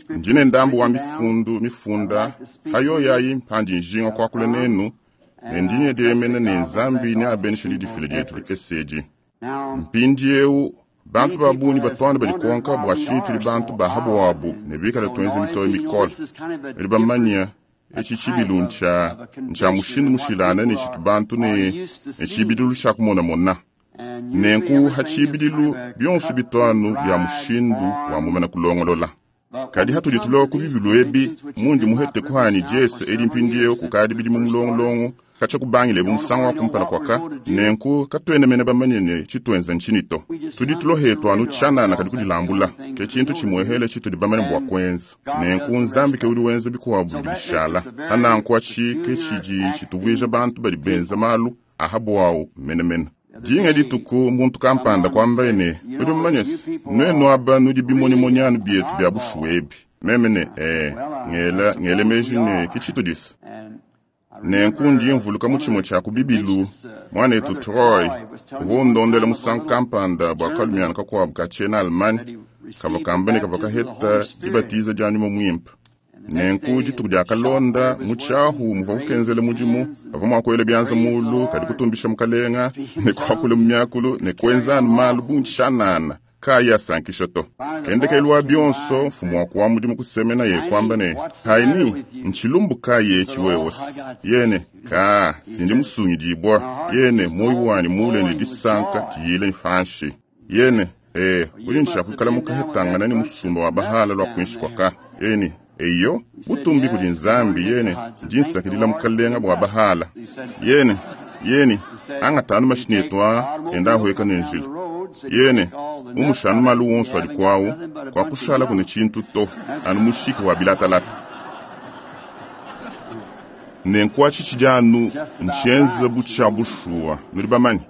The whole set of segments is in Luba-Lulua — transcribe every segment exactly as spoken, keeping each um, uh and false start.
Ndi ne ndambu wa mifundu mifunda hayoyayi mpandi njinga kuakula nenu ne ndi nyediemena ne Nzambi neabeneshe didifila dietu dikese edi. Mpindiewu bantu ba bungi batwana badi konka bua tshinyi tudi bantu ba habuabu ne bikale tuenza mitoyi mikole. Badi bamanya etshi tshibilu ntshia ntshia mushindu mushilane ne tshitu bantu ne ne tshibidilu tshia kumonamona. Nenku ha tshibidilu bionso bituanu bia mushindu wa mumana kulongolola. Kadi hatudi tulowa ku bibilu ebi mundi muhete kuhani diese edi mpindiewu kukadi bidimu mulongolongo katshia kubangila ebu musangu wa kumpala kwaka nenku katuena mene bamanye ne tshituenza ntshinyi to. Tudi tulohetu anu tshianana kadi kudilambula ke tshintu tshimuehele tshitudi bamanye bua kuenza. Nenku Nzambi ke udi wenza bikuabu bidi bishala. Hananku atshi ke tshidi tshituvuija bantu badi benza malu ahabuawu menemene. Dinga dituku muntu kampanda kuambaye ne udi mumanye se nuenu aba nudi bimonimonianu bietu bia bushuwa ebi. Meme ne eh ngela ngele meji ne ke tshitudisa. Nenku ndi mvuluka mu tshimue tshia ku bibilu muanetu Troy uvua undondela musangu kampanda bua kalumiana kakuabu ka tshiena Allemagne kavua kamba ne kavua kaheta dibatiza dia nyuma muimpe. Nenku dituku dia kalonda mu tshiahu muvua kukenzela mudimu bavua mua kuela bianza mulu kadi kutumbisha mukalenga ne kuakula mu miakulu ne kuenza anu malu bungi tshianana kayi asankisha to. Kendekelu wa bionso mfumu wa kuwa mudimu kusemena ye kuamba ne haini ntshilumbu kayi etshi wewosi yene ka sindi musungidibwa yene moyo wanyi mule ne disanka diyile panshi yene eh udi nshakuikala mukahetangana ne musumba wa bahala lwa kuinshi kwaka yene eyo butumbi kudi Nzambi yene ndi nsakidila mukalenga bua bahala yene yene angatanu mashini etu a enda ahweka ne njila yene umushanu malu wonso adi kwawu kwa kushala kune tshintu to anu mushiki wa bilatalata. Nenku atshi tshidi anu ntshienza bu tshia bushuwa nudi bamanye.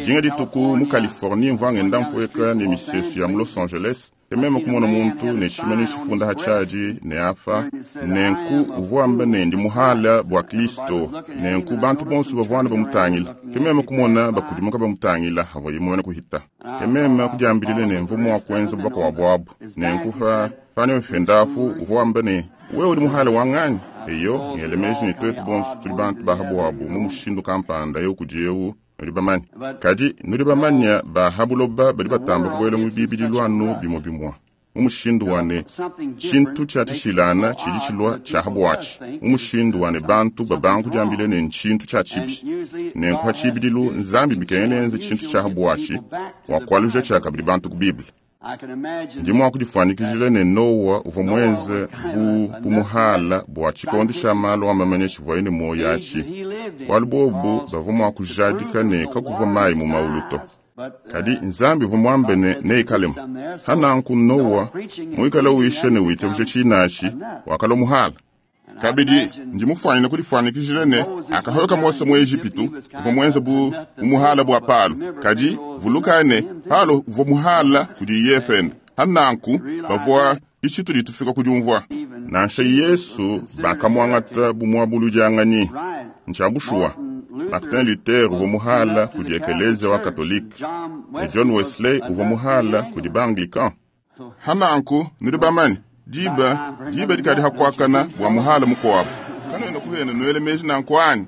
Dinga dituku mu Californie mvua ngenda mpueka ne misesu ya mu Los Angeles ke meme kumona muntu ne tshimanu tshifunda ha tshiadi ne apa nenku uvua amba ne ndi muhala bua Kristo. Nenku bantu bonso bavua bamutangila ke meme kumona bakudimuka bamutangila avua mumane kuhita. Ke meme kudiambilile ne mvua mua kuenza bubaka wa buabu. Nenku pa pane mfendafu uvua amba ne wewe udi muhala wa nganyi? Eyo ngele meji ne tuetu bonso tudi bantu ba habuabu mu mushindu kampanda eu kudi eu nudi bamanye. Kadi nudi bamanya ba habuloba badi batamba kubuela mu bibidilu anu bimue bimue mu mushindu wa ne tshintu tshia tshishilana tshidi tshilua tshia habuatshi mu mushindu wa ne bantu babanga kudiambile ne ntshintu tshia tshibi. Nenku ha tshibidilu Nzambi bikengela tshintu tshia habuatshi wa kualuja tshia kabidi bantu ku Bible. Ndi mua kudifuanyikijila ne Noa uvua muenze bu bu muhala bua tshikondo tshia malu amamanya tshivuaye ne moyo atshi bualu bobu bavua mua kujadika ne kakuvua mayi mu maulu to. Kadi Nzambi uvua muambe ne neikalemu. Hananku Noa muikale uisha ne witabuja tshinashi wakalua muhala. Kabidi ndi mufuanyine kudifuanyikijila ne akahoka Mose mu Ejipitu uvua muenze bu muhala bua Palo. Kadi vuluka ne Palo uvua muhala kudi Yefende. Hananku bavua ishitu ditufika kudiumvua. Nansha Yesu bakamuangata bu muabuludianganyi. Ntshia bushuwa Martin Luther uvua muhala kudi Ekelezia wa Katolike ne John Wesley uvua muhala kudi ba-Anglican. Hananku nudi bamanye diba diba dikadi hakuakana bua muhala mukuabu. Kanuena kuhena nuele meji nanku anyi?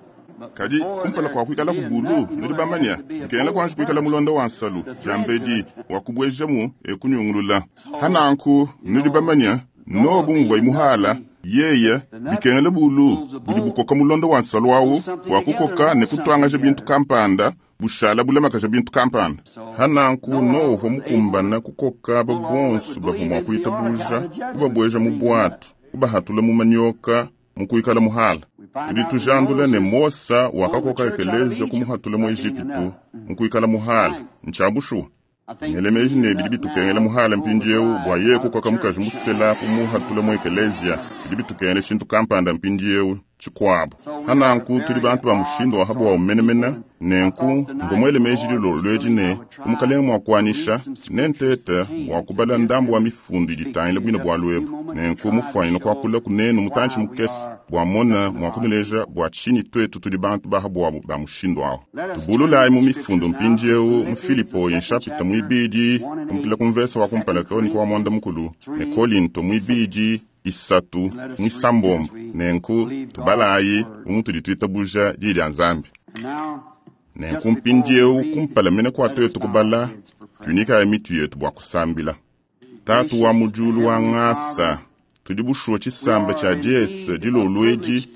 Kadi kumpala kwa kuikala kubulu nudi bamanya bikengela kuanji kuikala mulonda wa nsalu diambedi wa kubuejamu ekunyungulula. Hananku nudi bamanya Noa bumvua muhala yeye bikengela bulu budi bukoka mulonda wa nsalu awu wa kukoka ne kutuangaja bintu kampanda bushala bulamakaja bintu kampanda. Hananku Noa uvua mukumbana kukoka babonso bavua mua kuitabuja kubabueja mu bwatu kubahatula mu manyoka mu kuikala muhala. Tudi tujandula ne Mosa wakakoka ekelezia kumuhatula mu Ejipitu mu kuikala muhala. Ntshia bushuwa. Ngele meji ne bidi bitukengela muhala mpindiewu bua ye kukoka mukaji musela kumuhatula mu ekelezia. Bidi bitukengela tshintu kampanda mpindiewu Tshikuabu hananku tudi bantu ba mushindu wa habuwawu menemene. Nenku mvua muele meji dilolo edi ne umukalenga mua kuanyisha nentete bua kubala ndambu wa mifundu idi itangila buine bualu ebu. Nenku mufuanyine kuakula kunenu mutantshi mukese bua mona mua kunuleja bua tshinyi twetu tudi bantu ba habuwabu ba mushindu awu. Tubululayi mu mifundu mpindiewu mu Filipo nshapita muibidi kumpila ku mvese wa kumpala too ne ku wa mwanda mukulu ne Kolinto muibidi isatu mwisambombo. Nenku tubalayi umutudi twitabuja diyi dia Nzambi. Nenku mpindiewu kumpala mene kua twetu kubala tuinyikayi mitu yetu bua kusambila. Tatu wa mu diulu wa ngasa, tudi bushuwa tshisamba tshia Diese dilolo edi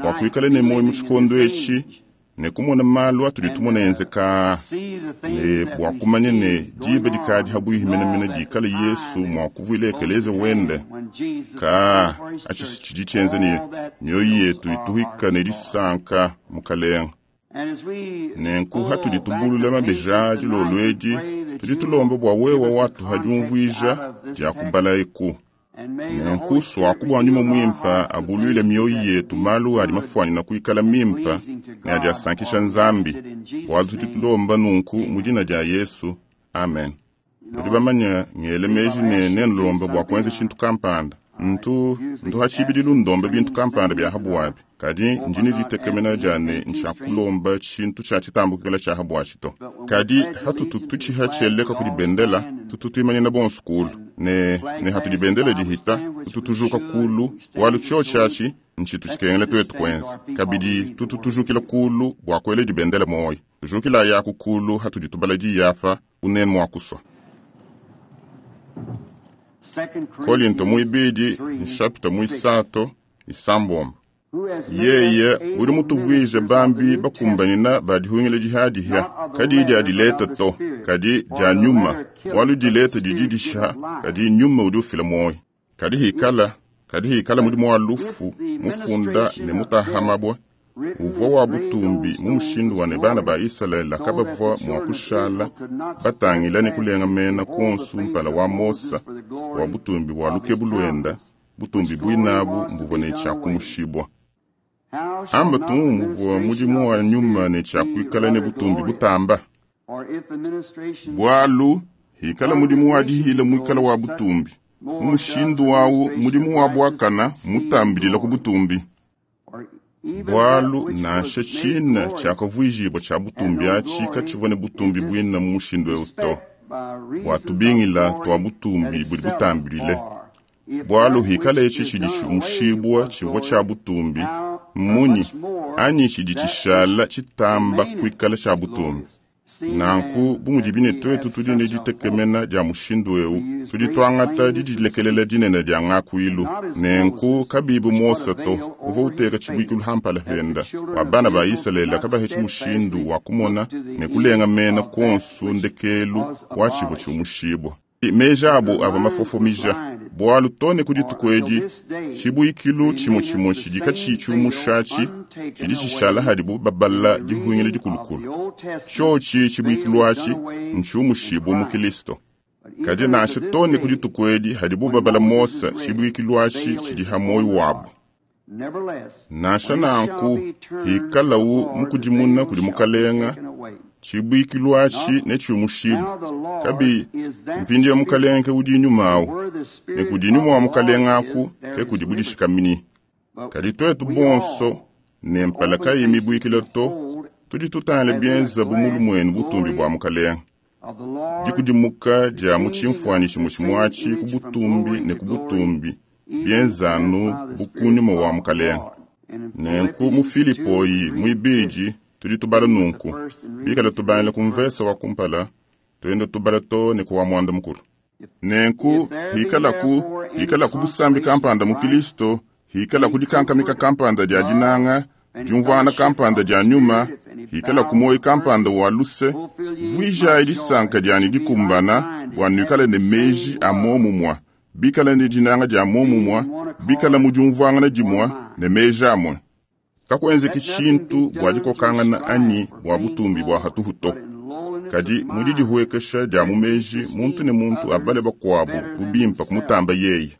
bua kuikala ne muoyo mu tshikondo etshi ne kumona malu atudi tumona enzeka ne bua kumanya ne diba dikadi habuihi menemene dikala Yesu mua kuvuila ekeleze wende. Ka atshi tshidi tshienza ne mioyo yetu ituhika ne disanka mukalenga. Nenku hatudi tubulula mabeja dilolo edi tudi tulomba bua wewa watuha diumvuija dia kubala eku. Nenku swaku bua nyuma muimpa abuluile mioyo yetu malu adi mafuanyina kuikala mimpa ne adi asankisha Nzambi. Bualu tudi tulomba nunku mu dina dia Yesu, amen. Nudi bamanya ngele meji ne nenulomba bua kuenza tshintu kampanda. Ntu ntu hatshibidilu ndomba bintu kampanda bia habuabi, kadi ndi ne ditekemena dia ne ntshiakulomba tshintu tshia tshitambukila tshia habuatshi to. Kadi hatutu tutshiha tshieleka kudi bendela, tutu tuimanyina bonso kulu ne ne hatudi bendela dihita tutu tujuka kulu bualu tshiotshi atshi ntshitu tshikengela twetu kuenza. Kabidi tutu tujukila kulu bua kuela dibendela moyo. Tujukila yaku kulu hatudi tubala diyapa unene mua kusua. Kolinto muibidi nshapita muisato isambombo. Yeye udi mutuvuije bambi bakumbanyina badihungila dihadihya kadi dia dileta to kadi dia nyuma bualu dileta didi disha kadi nyuma udi ufila muoyo. Kadi hikala kadi hikala mudimu wa lufu mufunda ne mutahamabwa uvua wa butumbi mu mushindu wa ne bana ba Israeli kabavua mua kushala batangila ne kulenga mena konsu mpala wa Mosa wa butumbi bua lukebu luenda butumbi buinabu mbuvua ne tshiakumushibwa. Amba tungu muvua mudimu wa nyuma ne tshiakuikala ne butumbi butamba. Bualu hikala mudimu wa dihila muikala wa butumbi mu mushindu wawu mudimu wa buakana mutambidila ku butumbi. Bualu nansha tshina tshiakavuijibua tshia butumbi atshi katshivua ne butumbi buina mu mushindu eu to. Bua tubingila tua butumbi budi butambidile. Bualu hikala etshi tshidi tshiumushibua tshivua tshia butumbi munyi anyi tshidi tshishala tshitamba kuikala tshia butumbi. Nanku bu mudi bine twetu tudi ne ditekemena dia mushindu eu tudi tuangata didilekelela dinene dia ngakuilu. Nenku kabibu Mosa to uvua uteka tshibuikilu hampala penda wa bana ba Israeli kabahetshi mushindu wa kumona ne kulenga mena konsu ndekelu wa tshivua tshiumushibua. Meji abu ava mafofomija bualu too ne ku dituku edi tshibuikilu tshimue tshimue tshidi katshiyi tshiumushatshi tshidi tshishala hadibu babala dihungila dikulukulu. Tshiotshi tshibuikilu atshi ntshiumushibue mu Kristo. Kadi nansha too ne ku dituku edi hadibu babala Mosa tshibuikilu atshi tshidi ha muoyo wabu. Nansha nanku hikalawu mukudimuna kudi mukalenga tshibuikilu atshi netshiumushibue. Kabi mpindieu mukalenga ke udi nyuma awu ne kudi nyuma wa mukalenga aku ke kudi budishikamini. Kadi twetu bonso ne mpala kayi mibuikila to tudi tutangila bienza bu mulu muenu butumbi bua mukalenga. Dikudimuka dia mu tshimfuanyi tshimue tshimue atshi ku butumbi ne ku butumbi bienzanu bu ku nyuma wa mukalenga. Nenku mu Filipoyi muibidi tudi tubala nunku bikala tubangila ku mvese wa kumpala tuenda tubala to ne ku wa mwanda mukulu. Nenku hikalaku hikalaku busambi kampanda mu Kristo, hikalaku dikankamika kampanda dia dinanga, diumvuana kampanda dia nyuma, hikalaku moyo kampanda wa luse, vuijayi disanka dianyi dikumbana bua nuikale ne meji a momumua, bikala ne dinanga dia momumua, bikala mu diumvuangana dimua ne meji amue. Kakuenzeki tshintu bua dikokangana anyi bua butumbi bua hatuhu to. Kadi mu didihuekesha dia mu meji muntu ne muntu abale bakuabu bu bimpa kumutamba yeye.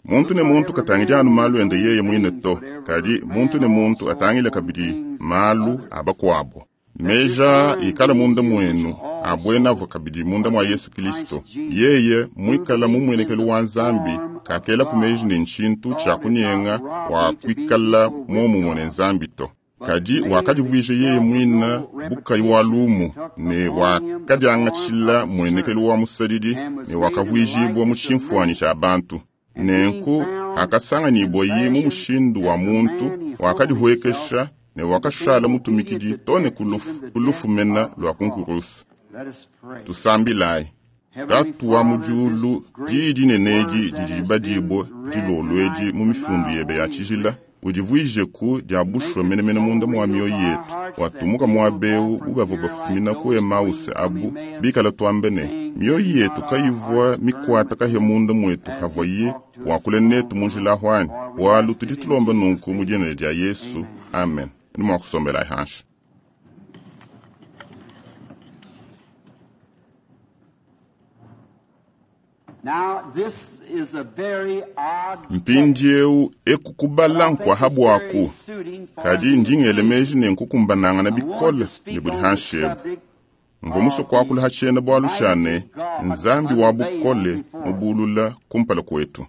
Muntu ne muntu katangidi anu malu ende yeye muine to, kadi muntu ne muntu atangile kabidi malu a bakuabo. Meja ikala munda mwenu abuena avua kabidi munda mwa Yesu Kristo. Yeye muikala mu mwenekelu wa Nzambi kakela ku meji ne nshintu tshia kunyenga wa kuikala momumue ne Nzambi to. Kadi wakadivuija yeye muine bukayi wa lumu ne wakadiangatshila mwenekelu wa musadidi ne wakavuijibua mu tshimfuanyi tshia bantu. Nenku akasanganyibua ye mu mushindu wa muntu wakadihuekesha ne wakashala mutumikidi to ne ku lufu mena lua ku nkurusa. Tusambilayi. Tatu wa mu diulu, diyi dinene edi didi dibadibua dilolo edi mu mifundu yebe ya tshijila, udivuijeku dia bushuwa menemene munda mua mioyo yetu, watumuka muaba eu bu bavua bafumina ku Emause abu bikala tuambe ne mioyo yetu kayivua mikuata kahia munda muetu havuaye wakula netu mu njila ahwanyi. Bualu tudi tulomba nunku mu dina dia Yesu, amen. Ni mua kusombela hanshi. Mpindieu ekukubala nkwaha bwaku, kadi ndingele meji ne nkukumbanangana bikole ne budi hanshi ebu. Mvua musue kuakula ha tshiena bualu tshia ne Nzambi wa bukole mubulula kumpala kuetu.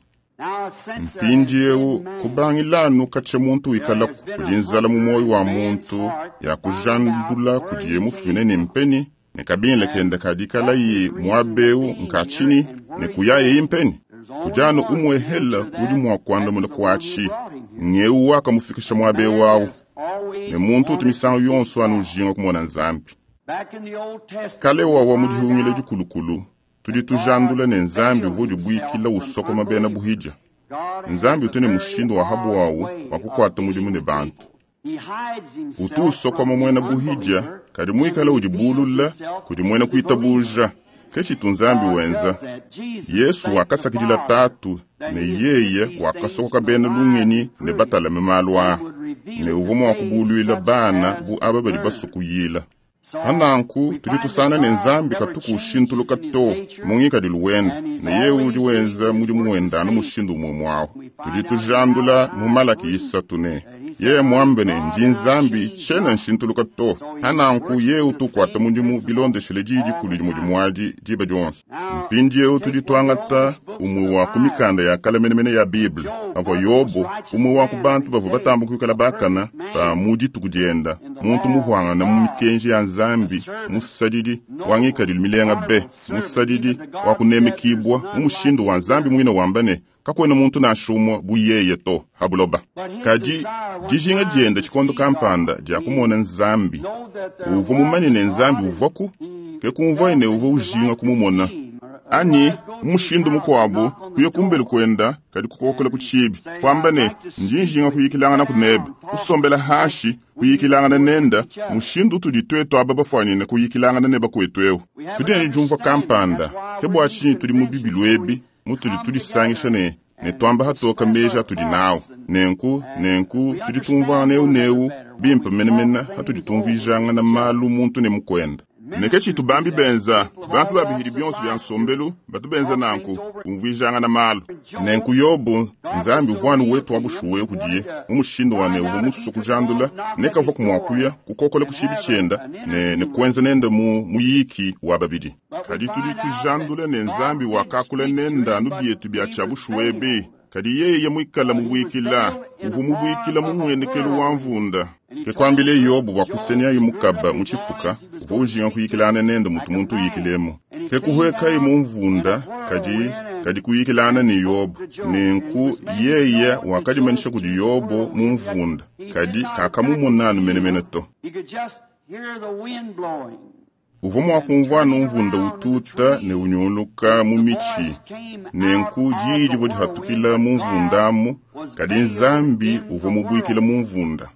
Mpindieu kubangilanu katshia muntu wikala kudi nzala mu moyo wa muntu ya kujandula kudiye mufumine ne mpeni ne kabingile kenda kadikala ye muaba eu nkatshini ne kuyaye impeni. Kujanu umwehela udi mua kuandamuna kuatshi ngeu wakamufikisha muaba eu awu ne muntu utu misangu yonso anu ujinga kumona Nzambi. Kale wawa mu dihungila dikulukulu tudi tujandula ne Nzambi uvua udibuikila usokoma bena buhidja. Nzambi utu ne mushindu wa habu wawu wa kukuata mudimu ne bantu. Utu usokoma muena buhidja kadi muikala udibulula kudi muena kuitabuja. Ke tshitu Nzambi wenza. Yesu wakasakidila Tatu ne yeye wakasokoka bena lungenyi ne batalame malu aa ne uvua mua kubuluila bana bu aba badi basukuyila. Hananku tudi tusana ne Nzambi katuku ushintuluka to mu ngikadilu wenda ne yeye udi wenza mudimu wenda anu mushindu umwe mwawu. Tudi tujandula mu Malaki isatu ne yeye muambe ne ndi Nzambi tshiena nshintuluka to. Hananku yeye utukuata mudimu bilondeshele diyi dikulu dimue dimuadi diba dionso. Mpindieu tudi tuangata umwe wa ku mikanda ya kale menemene ya Bible pavua Yobo umwe wa ku bantu bavua batamba kuikala bakana ba mu dituku dienda, muntu muhwangana mu mikenji ya Nzambi, musadidi wa ngikadilu milenga be, musadidi wa kunemekibua mu mushindu wa Nzambi muine wamba ne kakuena muntu nansha umue bu yeye to ha buloba. Kadi dijinga dienda tshikondo kampanda dia kumona Nzambi, uvua mumanye ne Nzambi uvuaku, ke kumvuaye ne uvua ujinga kumumona. Anyi mushindu mukuabu kuya kumbelu kuenda kadi kukokola ku tshibi kuamba ne ndi njinga kuyikilangana kunebe, kusombela hashi kuyikilangana nenda mushindu utudi tuetu aba bafuanyine kuyikilangana ne bakuetu eu. Tudi ne diumvua kampanda ke bua tshinyi tudi mu bibilu ebi mutudi tudisangisha ne ne tuamba hatoka meji atudi nawu. Nenku nenku tudi tumvuangana eu neu bimpe menemene hatudi tumvuijangana malu muntu ne mukuenda. Ne ke tshitu bambi benza bantu babihidi bionso bia nsombelu batu benza nanku kumvuijangana malu. Nenku Yobo Nzambi uvua anu wetu wa bushuwa kudiye mu mushindu wa ne uvua musue kujandula ne kavua kumuakuya kukokola ku tshibi tshienda ne, ne kuenza nende mu muyiki wa babidi. Kadi tudi tujandula ne Nzambi wakakula nenda anu bietu bia tshia bushuwa ebi. Kadi yeye muikala mubuikila uvua mubuikila mu muenekelu wa mvunda. Ke kuambile Yobo bua kusenyaye mukaba mu tshifuka uvua ujinga kuyikilana nende mutu muntu uyikilemu. Ke kuhuekaye mu mvunda kadi kadi kuyikilana ne Yobo. Nenku yeye wakadimanisha kudi Yobo mu mvunda kadi kakamumonanu menemene to. Uvua mua kumvua anu mvunda ututa ne unyunguluka mu mitshi. Nenku diyi divua dihatukila mu mvunda amu, kadi Nzambi uvua mubuikila mu mvunda.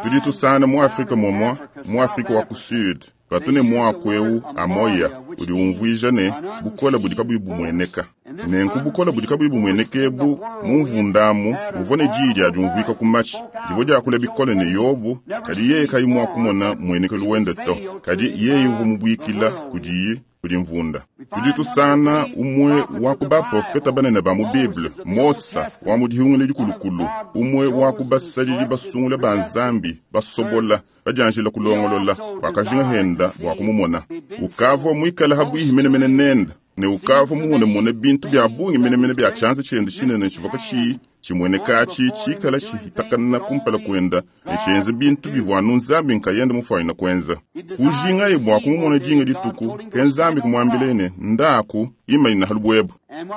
Tudi tusana mu Afrika momua, mu Afrika wa ku Sud, batu ne muaku eu amoya udi umvuija ne bukole budi kabuyi bumueneka. Nenku bukole budi kabuyi bumueneka ebu mu mvunda amu buvua ne diyi dia diumvuika ku matshi, divua diakula bikole ne Yobo, kadi yeye kayi mua kumona muenekelu wende to. Kadi yeye uvua mubuikila kudiye kudi mvunda. Tudi tusangana umwe wa ku baprofeta banene ba mu Bible, Mosa wa mu dihungile dikulukulu, umwe wa ku basadidi basungula ba Nzambi basobola badianjila kulongolola, wakajinga henda bua kumumona. Ukavua muikale habwihi menemene nenda, ne ukavua mumonemone bintu bya bungi menemene bya tshianza tshiende tshinene tshivua katshiyi tshimueneka tshi tshikala tshihitakana kumpala kuenda ne tshienze bintu bivua anu Nzambi nkayende mufuanyina kuenza. Kujingaye bua kumumona dinga dituku, ke Nzambi kumuambile ne, ndaku imanyina ha lubwebo.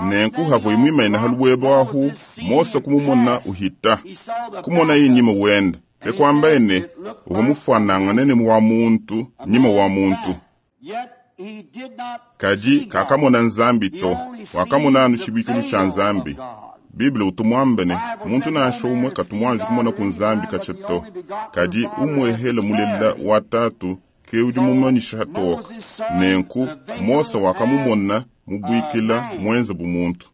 Nenku havua imwimanyina ha lubwebo ahu, Mose kumumona uhita, kumonaye nyima wenda. Ke kuambaye ne, uvua mufuanangane ne wa muntu, nyima wa muntu. Kadi kakamona Nzambi to, wakamona anu tshibikilu tshia Nzambi. Bible utu muambe ne, muntu nansha umwe katu muanji kumona ku Nzambi katshia to. Kadi umwehele mulela wa tatu ke udi mumanyisha hatoka. Nenku Mose wakamumona mubuikila mwenze bu muntu.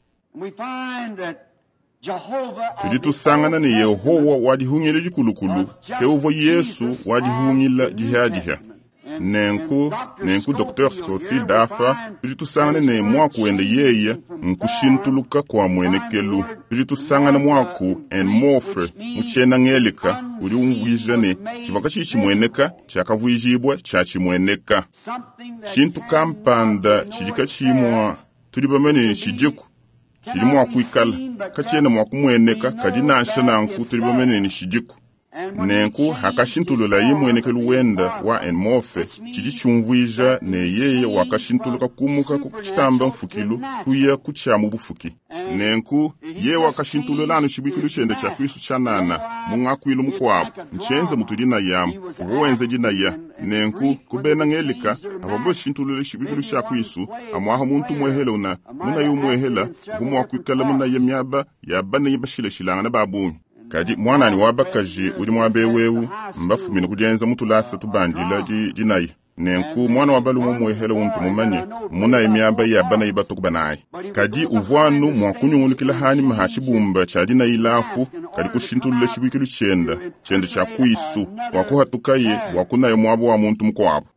Tudi tusangana ne Yehowa wadihungila dikulukulu ke uvua Yesu wadihungila dihadiha. Nenku, nenku Docteur Scofield afa, tudi tusangana ne mwaku wende yeye nkushintuluka kwa mwenekelu. Tudi tusangana mwaku en morphe mu tshiena-ngelika udi umvuija ne tshivua katshiyi tshimueneka tshiakavuijibua tshia tshimueneka. Tshintu kampanda tshidi katshiyi mua tudi bamanye ne tshidiku, tshidi mua kuikala katshiena mua kumueneka, kadi nansha nanku tudi bamanye ne tshidiku. Nenku hakashintululaye muenekelu wenda wa enmorphe, tshidi tshiumvuija ne yeye wakashintuluka kumuka ku tshitamba mfukilu kuya ku tshia mu bufuki. Nenku yeye wakashintulula anu tshibuikilu tshiende tshia Kristu tshianana mu ngakuilu mukuabu, ntshienze mutu dinayamu, uvua wenza dinaya. Nenku ku bena ngelika avua bashintulule tshibuikilu tshia Kristu, amuaha muntu muehela una munayi umuehela uvua mua kuikala munaya miaba ya banayi bashilashilangana ba bungi. Kadi mwananyi wa bakaji udi muaba ewu mbafumine kudienza mutulasa tubandila di dinaya. Nenku mwana wa balume umuehela untu mumanye munayi miaba ya banayi batuku banayi. Kadi uvua anu mua kunyungulukila hanyima ha tshibumba tshia dinayi lafu, kadi kushintulula tshibuikilu tshienda tshiende tshia kuisu bua kuhatukaye bua kunaya muaba wa muntu mukuabu.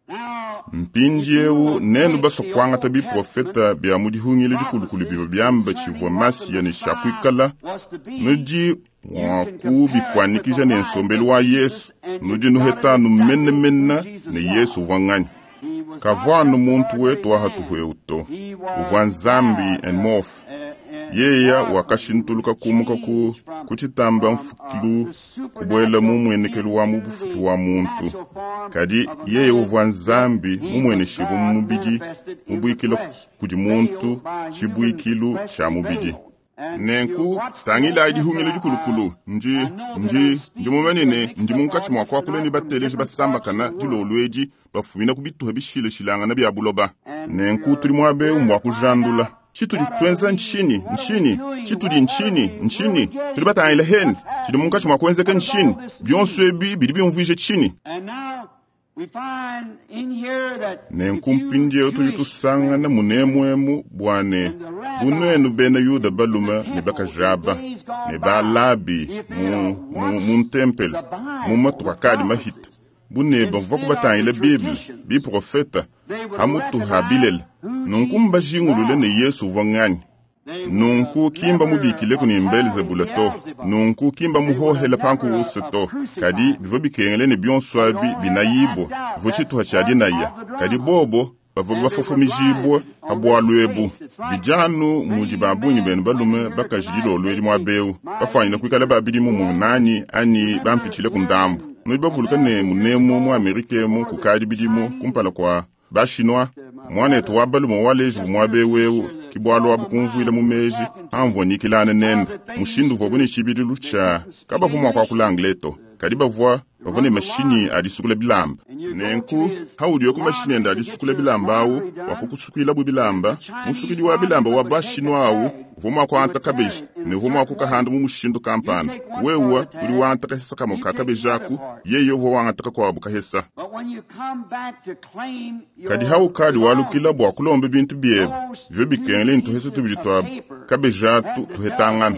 Mpindiewu nenu basua kuangata biprofeta bya mu dihungila dikulukulu bivua biamba tshivua Masiya ne tshia kuikala, nudi mua kubifuanyikija ne nsombelu wa Yesu, nudi nuhetanu menemene ne Yesu uvua nganyi. Kavua anu muntu wetu wa hatuhu to, uvua Nzambi en morphe. Yeye wakashintuluka kumuka ku ku tshitamba mfukilu kubuela mu muenekelu wa mu bufuki wa muntu. Kadi yeye uvua Nzambi mumueneshibue mu mubidi, mubuikila kudi muntu tshibuikilu tshia mubidi. Nenku tangilayi dihungila dikulukulu, ndi ndi ndi mumanye ne ndi munkatshi mua kuakula ne bateleji basambakana dilolo edi bafumina ku bituha bishilashilangana bya buloba. Nenku tudi muaba ewu mbua kujandula. Tshitudi tuenza ntshinyi? Ntshinyi? Tshitudi ntshinyi? Ntshinyi? Tudi batangila hene. Tshidi munkatshi mua kuenzeka ntshinyi? Bionso ebi bidi biumvuija tshinyi? Nenku mpindiewu tudi tusangana munemuemu bua ne bu nuenu bena Yuda balume ne bakaji aba ne balabi mu, mu, mu ntempelo mu matuku akadi mahita, bu ne bavua kubatangila Bible, biprofeta hamutu ha bilele. Nunku mbajingulule ne Yesu uvua nganyi. Nunku kimba mubikileku ne Belzebula to, nunku kimba muhohela pankurusa to, kadi bivua bikengele ne bionso abi binayibua, bivua tshituha tshia dinaya. Kadi bobo bavua bafofomijibua pa bualu ebu. Bidi anu mudi ba bungi benu balume bakaji dilolo edi muaba ewu, bafuanyina kuikala babidi mu munanyi anyi bampitshile ku ndambu. Nudi bavuluka ne munemu mu Amerika emu kukadi bidimu kumpala kua Bachinois, mwanetu wa balume waleji bu muaba ewu ewu, ki bualu abu kumvuila mu meji amvua nyikilana nende mushindu uvua bu ne tshibidilu tshia kabavua mua kuakula anglais to, kadi bavua bavua ne mashinyi a disukula bilamba. Nenku haudiwe ku mashinyi ende a disukula bilamba awu bua kukusukuilabu bilamba, musukidi wa bilamba wa Bachinois awu uvua mua kuangata kabeji ne uvua mua kukahanda mu mushindu kampanda. Wewe udi wangata kahesa kamue ka kabeji aku, yeye uvua wangata kakuabu kahesa. Kadi haukadi walukila bua kulomba bintu biebe, bivua bikengela ne tuhesa tubidi tua kabeji atu tuhetangana.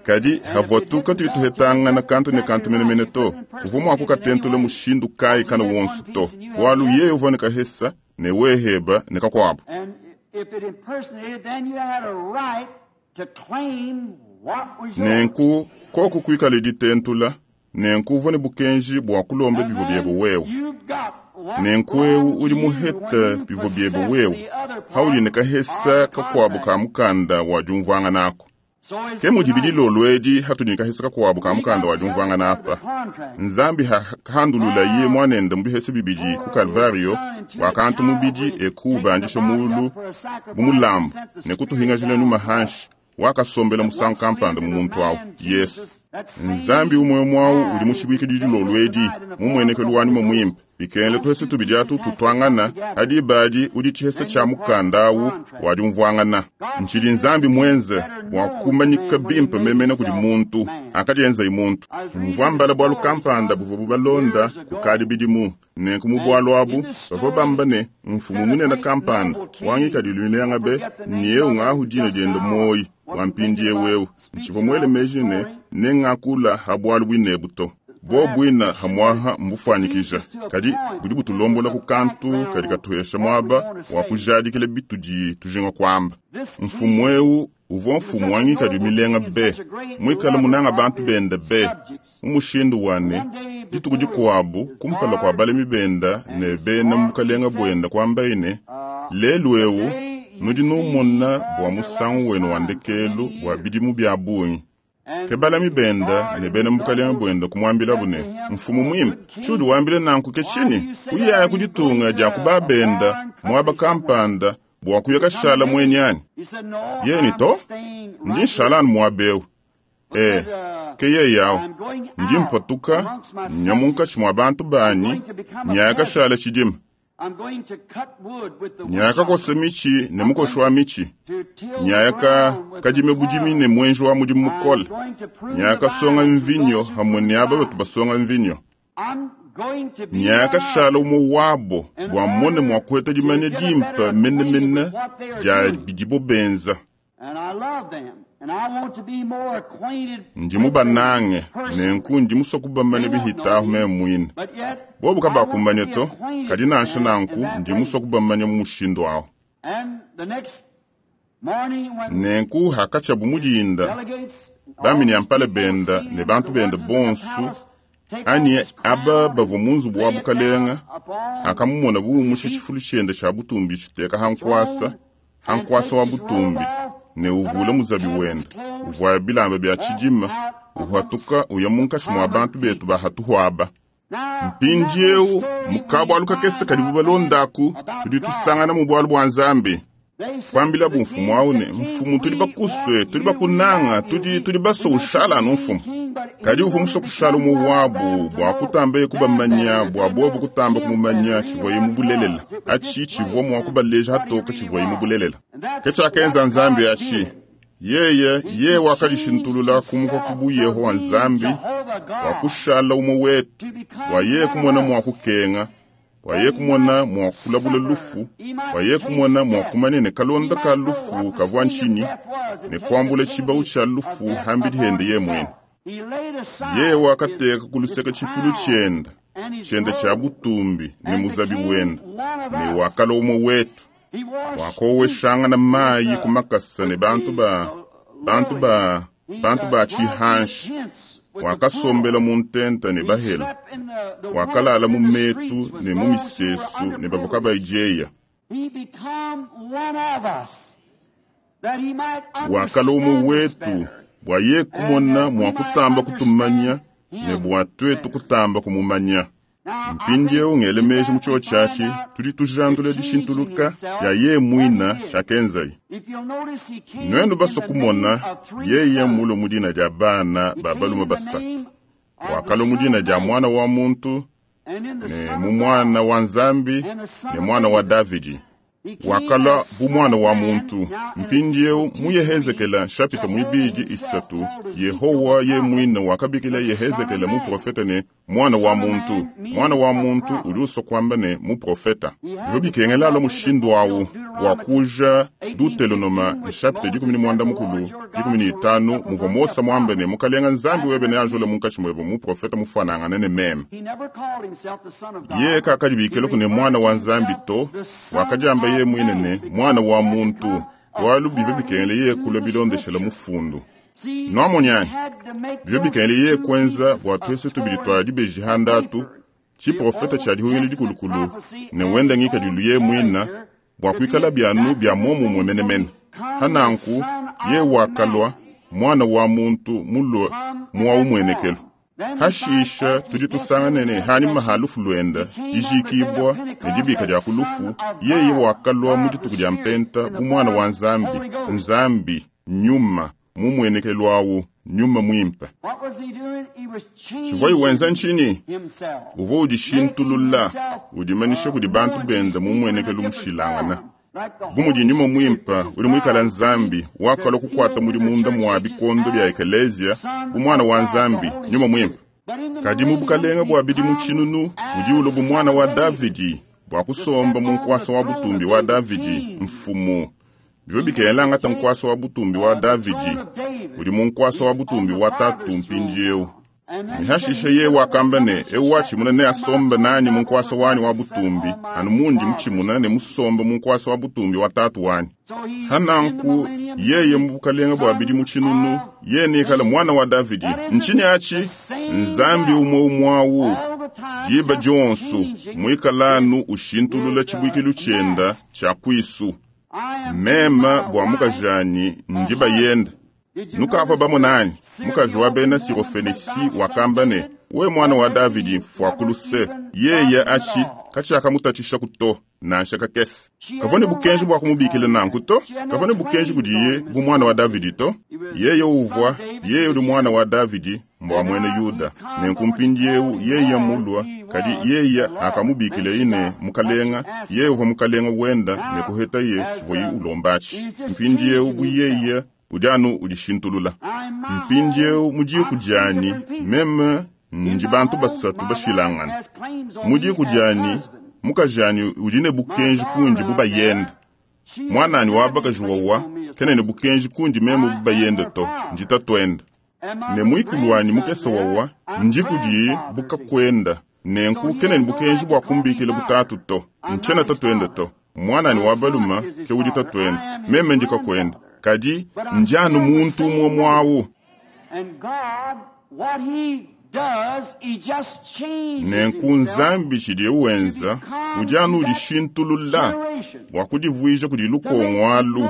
Kadi havua tu katuyi tuhetangana kantu ne kantu menemene to, kuvua mua kukatentula mushindu kayi kana wonso to, bualu yeye uvua ne kahesa ne weheba ne kakuabu. And if it impersonated, then you had a right to claim what was yours. Nenku koku kuikale ditentula, nenku uvua ne bukenji bua kulomba And bivua biebe then wewe. you've got what Nenku ewu belonged udi to you muhete when you bivua biebe possess wewe, the other part paudi ne of kahesa the kakuabu ka contract. mukanda wa diumvuangana ako. So is Ke mudi tonight. bidilolo edi hatudi ne kahesa kakuabu ka We mukanda got wa the other diumvuangana part of the apa. contract. Nzambi handulula ye mwanende mu bihesa bibidi ku Pour his Kalvario son into a wakantu child mubidi when he eku takes the ubandisha body mulu up for a mu sacrifice and mulambu sent the ne spirit kutuhingajila down nyuma to us. hanshi wakasombela That musangu what slid kampanda mu to the muntu awu man Yesu. Jesus, that same Nzambi umwe mwawu God udi is mushibwike today dilolo with edi tonight in the form of mumuenekelu the wa nyuma Holy Ghost. mwimpe bikengele Those tuhese two tubidi atu pieces has to come tutwangana together. adi badi udi chihesa Then cha you're part of mukanda the awu contract. wa diumvuangana. God Nchidi did Nzambi this to mwenze better bua know to kumanyika man when he bimpe made memene kudi himself muntu man. akadienza muntu. I was reading Mvua a mbala bwalu story kampanda some buvua bubalonda years ago, kukadi bidimu nenku mu and bwalu in abu this bavua story bamba ne mfumu said a munene great kampanda noble king, wangikadilu I milenga be forget the name niye of it ungahu dina just diende now, moyi wa wasn't thinking mpindie about wewe speaking ntshivua muele of the meji ne story. nengakula ha bwalu bwinebu to bo Perhaps bwina pictures hamwaha it mbufuanyikija leads us to a kadi point budi that gives us butulombola a ku kantu background kadi on katuhesha what we mwaba want to wa say. kujadikila bitudi tujinga kwamba This mfumu king, ewu uvua he was mfumu such a wangikadi noble milenga king and be such a great mwikala lover munanga of bantu his benda be subjects. mu mushindu wane One day dituku before dikuabu his kumpala kua guard balemi benda and ne his bena mu army bukalenga said, bwenda kwamba ine uh, lelu ewu Today you nudi see me numona for bua the musangu last wenu wa time for ndekelu many bua years. bidimu bia bungi. Ke And balami his benda guard ne and bena his mu bukalenga nobles bwenda kumuambilabu said ne to him, mfumu O mwimpe good tshiudi king, wambile nanku ke why do tshinyi you say that? uyaya Are ku you going ditunga to dia a, kuba a benda foreign mwaba country somewhere kampanda bua kuya to come kashala and live? mwenyani He said, No, yeni I'm to staying ndi right here. nshalani muabewu But e said, uh, ke yeyawu I'm going ndi out mpatuka amongst my nya munkatshi subjects. mua bantu I'm banyi going to become a nyaya peasant. kashala tshidima I'm going to cut wood with the nyaya kakosa woodchopper. michi ne I'm mukoshi going wa to, michi to till the nyaya ka ground with the kadime budimi ne plow. mwenji wa mudimu I'm mukole going to prune nyaya the kasonga vines with mvinyo those who hamwe prune ne aba batu vines. basonga mvinyo I'm going to be nyaya one of kashala them umwe wabo in bua mone mua order kuheta to dimanya get a better dimpe acquainted menemene with what they are dia doing. bidibo benza And I love them. And I want to be more acquainted ndi with them mubanange personally. nenku ndi musua kubamanya They won't know bihitahu me, meme mwine but yet bobu I want to kabakumanya be to acquainted kadi with nansha them in nanku that ndi way. musua kubamanya mu mushindu awu And the next morning when nenku hakatshiabu his mudinda delegates and all bamini his ampala people benda see ne him, bantu the benda ones that's in the bonsu palace, take off anyi his aba crown and bavua mu nzubu wa lay it bukalenga down upon akamumona the buumusha seat, tshifulu tshiende tshia butumbi tshiteka hankwasa throne, and hankwasa take wa his robe butumbi off, ne put uvula on muzabi peasant's wenda clothes, uvua bilamba bia walk tshidima out amongst uhatuka uya the munkatshi mua common bantu betu people. bahatuhuaba Now, in that little mpindiewu story, we mukabualu kakese find kadi out then bubalondaku about tudi God. tusangana mu bualu bua Nzambi They said to kwambila the king, bumfumu awu said, ne King, mfumu tuli we bakuswe want tuli you, we bakunanga love you, tudi we, tuli we want you to basoushale anu be mfumu king, but kadi he uvua wanted musua to kushala become umue one of wabu them to bua know kutamba them kubamanya better, that bua they bobu know kutamba him kumumanya better, really tshivuaye what mu he bulelela was. It was atshi tshivua displayed mua and kubaleja what he hatoka really tshivuaye mu was. bulelela And ke that's tshiakenza what Nzambi God atshi did. yeye He, ye he changed wakadishintulula kumuka himself ku buyeho from wa being Nzambi Jehovah bua God kushala umue wetu to bua become yeye one of kumona mua us, kukenga bua that yeye he kumona might mua kulabula suffer, lufu he bua might yeye taste kumona mua death, kumanya ne he kalonda might ka know lufu what the kavua sting of ntshinyi death was and ne take the kuambula tshibawu penalty tshia of lufu death hambidi upon hende ye mwene himself. He laid yeye aside his, wakateka ku his luseke tshifulu crown tshienda and his tshienda tshia robe butumbi ne and muzabi became wenda one of ne us. wakala umue wetu He washed feet wakoweshangana with mayi the, ku makasa ne with bantu the ba uh, bantu lowly. ba He bantu uh, ba dwelt in the tshihanshi tents with the wakasombela poor. mu ntenta ne He bahela slept in the, the woods wakalala mu in the metu streets with ne mu those who were misesu ne bavua underprivileged. kabayijeya He become one of us that he might wakala umue understand us wetu better bua ye and kumona that we mua might kutamba kutumanya understand ne him bua twetu better. kutamba kumumanya Now, I think mpindiewu ngele in meji mu that we chio find tshiatshi out tudi that tujandula changing dishintuluka himself, dia ye what he mwina did. tshiakenzaye If you'll notice, he came nuenu in basua the name kumona of three yeye mulo sons. mu dina dia bana He ba came balume in the basatu name of the wakala mu Son dina of dia Man mwana wa muntu and in the ne Son mu of mwana God wa Nzambi and the Son ne of mwana wa David. Davidi Wakalua bu mwana wa muntu. Mpindieu mu Yehezekela chapitre mwibidi isatu, Yehowa ye mwine wakabikila Yehezekela muprofeta ne mwana wa muntu. Mwana wa muntu udi usua kuamba ne muprofeta. Bivua bikengela alua mushindu awu wa kuja Deuteronoma chapitre dikumi ne muanda mukulu dikumi ne itanu muvua Mose muambe ne mukalenga Nzambi webe neajule munkatshi muebe muprofeta mufuanangane ne meme. He never called himself the Son of God. Ye kakadibikila ne mwana wa Nzambi to, wakadiamba ye mwine ne mwana wa muntu, bualu bivua bikengela ye kulua bilondeshela mufundu. See, Nwamonyanyi, he had to make bivua those bikengela ye two kuenza pieces bua of tuesu tubidi torn twa dibeji handatu, paper. tshiprofeta tshia dihungila dikulukulu ne wenda ngikadilu ye mwina bua kuikala byanu bya momumwe menemene. Hananku ye wakalua mwana wa muntu mulue muwa umwenekelo. Hashisha tudi tusangane ne hanyuma ha lufu lwenda dijikibwa ne dibika dia kulufu, yeye wakalua mu dituku dia mpenta bu mwana wa Nzambi, Nzambi nyuma mumwenekelo awu nyuma mwimpe. What was he doing? He was Tshivua wenza changing nchini himself. uvua udishintulula udimanisha kudi bantu benda mumwenekelo mushilangana. Bu mudi nyuma mwimpe udi muikala Nzambi wakalua kukwata mudi munda mua bikondo bya ekelezia bu mwana wa Nzambi nyuma mwimpe. Kadi mu bukalenga bua bidimu tshinunu udi ulua bu mwana wa Davidi bua kusomba mu nkuasa wa butumbi wa Davidi mfumu. Bivua bikengela angata nkuasa wa butumbi wa Davidi udi mu nkuasa wa butumbi wa tatu mpindieu. Mihashisha ye wakamba ne eu watshimuna ne asomba nanyi mu nkuasa wanyi wa butumbi anu mundi mutshimuna ne musomba mu nkuasa wa butumbi wa tatu wanyi. Hananku yeye mu bukalenga bua bidimu tshinunu ye nikala mwana wa Davidi. Ntshinyi atshi Nzambi umwe umwawu diba dionsu mwikalanu ushintulula tshibuikilu tshienda tshia kwisu. Mema bua mukajanyi ndi bayenda. Nukavua bamonanyi mukaji wa bena Sirofenisi wakamba ne we mwana wa Davidi mfuakuluse yeye achi katshiakamutatshisha kuto nansha kakese. Kavua ne bukenji bua kumubikila nanku to, kavua ne bukenji kudiye bu mwana wa Davidi to. Yeye uvua yeye udi mwana wa Davidi mbwa mwene Yuda. Nenku mpindieu yeye mulua kadi yeye akamubikila ine mukalenga, yeye uvua mukalenga wenda ne kuheta ye tshivuaye ulombatshi. Mpindieu bu yeye udi anu udishintulula. Mpindieu mu diku dianyi meme ndi bantu basatu bashilangana. Mu diku dianyi mukajanyi udi ne bukenji kundi bu bayenda. Mwananyi wa bakaji wawa kena ne bukenji kundi meme bu bayenda to, ndi tatuenda. Ne mwikulu wanyi mukese wawa ndi kudiye bukakwenda. Nenku kena ne bukenji bua kumbikila butatu to, ntshiena tatuenda to. Mwananyi wa baluma ke udi tatuenda, meme ndi kakwenda. Kadi ndi anu muntu umwe mwawu. And God, what he does, he just changes Nenku himself Nzambi tshidiye wenza udi anu udishintulula bua kudivuija kudi lukongo alu,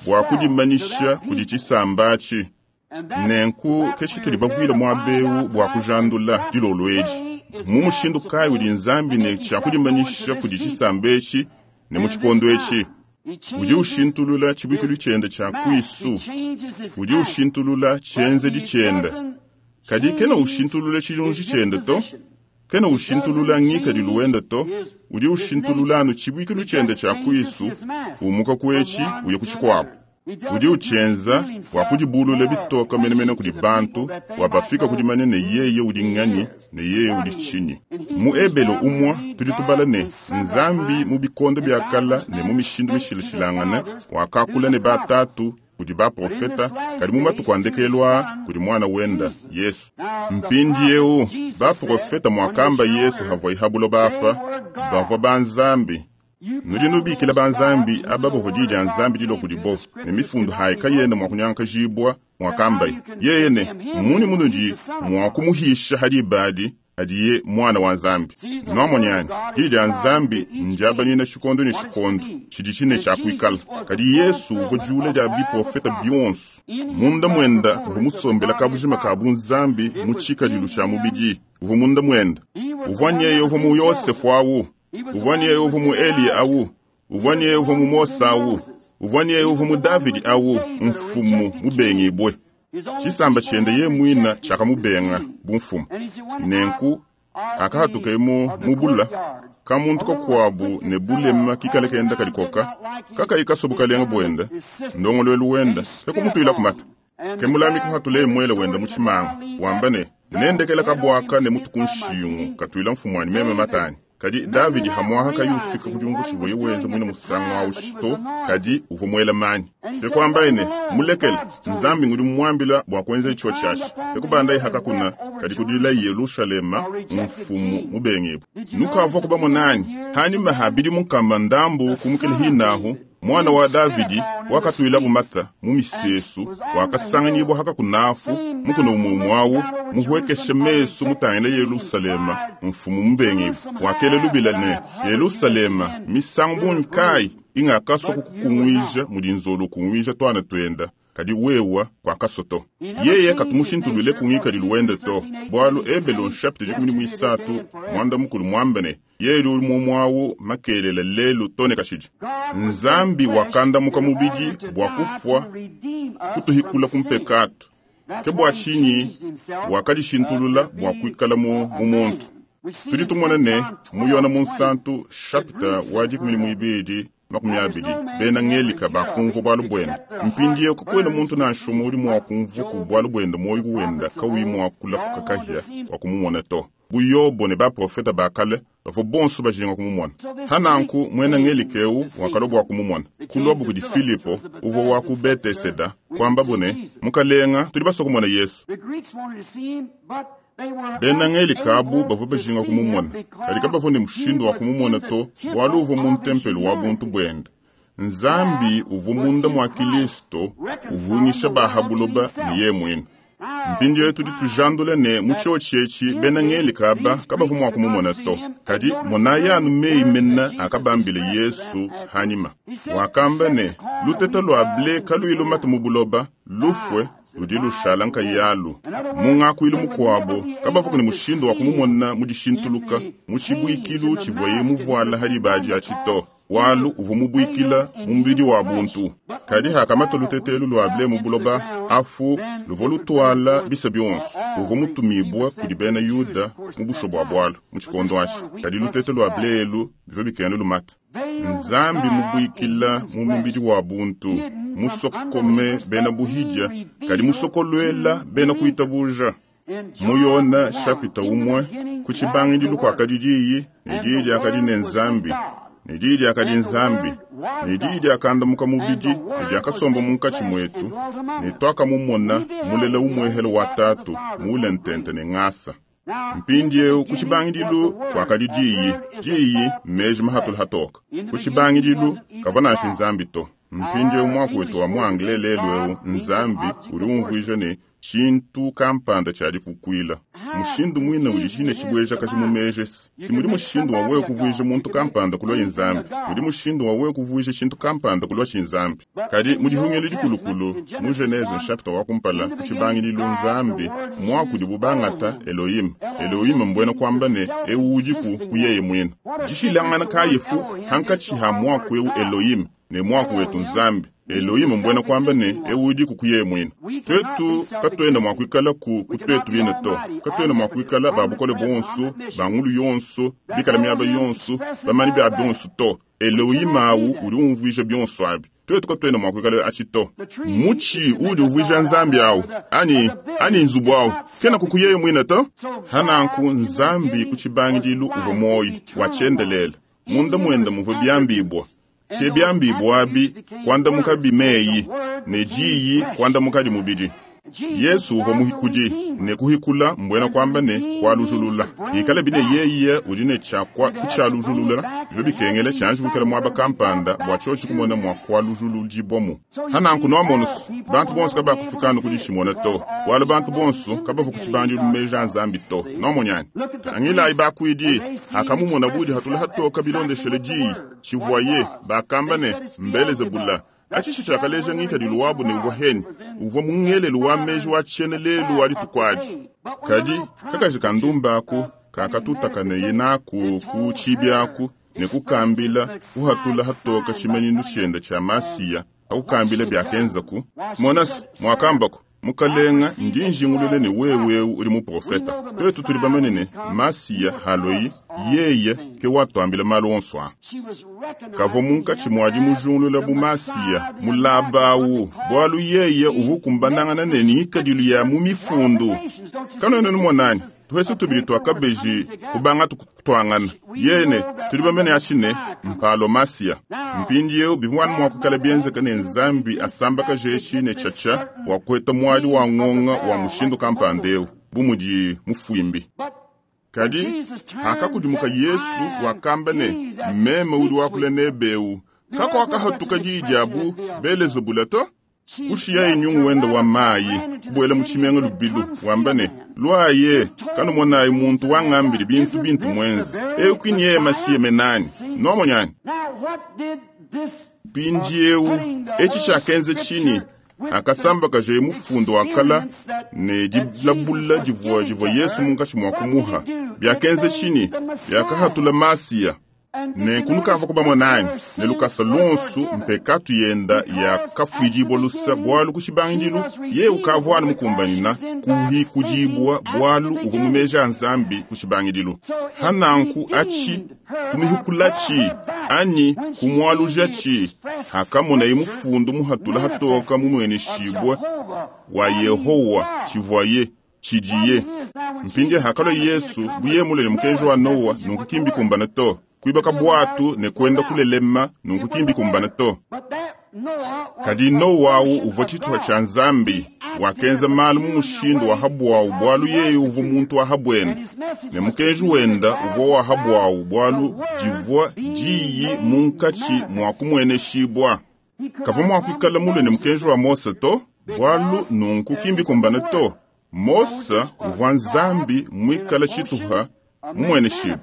bua kudimanyisha kudi tshisamba atshi. And that's Nenku what ke tshitudi we're bavuile here to muaba find eu out bua tonight. kujandula dilolo edi. Way is Mu God mushindu kayi udi supposed Nzambi to ne make tshia himself known to kudimanyisha this kudi people tshisamba etshi ne mu in this tshikondo etshi? time? He Udi changes ushintulula tshibuikilu his tshiende tshia mask, he kwisu, changes his udi act, ushintulula but tshienzedi he tshiende. doesn't Kadi kena change ushintulula tshilunji his tshiende to, disposition. kena He ushintulula doesn't ngikadilu change wende to, his, udi his ushintulula nature. anu tshibuikilu He tshiende just tshia changes kwisu, his mask umuka from kuetshi one uya ku to tshikuabu. another. He Udi doesn't do it utshienza feel bua himself kudibulula more bitoka menemene plain kudi to the bantu people that they bua might bafika know kudimanya ne who yeye udi he nganyi is ne and yeye what udi he is. tshinyi. In Mu Hebrews Ebelo now we umwa read tudi God tubala ne in sundry Nzambi times mu bikondo in bia kala divers ne mu manners mishindu spake to the mishilashilangane fathers through wakakula the ne prophets. batatu kudi But in baprofeta this last kadi mu days matuku a through his ndekelu aa son kudi mwana wenda Jesus. Yesu. Now the Mpindieu prophets, Jesus said, baprofeta when he was mwakamba here on Yesu earth, havua ihabulo they bafa were bavua gods. ba Nzambi. You Nudi call nubikila those ba Nzambi gods who aba the bavua word di dia of God Nzambi dilua came to, kudibo the ne scriptures mifundu cannot hayi be kayena broken. mua kunyankajibua Then how mwakambaye you can yeye ne condemn him muni when he's munudi the Son of mua God? kumuhisha hadi badi hadiye mwana wa Nzambi. See, the word of Nwamonyani God di is dia applied to Nzambi each ndiabanyina age tshikondo ne what it's to tshikondo be. tshidi tshine And tshia kuikala. Jesus was the Kadi Yesu uvua fulfillment jula of dia all the biprofeta prophets. bionso In him munda dwelt the mwenda uvua fullness of the musombela Godhead kabujima ka bodily. bunzambi It mu was tshikadilu in tshia him. mubidi uvua munda mwenda He was the uvua one nyeye that was uvua mu in Yosefu Joseph. awu He was the uvua one nyeye that uvua was mu in Eliya Elijah. awu He uvua was the nyeye uvua one mu who was Mose in awu Moses. uvua nyeye He uvua was mu the one who Davidi was in awu David, a mfumu rejected king. mubengibwe His own tshisamba people tshiende had ye mwina rejected him as tshiakamubenga king. bu mfumu And he said, when I nenku Hakahatuke mu mubula kamuntu kakuabu ne bulema kikale kenda kadikoka kakayi kasobukalenga buenda ndongolwelu wenda kekumutwila kumata kemulami kuhatule mwele wenda muchimanga wamba ne nendekela kabwaka ne mutu kunshingu katwila mfumwani meme matani kadi Davidi hamwaha kayufika kudiumvu tshivuye wenza mwina musangu awu to kadi uvua muela manyi tekwambaye ne mulekele nzambi ngudi mumuambila bua kuenza itsho tshiashi tekubandaye hakakuna kadi kudila Yelushalema mfumu mubengebu nukavua kubamonani hanyuma habidi munkamba ndambu kumukile hinahu mwana wa Davidi wakatwila bumata mu misesu wakasanganyibwa haka kunafu mukuna umumwawu muhwekeshe mesu mutangile Yerusalema mfumu mubengebu wakele lubila ne Yerusalema misangu bunyi ingakaswa kukungwija mudi nzolo kungwija twana twenda kadi wewa kwakasoto yeye katumushintulule kungikadilu wende to bwalu ebelo chapitre dikumi ni mwisatu mwanda mukulu mwambene yeli uli mumwawu makelela lelu tone kashidi nzambi wakandamuka mubidi bwa kufwa kutuhikula kumpekatu ke bwa shinyi wakadishintulula bwa kuikala mu muntu tudi tumona ne muyona munsantu chapitre wa dikumi ni mwibidi makumi abidi bena ngelika bakumva bwalu bwenda mpindiye kukwena muntu nanshumu uli mwakumva ku bwalu bwenda moyo wenda kawi mwakula kukakahya wakumumona to buyobo ne baprofeta bakale bavua bonso bajinga kumumona hananku mwena ngelika eu wakalo bwa kumumona kulwabu kudi Filipo uvua wa ku Beteseda kwamba bune mukalenga tudi baswa kumona Yesu bena ngelika abu bavua bajinga kumumona kadi kabavua ne mushindu wa kumumona to bwalu uvua mu ntempelo wa buntu bwenda nzambi uvua munda mwa Kilisto uvungisha bahabuloba ne ye mwina mpindieu tudi tujandula ne mu tshiotshi etshi bena ngelika aba kabavua mua kumumona to kadi monayi anu meyi mena akabambile Yesu hanyima wakamba ne luteta lua ble kaluyi lumata mu buloba lufwe ludi lushala nkayalu mungakuilu mukuabo kabavua ne mushindu wa kumumona mu dishintuluka mu tshibuikilu tshivuaye muvuala hadi atshi to walu uvua mubuikila mu mubidi wa buntu kadi hakamata lutetelu lua ble mu buloba afu luvua lutwala bisa bionso uvua mutumibua kudi bena Yuda mu busho bua bwalu mu tshikondo atshi kadi lutete lua ble elu bivua bikena lumata nzambi mubuikila mu mubidi wa buntu musokome bena buhidya kadi musokolwela bena kuitabuja muyona chapitre umwe ku tshibangidilu kuakadi diyi ne diyi diakadi ne nzambi ne diyi diakadi nzambi ne diyi diakandamuka mubidi ne diakasomba munkatshi mwetu ne twakamumona mulela umwehelo wa tatu muule ntente ne ngasa mpindieu ku tshibangidilu kuakadi diyi diyi mmeji mahatula hatoka ku tshibangidilu kavua nansha nzambi to mpindieu mwaku wetu wa mu anglais lelu eu nzambi udi umvuija ne tshintu kampanda tshiadikukuila mushindu mwina udi tshine tshibueja kashi mu mejesi timudi mushindu wa wewe kuvuija muntu kampanda kulwa nzambi mudi mushindu wa wewe kuvuija tshintu kampanda kulwa tshinzambi kadi mudihungelo dikulukulu mu Genese chapitre wa kumpala ku tshibangidilu nzambi mwaku bubangata Elohim Elohim mbwena kwamba ne eu udiku kuyeye mwina dishilangana kayifu hankatshi ha mwaku eu Elohim ne mwaku wetu nzambi Elohim mbwena kwamba ne eu udiku kuyeye mwina twetu katwenda mwakuikala ku kutwetu bine to katwenda mwakuikala babukole bonso bangulu yonso bikala miaba yonso bamani bya bionso to Elohim awu udi umvuija bionso abi twetu katwenda mwakuikala atshi to mutshi udi uvuija nzambi awu ani ani nzubu awu kena kukuyeye mwina to hananku nzambi ku tshibangidilu uvua moyi watshiendelela munda mwenda muvua biambibwa ke biambibwa abi kuandamuka bimeyi ne diyi kuandamuka mubidi Yesu uvua muhikudi ne kuhikula mbwena kwamba ne kualujulula ikala bine yeye udi ne tshakwa kutshialujulula bivua bikengela tshianji mwaba kampanda bua tshiotshi kumona mua kualujuludibwamu hananku noamonusu bantu bonso kabakufikanu kudishimona to bwalu bantu bonso kabavua kutshibandilu meja a nzambi to nomonyani tangilayi bakuidi akamumona budi hatula hatoka bilondeshele diyi tshivuaye bakamba ne mbelezebula atshishi tshiakaleja ngikadilu wabu ne uvua heni uvua mungelelu wa meji wa tshiene lelu wa ditukuadi kadi kakaji kandumbaku kakatutakane naku ku tshibiaku ne kukambila kuhatula hatoka tshimenyinu tshienda tshia masiya akukambila biakenzaku monasi mwakambako Mukalenga ndi njingulule ne wewe uli muprofeta. Twetu tuli bamanye ne Masiya haloi yeye ke watwambila malu onso a. Kavua munkatshi mwadi mujungulula bu Masiya mulabawu bwalu yeye uvu kumbanangana ne ngikadilu ya mu mifundu. Kanwena numonani tuhese tubili twakabeji kubanga tukutwangana yene tuli bamene ashine mpalo Masiya. Mpindieu bivwana mwakukala bienzeka ne Nzambi asambaka jeshi ne chacha wa kweta mwali wa ngonga wa mushindu kampandeu bumudi mufwimbi. Kadi hakakudimuka Yesu wakamba ne meme udi wakula nebeu kako wakahatuka diyi Belezebula to kushiya inyungu wenda wa mayi kubwela mu tshimenga lubilu wamba ne lwaye kanumonayi muntu wangambili bintu bintu mwenzi ekwini yeye masiye menani nomonyani mpindiewu etshi tshiakenze tshini akasambakaje mufundo wakala ne dilabula divua divua Yesu munkatshi mua kumuha byakenze tshini byakahatula Masiya ne kunukava kubamonani ne lukasa lonsu mpekatu yenda yakafwidibwa lusa bwalu kushibangidilu ye ukavwana mukumbanina kuhikudibwa bwalu uvua mumeja Nzambi kushibangidilu hananku achi kumihukulachi anyi kumwalujachi hakamona imufundu muhatula hatoka mumweneshibwa wa Yehowa chivwaye chidiye mpindi hakalo Yesu buyemulele mukenji wa Noa nunkukimbi kumbana to kuibaka bwatu ne kwenda kulelema nunkukimbi kumbana to. Kadi Noa uvua tshituha tsha Nzambi wakenza malu mu mushindu wa habwawu bwalu yeye uvua muntu wa habwenda ne mukenji wenda uvua wa habwawu bwalu divua diyi munkatshi mwa kumweneshibwa. Kavua mua kuikala mule ne mukenji wa Mose to bwalu nunkukimbi kumbana to. Mose uvua Nzambi mwikala tshituha mumweneshibwa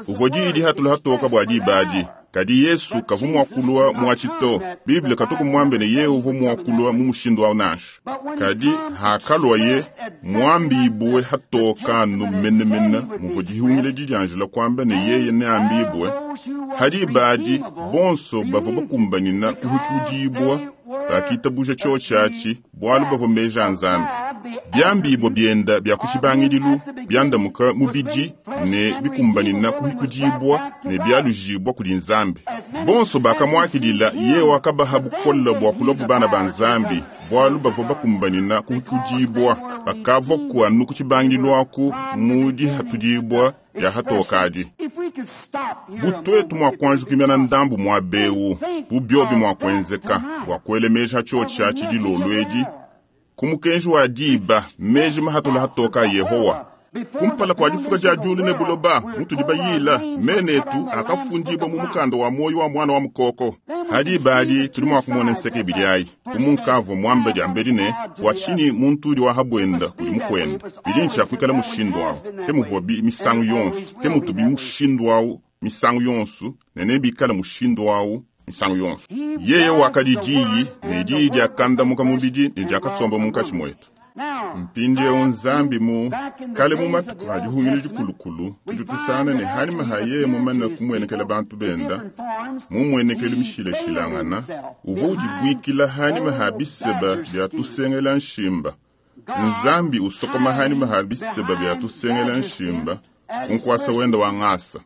uvua diyi dihatula hatoka bua dibadi. Kadi Yesu kavua mua kulua muatshi to. Bible katuku muambe ne yeye uvua mua kulua mu mushindu wawu nansha. Kadi hakalwaye muambibwe hatokanu menemene muvua dihungile didianjila kuamba ne yeye neambibwe hadi badi bonso bavua bakumbanina kuhikudibwa bakitabuja tshotshatshi bwalu bavua meja Nzambi. Byambibwa byenda bya kushibangidilu byandamuka mubidi ne bikumbanina kuhikudibwa ne byalujibwa kudi Nzambi. Bonso bakamwakilila ye wakabaha bukola bwa kulobu bana ba Nzambi bwalu bavua bakumbanina kuhikudibwa bakavua kuanu kutshibangidilu aku mu dihatudibwa bya hatokadi. Butwetu mwa kwanjukimyana ndambu mwa bewu bubyobi mwa kwenzeka bwa kuelemeja tshotshatshi dilolwedi kumukenji wa diba meji mahatula hatoka Yehowa. Kumpala kwa difuka dia diulu ne buloba mutudi bayila menetu akafundibwa mu mukanda wa moyo wa mwana wa mukoko. Hadi badi tuli mwa kumona nseke ibili ayi umunkavua mwamba diambeli ne bwa tshini muntu udi wahabwenda kudi mukwenda bidi ntshiakuikala mushindu awu ke muvua bi misangu yonso ke mutubi mushindu awu misangu yonso ne nebikala mushindu awu misangu yonso. Yeye wakadi diyi ne diyi diakandamuka mubidi ne diakasomba munkatshi mwetu. Mpindiewu Nzambi mu kale mu matuku a dihungile dikulukulu tudi tusana ne hanima ha yeye mumane kumwenekela bantu benda mumwenekelu mishilashilangana uvua udibwikila hanima ha biseba bya tusengela nshimba. Nzambi usokoma hanima ha biseba bya tusengela nshimba kunkwasa wenda wa ngasa.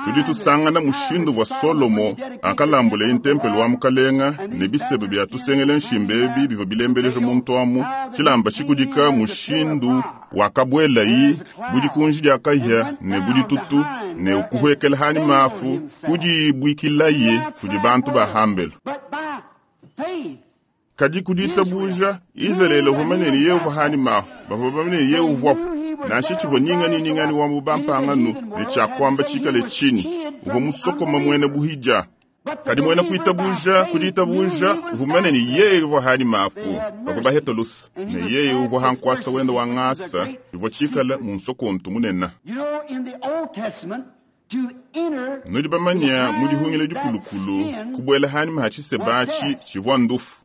Tudi tusangana mushindu wa Solomo akalambula intempelo wa mukalenga ne bisebe bya tusengela nshimba ebi bivua bilembeleja muntu amu tshilamba tshikudika mushindu wakabwelayi budikunji diakahya ne buditutu ne ukuhwekela hani mafu kudibwikilaye kudi bantu bahambelo. Kadi kuditabuja Izalele uvua manene ye uvua hani mafu bavua bamene ye uvuapo nansha tshivua ningani ningani wa mubampangano ne tshiakuamba tshikale tshini uvua musokoma mwene buhidya. Kadi mwene kuitabuja kuditabuja uvua manene yeye uvua hani mafu bavua baheta lusa ne yeye uvua hankwasa wenda wa ngasa ivua tshikala mu nsokontu munene. Nudi bamanya mu dihungile dikulukulu kubwela hani maha tshisebatshi tshivua ndufu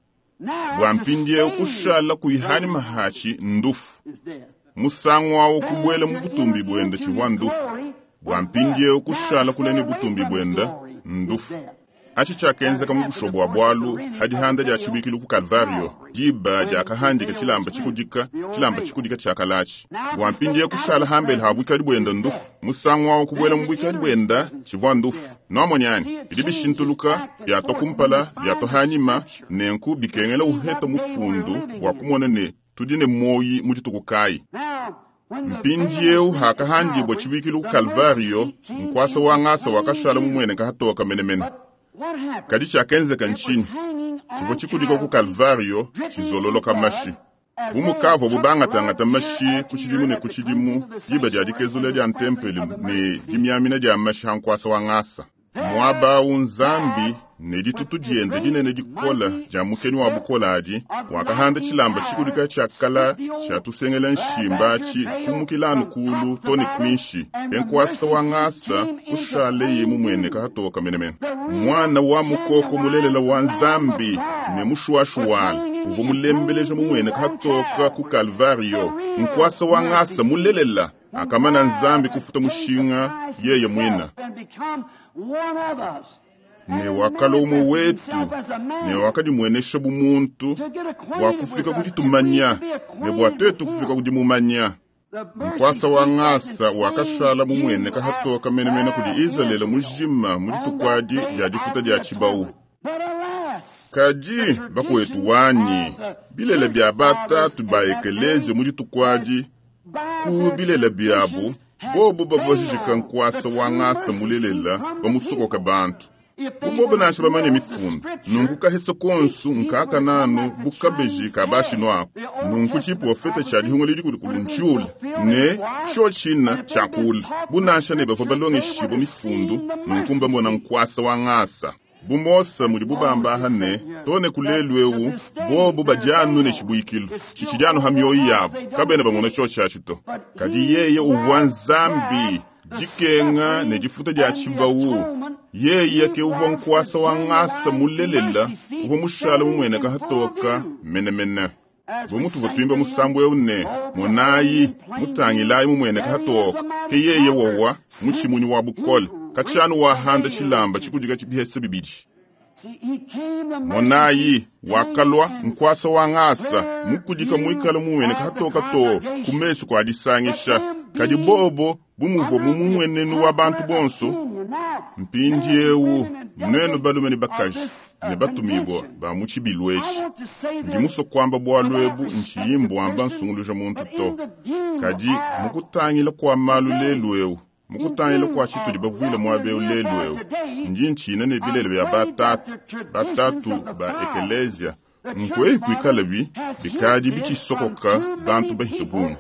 bwa mpindiewu kushala kuyi hani mahachi ndufu musangu awo kubwela mu butumbi bwenda tshivua ndufu bwa mpindiewu kushala kulene butumbi bwenda ndufu. Achi tshiakenzeka mu busho bua bualu hadihanda dia tshibuikilu ku Kalvario, diba diakahandika tshilamba tshikudika, tshilamba tshikudika tshiakalachi. Bua mpindieu kushala hambele ha buikadi buenda ndufu, musangu wawo kubuela mu buikadi buenda tshivua ndufu. Nwamonyani, bidi bishintuluka, biatwa kumpala, biatwa hanyima, nenku bikengela uheta mufundu bua kumona ne tudi ne moyi mu dituku kayi. Mpindieu hakahandibwa tshibuikilu ku Kalvario, nkuasa wa ngasa wakashala mumueneka hatoka menemene. Kadi tshiakenzeka ntshinyi? Tshivua tshikudika ku Kalvario tshizololoka mashi. Bu mukavua bubangatangata mashi ku tshidimu ne ku tshidimu, diba dia dikezula dia ntempeli ne dimiamina dia mashi ha nkuasa wa ngasa. Muaba awu Nzambi ne ditutu diende dinene dikola dia mukeni wa bukola adi, wakahanda tshilamba tshikudika tshiakala tshiatusengela nshimba atshi kumukila kulu to ne kuinshi. Enkuasa wa ngasa kushaleye mumueneka hatoka menemene. Mwana wa mukoko mulelela wa Nzambi ne mushuashuwala uvua mulembeleja mumueneka hatoka ku Kalvario. Nkuasa wa ngasa mulelela akamana Nzambi kufuta mushinga yeye mwina. Ne wakalua umwe wetu, ne wakadimuenesha bu muntu, bua kufika ku ditumanya, ne bua tuetu kufika ku dimumanya. Nkuasa wa ngasa wakashala mumueneka hatoka menemene kudi Izalele mujima mu dituku adi dia difuta dia tshibawu. Kadi bakuetu wanyi, bilele bia batatu ba ekelezia mu dituku adi, ku bilele biabu, bobo bavua nkuasa wa ngasa mulelela bamusokoka bantu. Bubobo nansha bamanye mifundu, nunku kahesa konsu nkakananu bukabeji ka bashino ako. Nunku tshiprofeta tshia dihunga lidi kudi kuluntshiula, ne tshio tshina tshiakula. Bunansha ne bavua balongeshibwa mifundu, nunku mbamona nkuasa wa ngasa. Bu Mose mudi bubamba ne tone kulelu ewu bobo badianu ne tshibuikilu tshitshidianu ha mioyo yabo kabena bamona tshio tshiatshi to. Kadi yeye uvua Nzambi dikenga ne difuta dia tshibawu. Yeye ke uvua nkuasa wa ngasa mulelela uvua mushala mumueneka hatoka menemene. Bu mutuvua tuimba musambu eu ne monayi mutangilayi mumueneka hatoka, ke yeye wowa mutshimunyi wa bukole katshianu wahanda tshilamba tshikudika tshibihese bibidi. Monayi wakalua nkuasa wa ngasa mukudika muikala mumueneka hatoka to ku mesu kua disangisha. Kadi bobo bumuvua mumuenenu wa bantu bonso. Mpindiewu nwenu balume ne bakaji ne batumibwa ba mu tshibilu etshi, ndi musue kuamba bualu ebu ntshiyimbwamba nsunguluja muntu to. Kadi mukutangila kua malu lelu eu, mukutangila kua tshitudi bavuile muaba eu lelu eu, ndi ntshina ne bilele bia batatu, batatu ba ekelezia, nkueyi kuikala bi bikadi bitshisokoka bantu bahita bungi.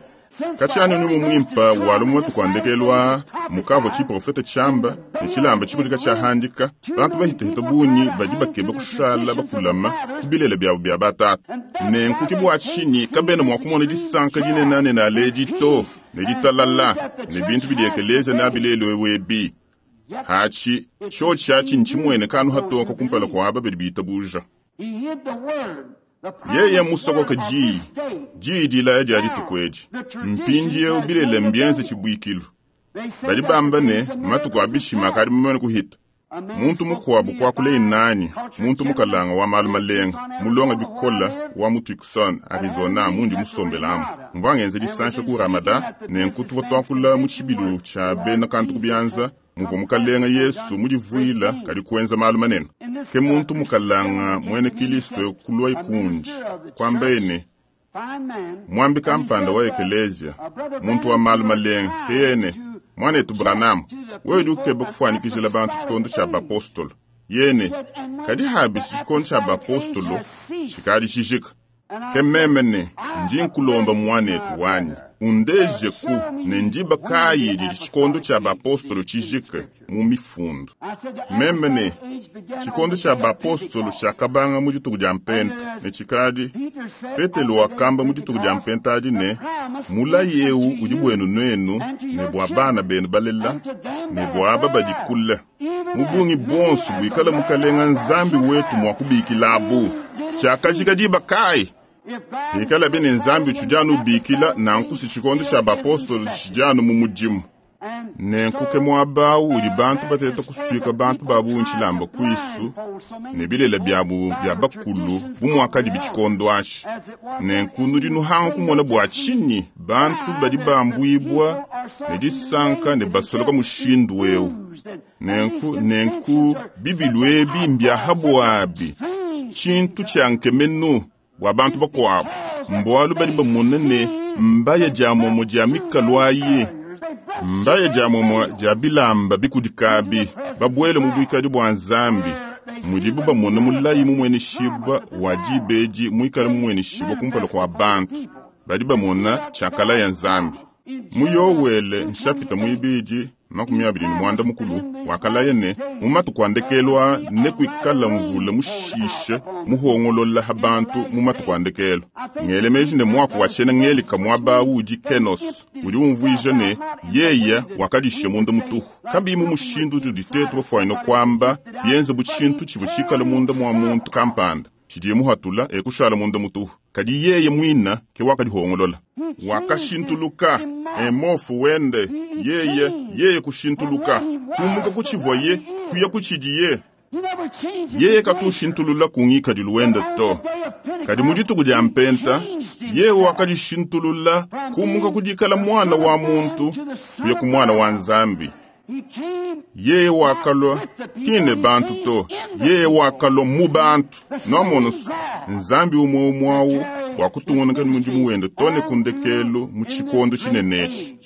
Katshianu ni mumwimpa walu matuku andekelwa mukavua tshiprofeta tshiamba ne tshilamba tshikudika tshiahandika, bantu bahitahita bungi badi bakeba kushala bakulama ku bilele biabu bia batatu. Nenku ke bua tshinyi kabena mua kumona disanka dinenanene aledi to ne ditalala ne bintu bidi ekelezia nabi lelu ewu ebi. Hatshi tshio tshiatshi ntshimueneka anu hatoka kumpala kua aba badi bitabuja. Yeye musokoka diyi, diyi dilaya dia dituku edi. Mpindieu bilele mbienze tshibuikilu. Badi bamba ne matuku a bishima akadi mumane kuhita. Muntu mukuabu kuakula nani, muntu mukalanga wa malu malenga, mulonga bikola wa mu Tucson, Arizona, mundi musombelamu. Mvua ngenza disansha ku Ramada, ne nkutu tuakula mu tshibilu tshia bena kantu ku bianza, muvua mukalenga Yesu mudivuila kadi kuenza malu manene. Ke muntu mukalanga mwene Kristo kulua ikundi, kwamba ene, mwambi kampanda wa ekelezia, muntu wa malu malenga, yene, mwanetu Branham, wewe udi ukeba kufuanikijila bantu tshikondo tshia bapostolo. Yene, kadi habisi tshikondo tshia bapostolo, tshikadi tshijika. Ke meme ne, ndi nkulomba mwanetu wanyi, undeje ku ne ndiba kayi didi tshikondo tshia bapostolo tshijike mu mifundu. Meme ne, tshikondo tshia bapostolo tshiakabanga mu dituku dia mpenta, ne tshikadi Petelo wakamba mu dituku dia mpenta adi ne, mulayi eu udi buenu nuenu ne bua bana benu balela ne bua aba badi kule, mu bungi bonso buikala mukalenga Nzambi wetu mua kubikilabu. Tshiakajika diba kayi? Hikala bene Nzambi utshidi anu ubikila nanku si tshikondo tshia bapostolo tshidi anu mu mudimu. Nenku ke muaba awu udi bantu bateta kusuika bantu ba bungi tshilamba kuisu ne bilele biabu bia bakulu bu muakadi tshikondo atshi. Nenku nudi nuhanga kumona bua tshinyi bantu badi bambuibua ne disanka ne basoloka mushindu eu. Nenku nenku bibilu ebi mbiahabuabi tshintu tshia nkemenu bua bantu bakuabu mbualu badi bamona ne mbaya dia momo dia mikalu ayi mbaya dia momo dia bilamba bikudikabi babuele mu buikadi bua Nzambi mudibu bamona mulayi mumueneshibua wa dibedi muikale mumueneshibua kumpala kua bantu badi bamona tshiakala ya Nzambi. Mu Yowele nshapita muibidi makumi abidi ne mwanda mukulu wakalaya ne mu matuku a ndekelu aa nekuikala mvula mushishe muhongolola ha bantu mu matuku a ndekelu. Ngele meji ne muaku wa tshiena ngelika muaba awu udi kenos udi umvuija ne yeya wakadishe munda mutuhu kabiyi mu mushindu utudi tetu bafuanyine kuamba bienze bu tshintu tshivua tshikale munda mua muntu kampanda tshidiye muhatula ekushala munda mutuhu kadi yeye mwina ke wakadihongolola wakashintuluka emofu wende yeye yeye kushintuluka kumuka kutshivuaye kuya kutshidiye yeye katushintulula kungikadilu wende to kadi mu dituku dia mpenta yeye wakadishintulula kumuka kudikala mwana wa muntu kuya ku mwana wa Nzambi. Yeye wakalwa kine bantu to yeye wakalwa mu bantu nomono Nzambi umwe umwe awu wakutungunuka mudimu wende to ne kundekelu mu tshikondo tshinenetshi.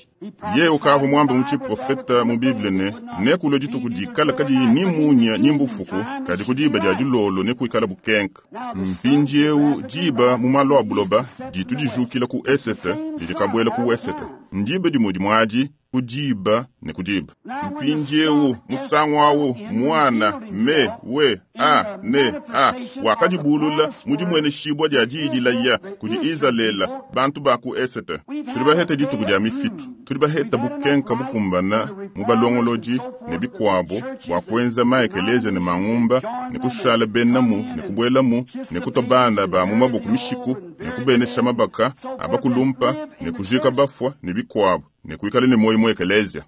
Yeye ukavua muambe mu tshiprofeta mu Bible ne nekulua dituku dikala kadiyi ni munya ni mbufuku kadi ku diba dia dilolo nekuikala bukenka. Mpindiewu diba mu malu a buloba ditu dijukila ku esete didi kabuela ku wesete ndiba dimue dimuadi ku diba ne ku diba. Mpindiewu musangu awu mwana me we a ne a wakadibulula mu dimweneshibua dia diidilaya kudi Izalele bantu ba ku esete. Tudi baheta dituku dia mifitu tudi baheta bukenka bukumbana mu balongolodi ne bikuabo bua kuenza maekelezia ne mangumba ne kushala benamu ne kubuelamu ne kutua bana ba mu maboko mishiku ne kubenesha mabaka abakulumpa ne kujika bafua ne bikuabo ne kuikala ne moyo mu ekelezia.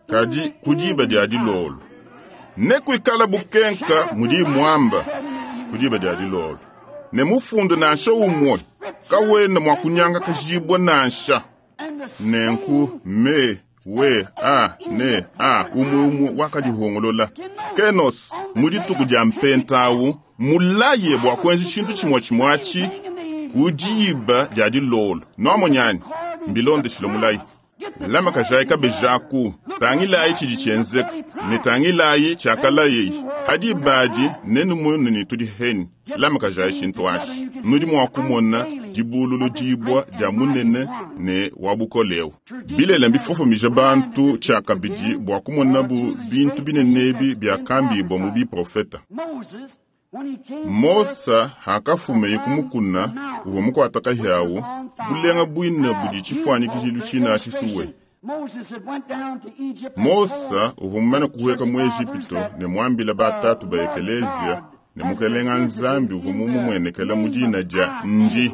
Kadi ku diba dia dilolo ne kuikala bukenka mudi muamba ku diba dia dilolo ne mufundu nansha umwe kawena mua kunyanga kajibwa nansha. Nenku me we a ne a umwe umwe wakadihongolola kenos mu dituku dia mpenta awu mulaye bua kuenza tshintu tshimue tshimue atshi ku diba dia dilolo noamonyani mbilondeshile mulayi. Lama kajayi kabejaku tangilayi tshidi tshienzeka ne tangilayi tshiakalayeyi hadi badi nenu ne tudi heni lama kajayi tshintu atshi nudi mua kumona dibululu dibwa dia munene ne wa bukolewu. Bilela mbifofomija bantu tshiakabidi bua kumonabu bintu binenebi biakambibwa mu biprofeta. Mosa hakafumeye kumukuna uvua mukuataka hyawu bulenga bwina budi tshifuanyikijilu tshina tshisuwe. Mosa uvua mumane kuhueka mu Ejipito ne muambila batatu ba ekelezia ne mukelenga Nzambi uvua mumumuenekela mu dina dia Ndi.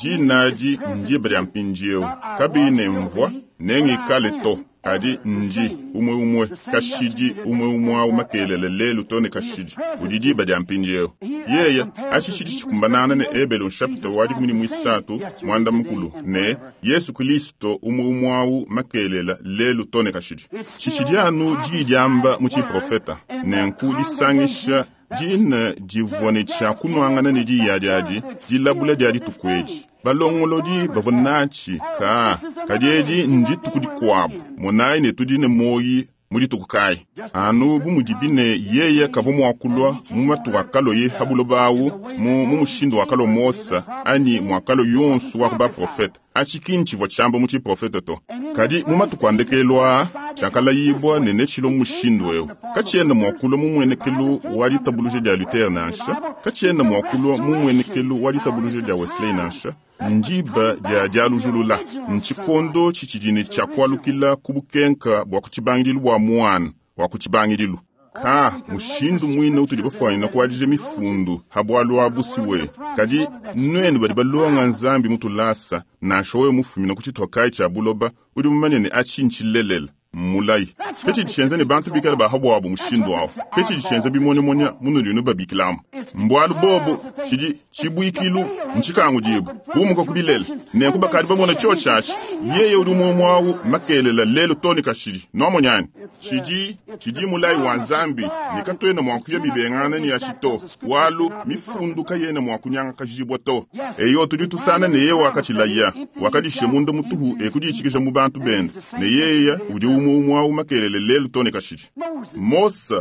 Dina adi ndiba dia mpindiewu kabiyi ne mvua nengikale to kadi ndi umwe umwe kashidi umwe umwe awu makelele lelu to ne kashidi udi diba dia mpindiewu. Yeye atshi tshidi tshikumbanana ne Ebelo nshapita wa dikumi ne muisatu mwanda mukulu ne Yesu Kristo umwe umwe awu makelela lelu to ne kashidi. Tshishidi anu diyi diamba mu tshiprofeta nenku disangisha dina divua ne tshia kunuangana ne diya diadi dilabula dia dituku edi. Balongolodi bavua natshi ka kadi edi ndituku dikuabu monayi ne tudi ne moyi mu dituku kayi anu bu mudibi ne yeye kavua mua kulua mu matuku akaloye ha buloba awu mu mushindu wakalua Mosa anyi muakalo yonso wa ku baprofeta atshi ki ntshivua tshiamba mu tshiprofeta to kadi mu matuku a ndekelu aa tshiakalayibwa ne netshilo mu mushindu eu katshiena mua kulua mu muenekelu wa ditabuluja dia Luther nansha katshiena mua kulua mu muenekelu wa ditabuluja dia Wesley nansha ndiba dia dialujulula ntshikondo tshitshidine tshiakualukila ku bukenka bua kutshibangidilu bua mwana wa kutshibangidilu. Ka mushindu mwine utudi bafuanyina kuadija mifundu ha bualu abu siwe kadi nwenu badi balonga Nzambi mutulasa nansha wewe mufumina ku tshitokayi tshia buloba udi mumanye ne atshi ntshilelela Mmulayi. Ke tshidi tshienza ne bantu bikale bahabwabo mushindu awu. Ke tshidi tshienza bimonyamonya munudi nubabikilamu. Mbwalu bobo tshidi tshibuikilu ntshikangudibu bumuka ku bilele. Nenku bakadi bamona tshioshashi. Yeye udi umwe mwawu makelela lelu too ne kashidi. Nwamonyani? Tshidi tshidi mulayi wa Nzambi ne katuena mua kuya bibengana ne ashi to. Walu mifundu kayena mua kunyangakajibwa to. Eyo tudi tusana ne yeye wakatshilaya. Wakadishe munda mutuhu ekuditshikija mu bantu bende. Ne yeye udi umwe mwawu makelele lelu too ne kashidi. Mose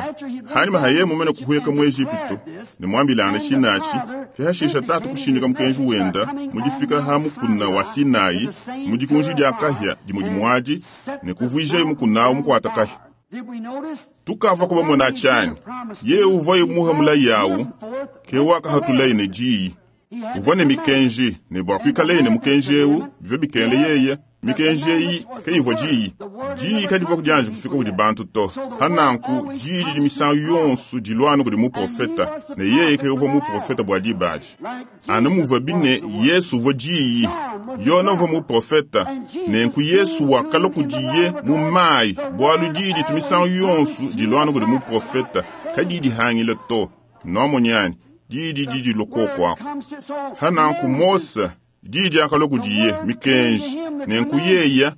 hanyuma haye mumene kuhweka mu Ejipitu ne mwambilana shinashi kehashisha tatu kushindika mukenji wenda mudifika ha mukuna wa Sinai mudikunji dia kahya dimudi mwadi ne kuvuija mukuna mukwata kahya. Tukava kuba mona chani ye uva muha mulayi yawu ke wakahatulayi ne jiyi uvua ne mikenji ne bua kuikalaye ne mukenji ewu bivua bikengele yeye mikenji eyi kayivua jiyi jiyi kadivua kudianji kufika kudi bantu to hananku jiyi didi misangu yonso dilwana kudi muprofeta ne yeye kayuvua muprofeta bua dibadi anu muvua bine Yesu uvua jiyi Yona uvua muprofeta nenku Yesu wakala kudiye mu mayi bualu diyi ditu misangu yonso dilwana kudi muprofeta kadi dihangile to nwamonyani diyi didi dilokokwako hananku Mose diyi diakalua kudiye mikenji nenku yeya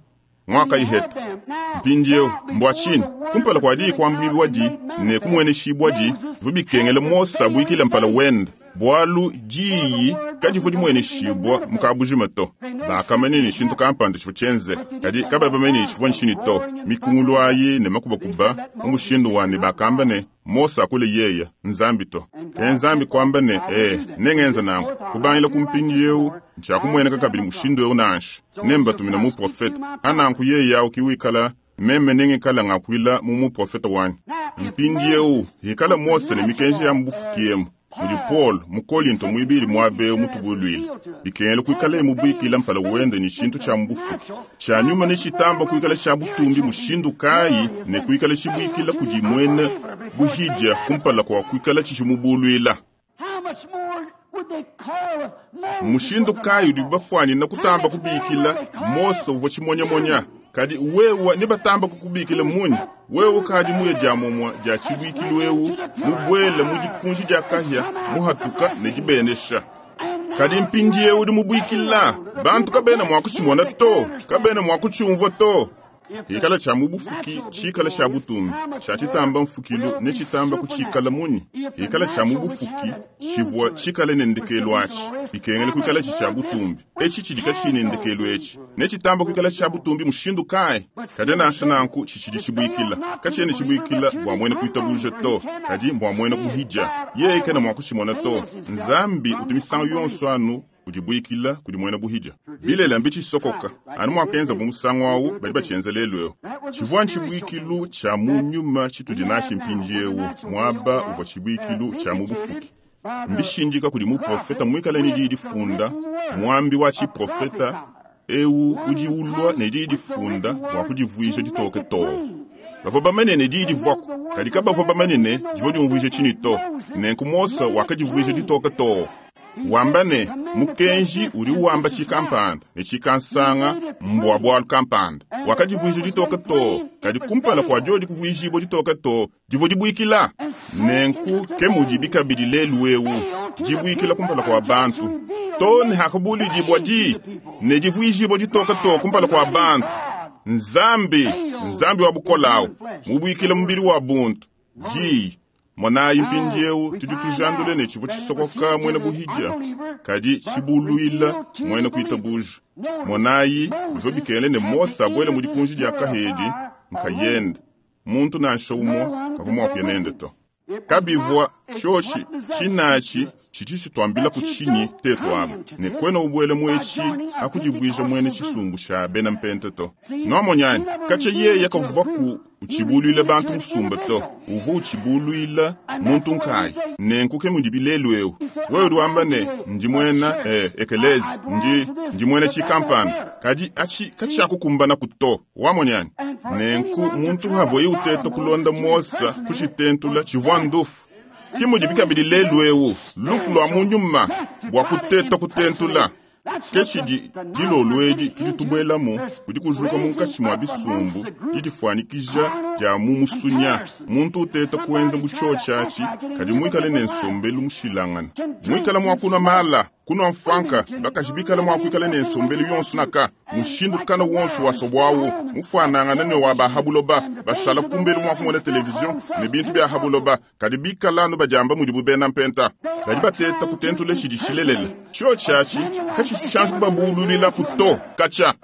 mwakayiheta mpindieu mbwa tshini kumpala kua diyi kuambibwa di ne kumweneshibwa di bivua bikengele Mose abuikile mpala wenda bualu diyi kadivua dimweneshibwa mukabujima to bakamanya ne tshintu kampanda tshivua tshienzeka kadi kababamanya ne tshivua ntshini to mikungulu ayi ne makubakuba mu mushindu wa ne bakamba ne Mose akule yeya Nzambi to ke Nzambi kwamba ne eh nengenza nanku kubangila ku mpindieu ntshiakumweneka kabidi mushindu eu nansha nembatumina muprofeta ananku yeya ukiwikala meme nengikala ngakuila mu muprofeta wanyi mpindieu hikala Mose ne mikenji ya mubufukiemu mudi Paul mu Kolinto mwibili mwabeu mutubulwile bikengele kuikala mubuikila mpala wende ni tshintu tsha mubufuki tsha nyuma ne tshitamba kuikala tsha butumbi mushindu kayi ne kuikala tshibuikila kudi mwene buhidya kumpala kwa kuikala tshishimubulwila mushindu kayi udi bafuanina kutamba kubikila Mose uvua tshimonyamonya kadi wewe ne batamba kukubikila munyi wewe kadi muye dia momwa dia tshibuikilu ewu mubwele mu dikunji dia kahya muhatuka ne dibenesha kadi mpindieu udi mubuikila bantu kabena mua kutshimona to kabena mua kutshiumvua to hikala tsha mubufuki tshikala tsha butumbi tsha tshitamba mfukilu ne tshitamba kutshikala munyi hikala tsha mubufuki tshivua tshikale ne ndekelu atshi bikengele kuikala tshi tsha butumbi etshi tshidi katshine ndekelu etshi ne tshitamba kuikala tsha butumbi mushindu kayi kadi nansha nanku tshitshidi tshibuikila katshiene tshibuikila bua mwene kuitabuja to kadi mbua mwene kuhidya yeye kena mua kutshimona to Nzambi utu misangu yonso anu kudibuikila kudi mwena buhidya bilela mbitshisokoka anu mwakenza bu musangu awu badi batshienza lelu eu tshivua ntshibuikilu tsha mu nyuma tshitudi nashi mpindiewu muaba uvua tshibuikilu tsha mu bufuki mbishindika kudi muprofeta muikale ne diyi difunda muambi wa tshiprofeta ewu udi ulua ne diyi difunda bua kudivuija ditoke too bavua bamanye ne diyi divuaku kadi kabavua bamanye ne divua diumvuija tshini to nenku Mose wakadivuija ditoke too wamba ne mukenji udi wamba tshikampanda ne tshikansanga mbwa bwalu kampanda wakadivuija ditoke to kadi kumpala kua diodi kuvuijibwa ditoke to divua dibuikila nenku ke mudibi kabidi lelu ewu dibuikila kumpala kua bantu to ne hakabulidibwa di ne divuijibwa ditoke to kumpala kua bantu Nzambi Nzambi wa bukolawu mubuikila mubili wa buntu diyi monayi mpindieu tudi tujandule ne tshivua tshisokoka mwene buhidya kadi tshibuluila mwene kuitabuja monayi bivua bikengele ne Mose abuele mu dikunji dia kahedi nkayende muntu nansha umwe kavua mua kuya nende to kabivua tshioshi tshinatshi tshidi tshituambila ku tshinyi tetu aba ne kwena ubuele mueshi akudivuija mwene tshisumbu tsha bena mpente to nwamonyani katshia yeye kavua ku utshibuluila bantu musumba to uvua utshibuluila muntu nkayi nenku ke mudi bilelu eu wewe udi wamba ne ndi muena eh, ekelezi ndi ndi muena tshikampanda kadi atshi katshiakukumbanaku to wamonyani nenku muntu havuaye uteta kulonda Mose kushitentula tshivua ndufu ke mudi bikabidi lelu eu lufu lua mu nyuma bua kuteta kutentula Ke tshidi dilolo edi tudi tubuelamu kudi kujuka munkatshi mua bisumbu didifuanyikija dia mu musunya. Muntu uteta kuenza bu tshiotshi atshi, kadi muikale ne nsombelu mushilangana. Muikale mua kunua mala, kunua mfanka, bakaji bikale mua kuikala ne nsombelu yonso naka, mushindu kana wonso wa sobwawu, mufuanangana ne wa bahabuloba, bashala kumbelu mua kumona televizion ne bintu bia habuloba, kadi bikala anu badiamba mudibu bena mpenta. Badi bateta kutentula tshidi tshilelela. Tshiotshi atshi katshisu kubabululila kuto katsha.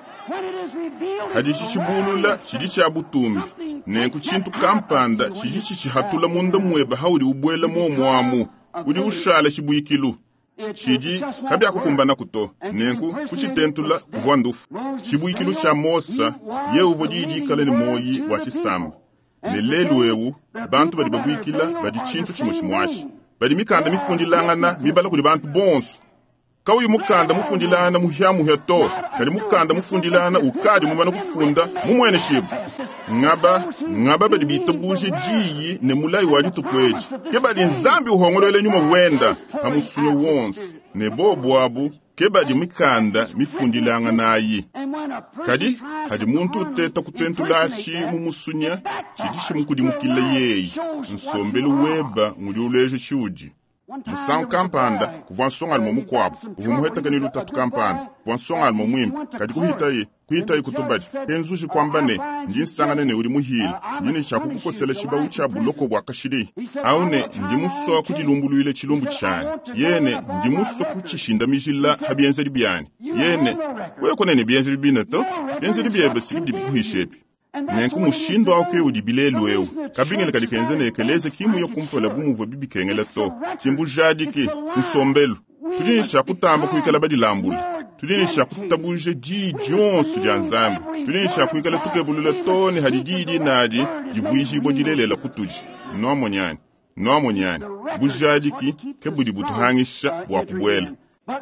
Hadi tshibulula tshidi tshia butumbi. Nenku tshintu kampanda tshidi tshihatula munda mweba haudi ubwela momwamu. Udi ushala tshibuikilu. Tshidi kabyakukumbana kuto. Nenku kutshitentula kuvua ndufu. Tshibuikilu tshia Mosa ye uvua didikala ne moyi wa tshisamba. Ne lelu ewu bantu badi babuikila badi tshintu tshimwe tshimwashi. Badi mikanda mifundilangana mibala kudi bantu bonso. Kauyi mukanda mufundilana muhyamuhya to, kadi mukanda mufundilana ukadi mumana kufunda mumwene shibu. Ngaba, ngaba badi bitabuje diyi ne mulayi wa dituku edi. Ke badi Nzambi uhongolole nyuma wenda ha musunyo wonso. Ne bobu abu ke badi mikanda mifundilanganayi. Kadi hadi muntu uteta kutentulashi mu musunya tshidi tshimukudimukila yeyi. Nsombelu weba ngudi uleja tshiudi. Musangu kampanda kuvua nsongalume mukuabu uvua muheteke ne lutatu kampanda kuvua nsongalume muimpe kadi kuhitaye kuhitaye kutubadi kenzuji kwamba ne ndi nsangane ne udi muhile ndi ne tshia kukukosela tshibawu tshia buloko bua kashidi au ne ndi musua kudilumbuluile tshilumbu tshianyi yene ndi musua kutshishindamijila ha bienzedi bianyi yene wewe konene bienzedi bine to bienzedi byebe siki bikuhishepi. Nenku mushindu awu ke udi bilelu ewu kabingele kadi kenze ne ekeleze kimu yo kumpala bu muvua bibikengela to simbujadiki sinsombelu tudi ne tshia kutamba kuikala badilambula tudi ne tshia kutabuje diyi dionso dia Nzambi tudi ne tshia kuikala tukebulula to ne hadi diyi dinadi divuijibua dilelela kutudi nuamonyani nuamonyani bujadiki ke budi butuhangisha bua kubuela.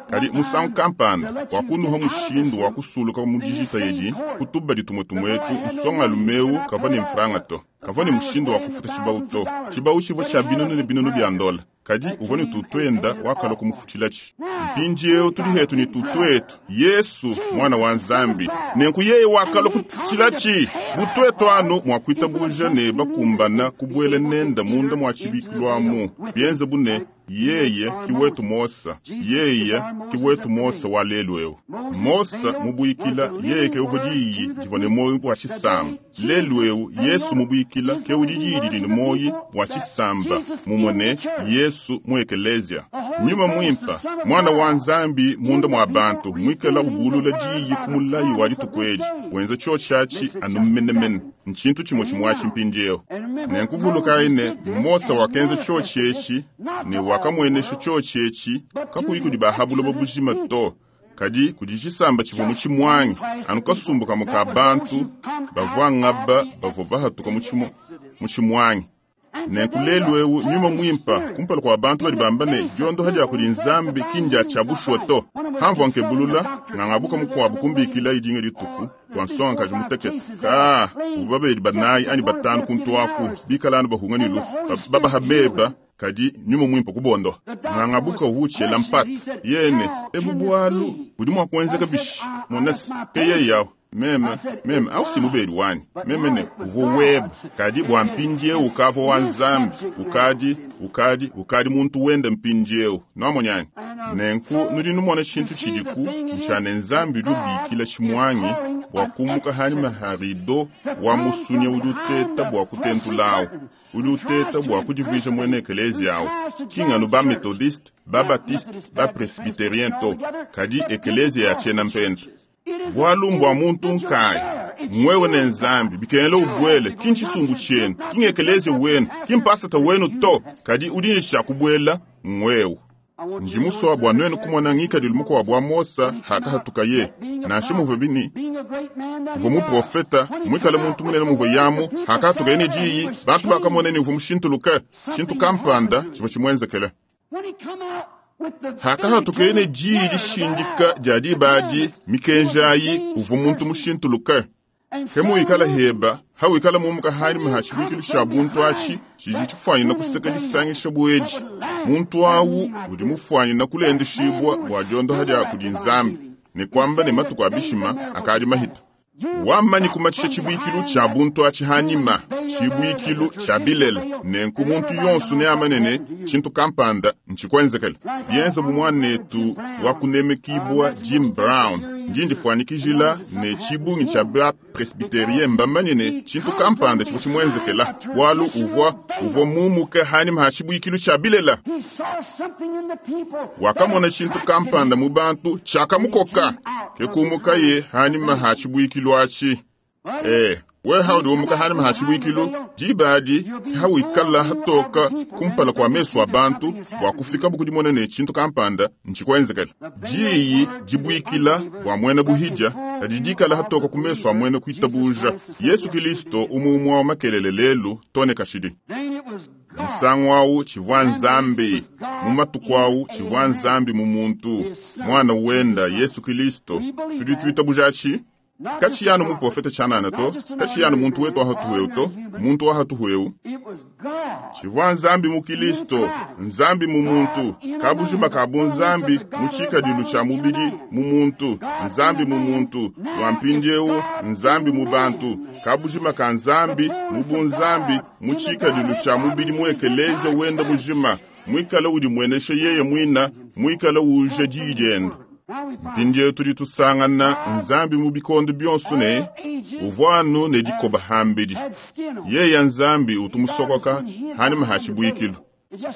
Kadi musangu kampanda wakunuha mushindu wa kusuluka mu dijita edi kutubadi tumwe tumwetu nsongalume kavua ne mfranga to kavua ne mushindu wa kufuta tshibawu to tshibawu tshivua tshia binunu ne binunu bia ndola kadi uvua ne tutwenda wakalua kumufutilatshi. Mpindiewu tudi hetu ne tutwetu Yesu mwana wa Nzambi nenku yeye wakalua kutufutilatshi butwetu anu mua kuitabuja ne bakumbana kubuela nenda munda mua tshibikilu bienze bu ne yeye kiwetu Mosa yeye kiwetu Mosa wa lelu ewu. Mosa mubuikila yeye ke uvua diyi divua ne moyi wa tshisamba lelu ewu Yesu mubuikila ke udi diyi didi ne moyi wa tshisamba mumwe ne Yesu mu ekelezia. Nyuma mwimpa mwana wa Nzambi munda mwa bantu mwikala ubulula diyi ku mulayi wa dituku edi wenza tshiotshi atshi anu menemene ntshintu tshimwe tshimwashi mpindiewu. Nenkuvulukayi ne Mosa wakenza tshiotshi etshi ne wakamwenesha tshiotshi etshi kakuyi kudi bahabuloba bujima to kadi kudi tshisamba tshivua mu tshimwangi anu kasumbu kamwe ka bantu bavua ngaba bavua bahatuka mu tshimwangi. Nenku lelu ewu nyuma mwimpa kumpala kwa bantu badi bamba ne diondoha dia kudi Nzambi kindya tshia bushuwa to hamvua nkebulula ngangabuka mukuabu kumbikila idinga dituku bua nsongakaji mutekete ka ubu babedi banayi ani batanu kuntu aku bikala anu bahunga ne lufu babaha beba kadi nyuma mwimpa kubondoha ngangabuka uvu utshela mpata yene ebu bwalu budi mua kuenzeka bishi monasi ke yeye yawu meme meme au si mubedi wanyi meme ne uvua weba kadi bua mpindiewu ukavua wa Nzambi ukadi ukadi ukadi muntu wenda mpindiewu nuamonyani. Nenku nudi numona tshintu tshidiku ntshia ne Nzambi udi ubikila tshimwangi bua kumuka hanyima ha rido wa musunya udi uteta bua kutentulawu udi uteta bua kudivuija mwene ekelezia awu kinganu ba methodiste ba baptiste ba presbyterien to kadi ekelezia ya tshiena mpenta. Bwalu mbwa muntu nkaya mwewe ne Nzambi bikengela ubwele kintshisungu tshienu kingekeleze wenu kimpasata wenu to kadi udi ne tshia kubuela mwewe. Ndi musua bua nuenu kumona ngikadilu mukuabu wa Mosa hakahatukaye nansha muvua bini uvua muprofeta mwikale muntu munene muvua yamu hakahatukaye ne diyi bantu bakamona ne uvua mushintuluke tshintu kampanda tshivua tshimuenzekele. Hakahatukaye ne diyi dishindika dia dibadi mikenjayi uvua muntu mushintuluke. Ke muikala heba hawikala mumuka hanyima ha tshibuikilu tshia buntu atshi tshidi tshifuanyina kuseka disangisha buedi muntu awu udi mufuanyina kulendeshibua bua diondoha dia kudi Nzambi Ne kuamba ne matuku a bishima akadi mahita. Wamanyi kumatshisha tshibuikilu tshia buntu atshi hanyima, tshibuikilu tshia bilele, nenku muntu yonso neamane ne tshintu kampanda ntshikwenzekele. Bienza bu mwanetu wa kunemekibwa Jim Brown, ndi ndifuanyikijila ne tshibungi tshia ba presbyterien mbamanye ne tshintu kampanda tshivua tshimwenzekela, bualu uvua uvua mumuke hanyima ha tshibuikilu tshia bilela. He saw something in the people Wakamona tshintu kampanda mu bantu tshiakamukoka, ke kumukaye hanyima ha tshibuikilu atshi. Eh, we haudi umuka hanyima ha tshibuikilu, diba adi hawikala hatoka kumpala kua mesu a bantu bua kufika bukudimona ne tshintu kampanda ntshikwenzekela. Diyi dibuikila bua muena buhidya kadi dikala hatoka ku mesu a muena kuitabuja. Yesu Kilisto umwe wa makelele lelu tone kashidi. Then it was God. Musangu awu tshivua Nzambi, mu matuku awu tshivua Nzambi mu muntu, mwana wenda Yesu Kilisto. Tudi tuitabuja atshi? Katshiyanu muprofeta tshianana to, katshiyanu muntu wetu ahatuheu to, muntu wahatuheu. It was God. Tshivua Nzambi mu Kilisto, Nzambi mu muntu, kabujima ka bunzambi mu tshikadilu tshia mubidi mu muntu, Nzambi mu muntu, lwa mpindieu Nzambi mu bantu, kabujima ka Nzambi mu bunzambi mu tshikadilu tshia mubidi mu ekelezia wenda mujima, mwikala udi mwenesha yeye mwina, mwikala uja diyi dienda. Now we find Mpindieu tudi tusangana Nzambi mu bikondo bionso ne uvua anu ne dikoba hambidi. had skin on. Yeya Nzambi utumusokoka hanyima ha tshibuikilu.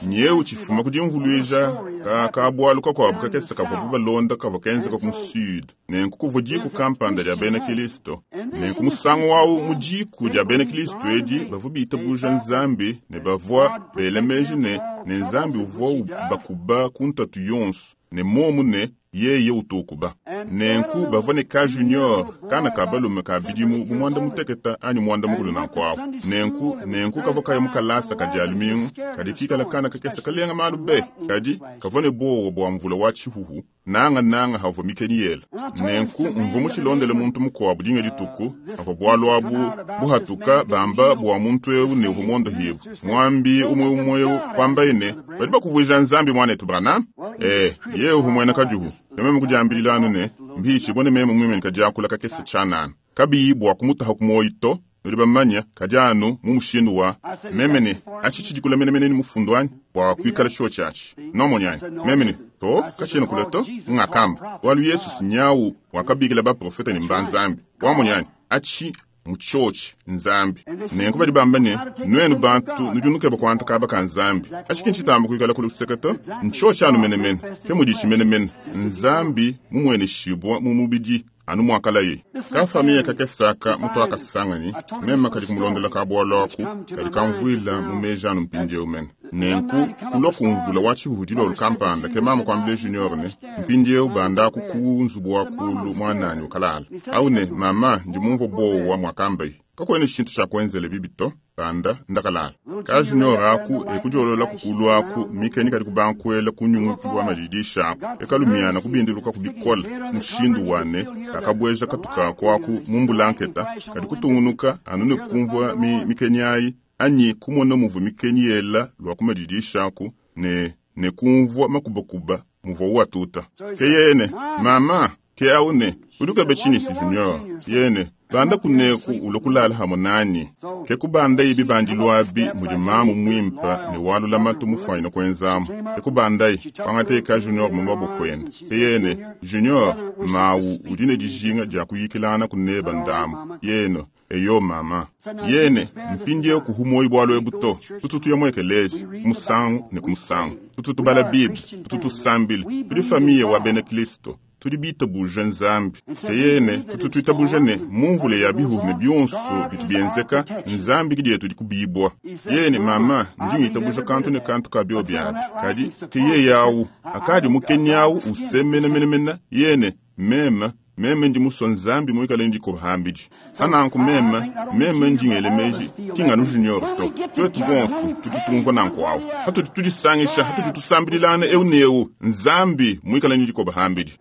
Nyeu tshifuma ku dimvuluija ka kabualu kakuabu kakese kavua balonda kavua kenzeka ku sud. Nenku kuvua diku kampanda dia bena Kilisto. Nenku musangu wawu mu diku dia bena Kilisto edi bavua bitabuja Nzambi ne bavua bela meji ne ne Nzambi uvua ubakuba ku ntatu yonso ne momu ne yeye utukuba. Nenku bavua ne ka junior kana ka balume ka bidimu bu mwanda muteketa anyi mwanda mukulu nanku awu. Nenku nenku kavua kaya mu kalasa ka dia lumingu kadi kikala kana kakese kalenga malu be kadi kavua ne bowa bua mvula wa tshihuhu nanga nanga havua mikeni yela. Nenku mvua mutshilondele muntu mukuabu dinga dituku avua bualu abu buhatuka bamba bua muntu eu ne uvua mondohibu mwambi umwe umwe eu kwambaye ne badi bakuvuija Nzambi mwanetu Branham. Eh, ye uvua muena kajuhu meme kudiambilila anu ne mbishi bone meme mwimene kadiakula kakese tshianana kabiyi bua kumutaha ku muoyo to. Nudi bamanya kadi anu mu mushindu wa meme ne atshi tshidikula menemene ni mufundu anyi bua kuikala tshio tshiatshi nomonyanyi meme ne to kashiena kula to ngakamba bualu Yesu sinyawu wakabikila baprofeta ne mbanzambi wamonyanyi atshi mutshiotshi Nzambi. Nenku badi bamba ne nuenu bantu nudi nukeba kuanta kaba ka Nzambi atshi ki ntshitamba kuikala kuluseka to ntshiotshi anu menemene ke muditshi menemene Nzambi mumueneshibua mu mubidi anu mwakalaye. Ka familia kakesaka mutu akasanganyi meme kadi kumulondela ka bualu aku kadi kamvuila mu meji anu mpindieu mene. Nenku kulua kumvula wa tshihuhu dilolo kampanda ke mama kuambile junior ne mpindieu bandaku ku nzubu wa kulu mwananyi ukalala. Au ne mama ndi mumvua bowa mwakambayi kakwene tshintu tshia kuenzela bibi to banda ndakalala. Ka junior aku ekudiolola kukulu aku mikeni kadi kubankuela kunyungukiwa madidisha aku ekalumiana kubindiluka kubikola mushindu wane kakabweja katuka kwaku mu mbulanketa kadi kutungunuka anu ne kumvua mi mikeni ayi anyi kumona muvua mikeni yela lwa kumadidisha aku ne ne kumvua makubakuba muvua uwatuta. Ke yene mama ke au ne udi tshinyi si junior yene banda kuneku ulo kulala hamwe nani ke kubanda ibi bandilwabi mudi mamu mwimpa ne walula matu mufwanyina kwenzamu. Ke kubandayi kwangata junior mu maboko ende. Ke yene junior mawu udi ne dijinga dia kuyikilana kuneba ndamu yeno eyo mama yene mpindieu kuhumoyi bwalu ebu to tutu tuya mu ekelezi kumusangu ne kumusangu tutu tubala Bible tutu tusambila tudi familia wa bena Kristo tudi bitabuja Nzambi. Ke yene tutu tuitabuja ne mumvule ya bihuhu ne bionso bitu bienzeka Nzambi kidi yetu dikubibwa. Yene mama ndi ngitabuja kantu ne kantu ka bio biabi kadi ke yeye awu akadi mukenyawu usemena yene mema meme ndi muswa Nzambi muikale ndi kuhambiji. Ananku meme meme ndi ngelemeji tinganu junior to twetu bonso tutu tumvua nanku awu hatudi tudisangisha hatudi tusambililana eu ne eu Nzambi muikale ndi kuhambiji.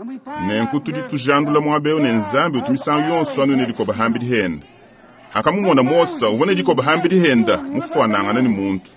Nenku tudi tujandula muaba eu ne Nzambi utumisangu yonso anu ne dikoba hambidi henda. Akamumona Mosa uvua ne dikoba hambidi henda mufuanangana ne muntu.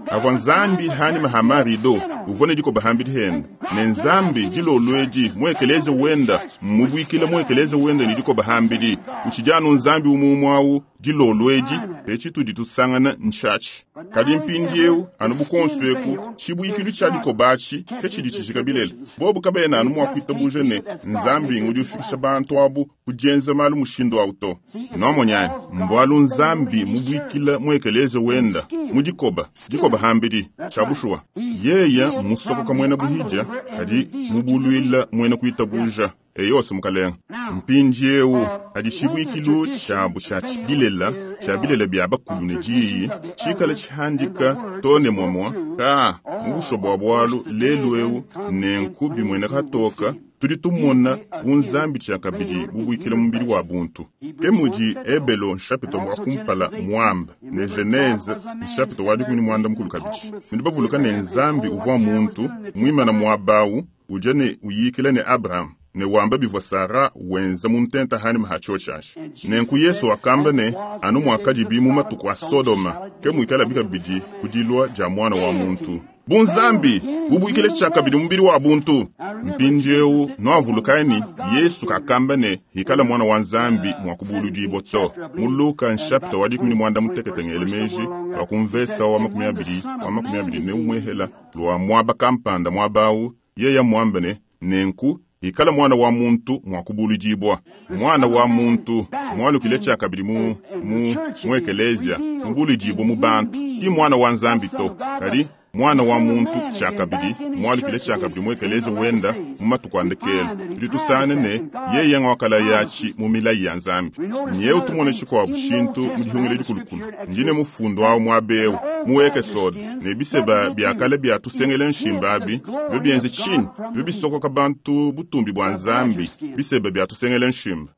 Avua Nzambi hanyima ha marido Uvua ne dikoba hambidi henda. Ne Nzambi dilolo edi mu ekelezia wenda mmubwikile mu ekelezia wenda ne dikoba hambidi. Utshidi anu Nzambi umwe awu dilolo edi etshi tudi tusangana ntshatshi. Kadi mpindieu anu bukonso eku tshibwikilu tshia dikoba atshi ke tshidi tshijika bilele. Bobu kabena anu mua kuitabuja ne Nzambi ngudi ufikisha bantu abu ku dienza malu mushindu awu to. Nwamonyani mbwalu Nzambi mubwikila mu ekelezia wenda mu dikoba dikoba hambidi tshia bushuwa. Yeya musokoka mwena buhidja kadi mubulwila mwena kuitabuja. Eyose mukalenga. Mpindieu adi tshibwikilu tshiabu tshia bilela tshia bilela bia bakulu ne diyi tshikala tshihandika to ne mwamwa ka mu busho bua bwalu lelu eu nenku bimwene katoka tudi tumona bunzambi tshia kabidi bubwikila mubili wa buntu. Ke mudi Ebelo nshapito wa kumpala mwamba ne Genese nshapito wa dikumi ne mwanda mukulu kabidi. Mudi bavuluka ne Nzambi uvua muntu mwimana mwabawu uja ne uyikila ne Abraham ne wamba bivua Sara wenza mu ntenta hani mahachochashi. Nenku Yesu wakamba ne anu mwakadibi mu matuku a Sodoma ke mwikala bikabidi kudilwa dia mwana wa muntu. Bunzambi bubwikile tshia kabidi mubili wa buntu. Mpindieu nwavulukani Yesu kakamba ne hikala mwana wa Nzambi mwa kubuludibwa to. Mu Luka nshapita wa dikumi ne mwanda mutekete ngele meji wa kumvesa wa makumi abidi wa makumi abidi ne umwehela lwa mwaba kampanda mwabawu yeya mwamba ne nenku ikala mwana wa muntu mwa kubuludibwa. Mwana wa muntu mwalukile tshia kabidi mu mu mu ekelezia mubuludibwa mu bantu. Ki mwana wa Nzambi to kadi mwana wa muntu tshia kabidi mwalukile tshia kabidi mu ekelezia wenda mu matuku a ndekelo. Tudi tusane ne yeye ngwakala yatshi mu milayi ya Nzambi. Nyeu tumone tshikuabu tshintu mu dihungile dikulukulu. Ndine mufundo awu muabewu mu Ekesode ne biseba bia kale bia tusengele nshimbabi byo bienze tshinyi byo bisokoka bantu butumbi bua Nzambi biseba bia tusengele nshimba.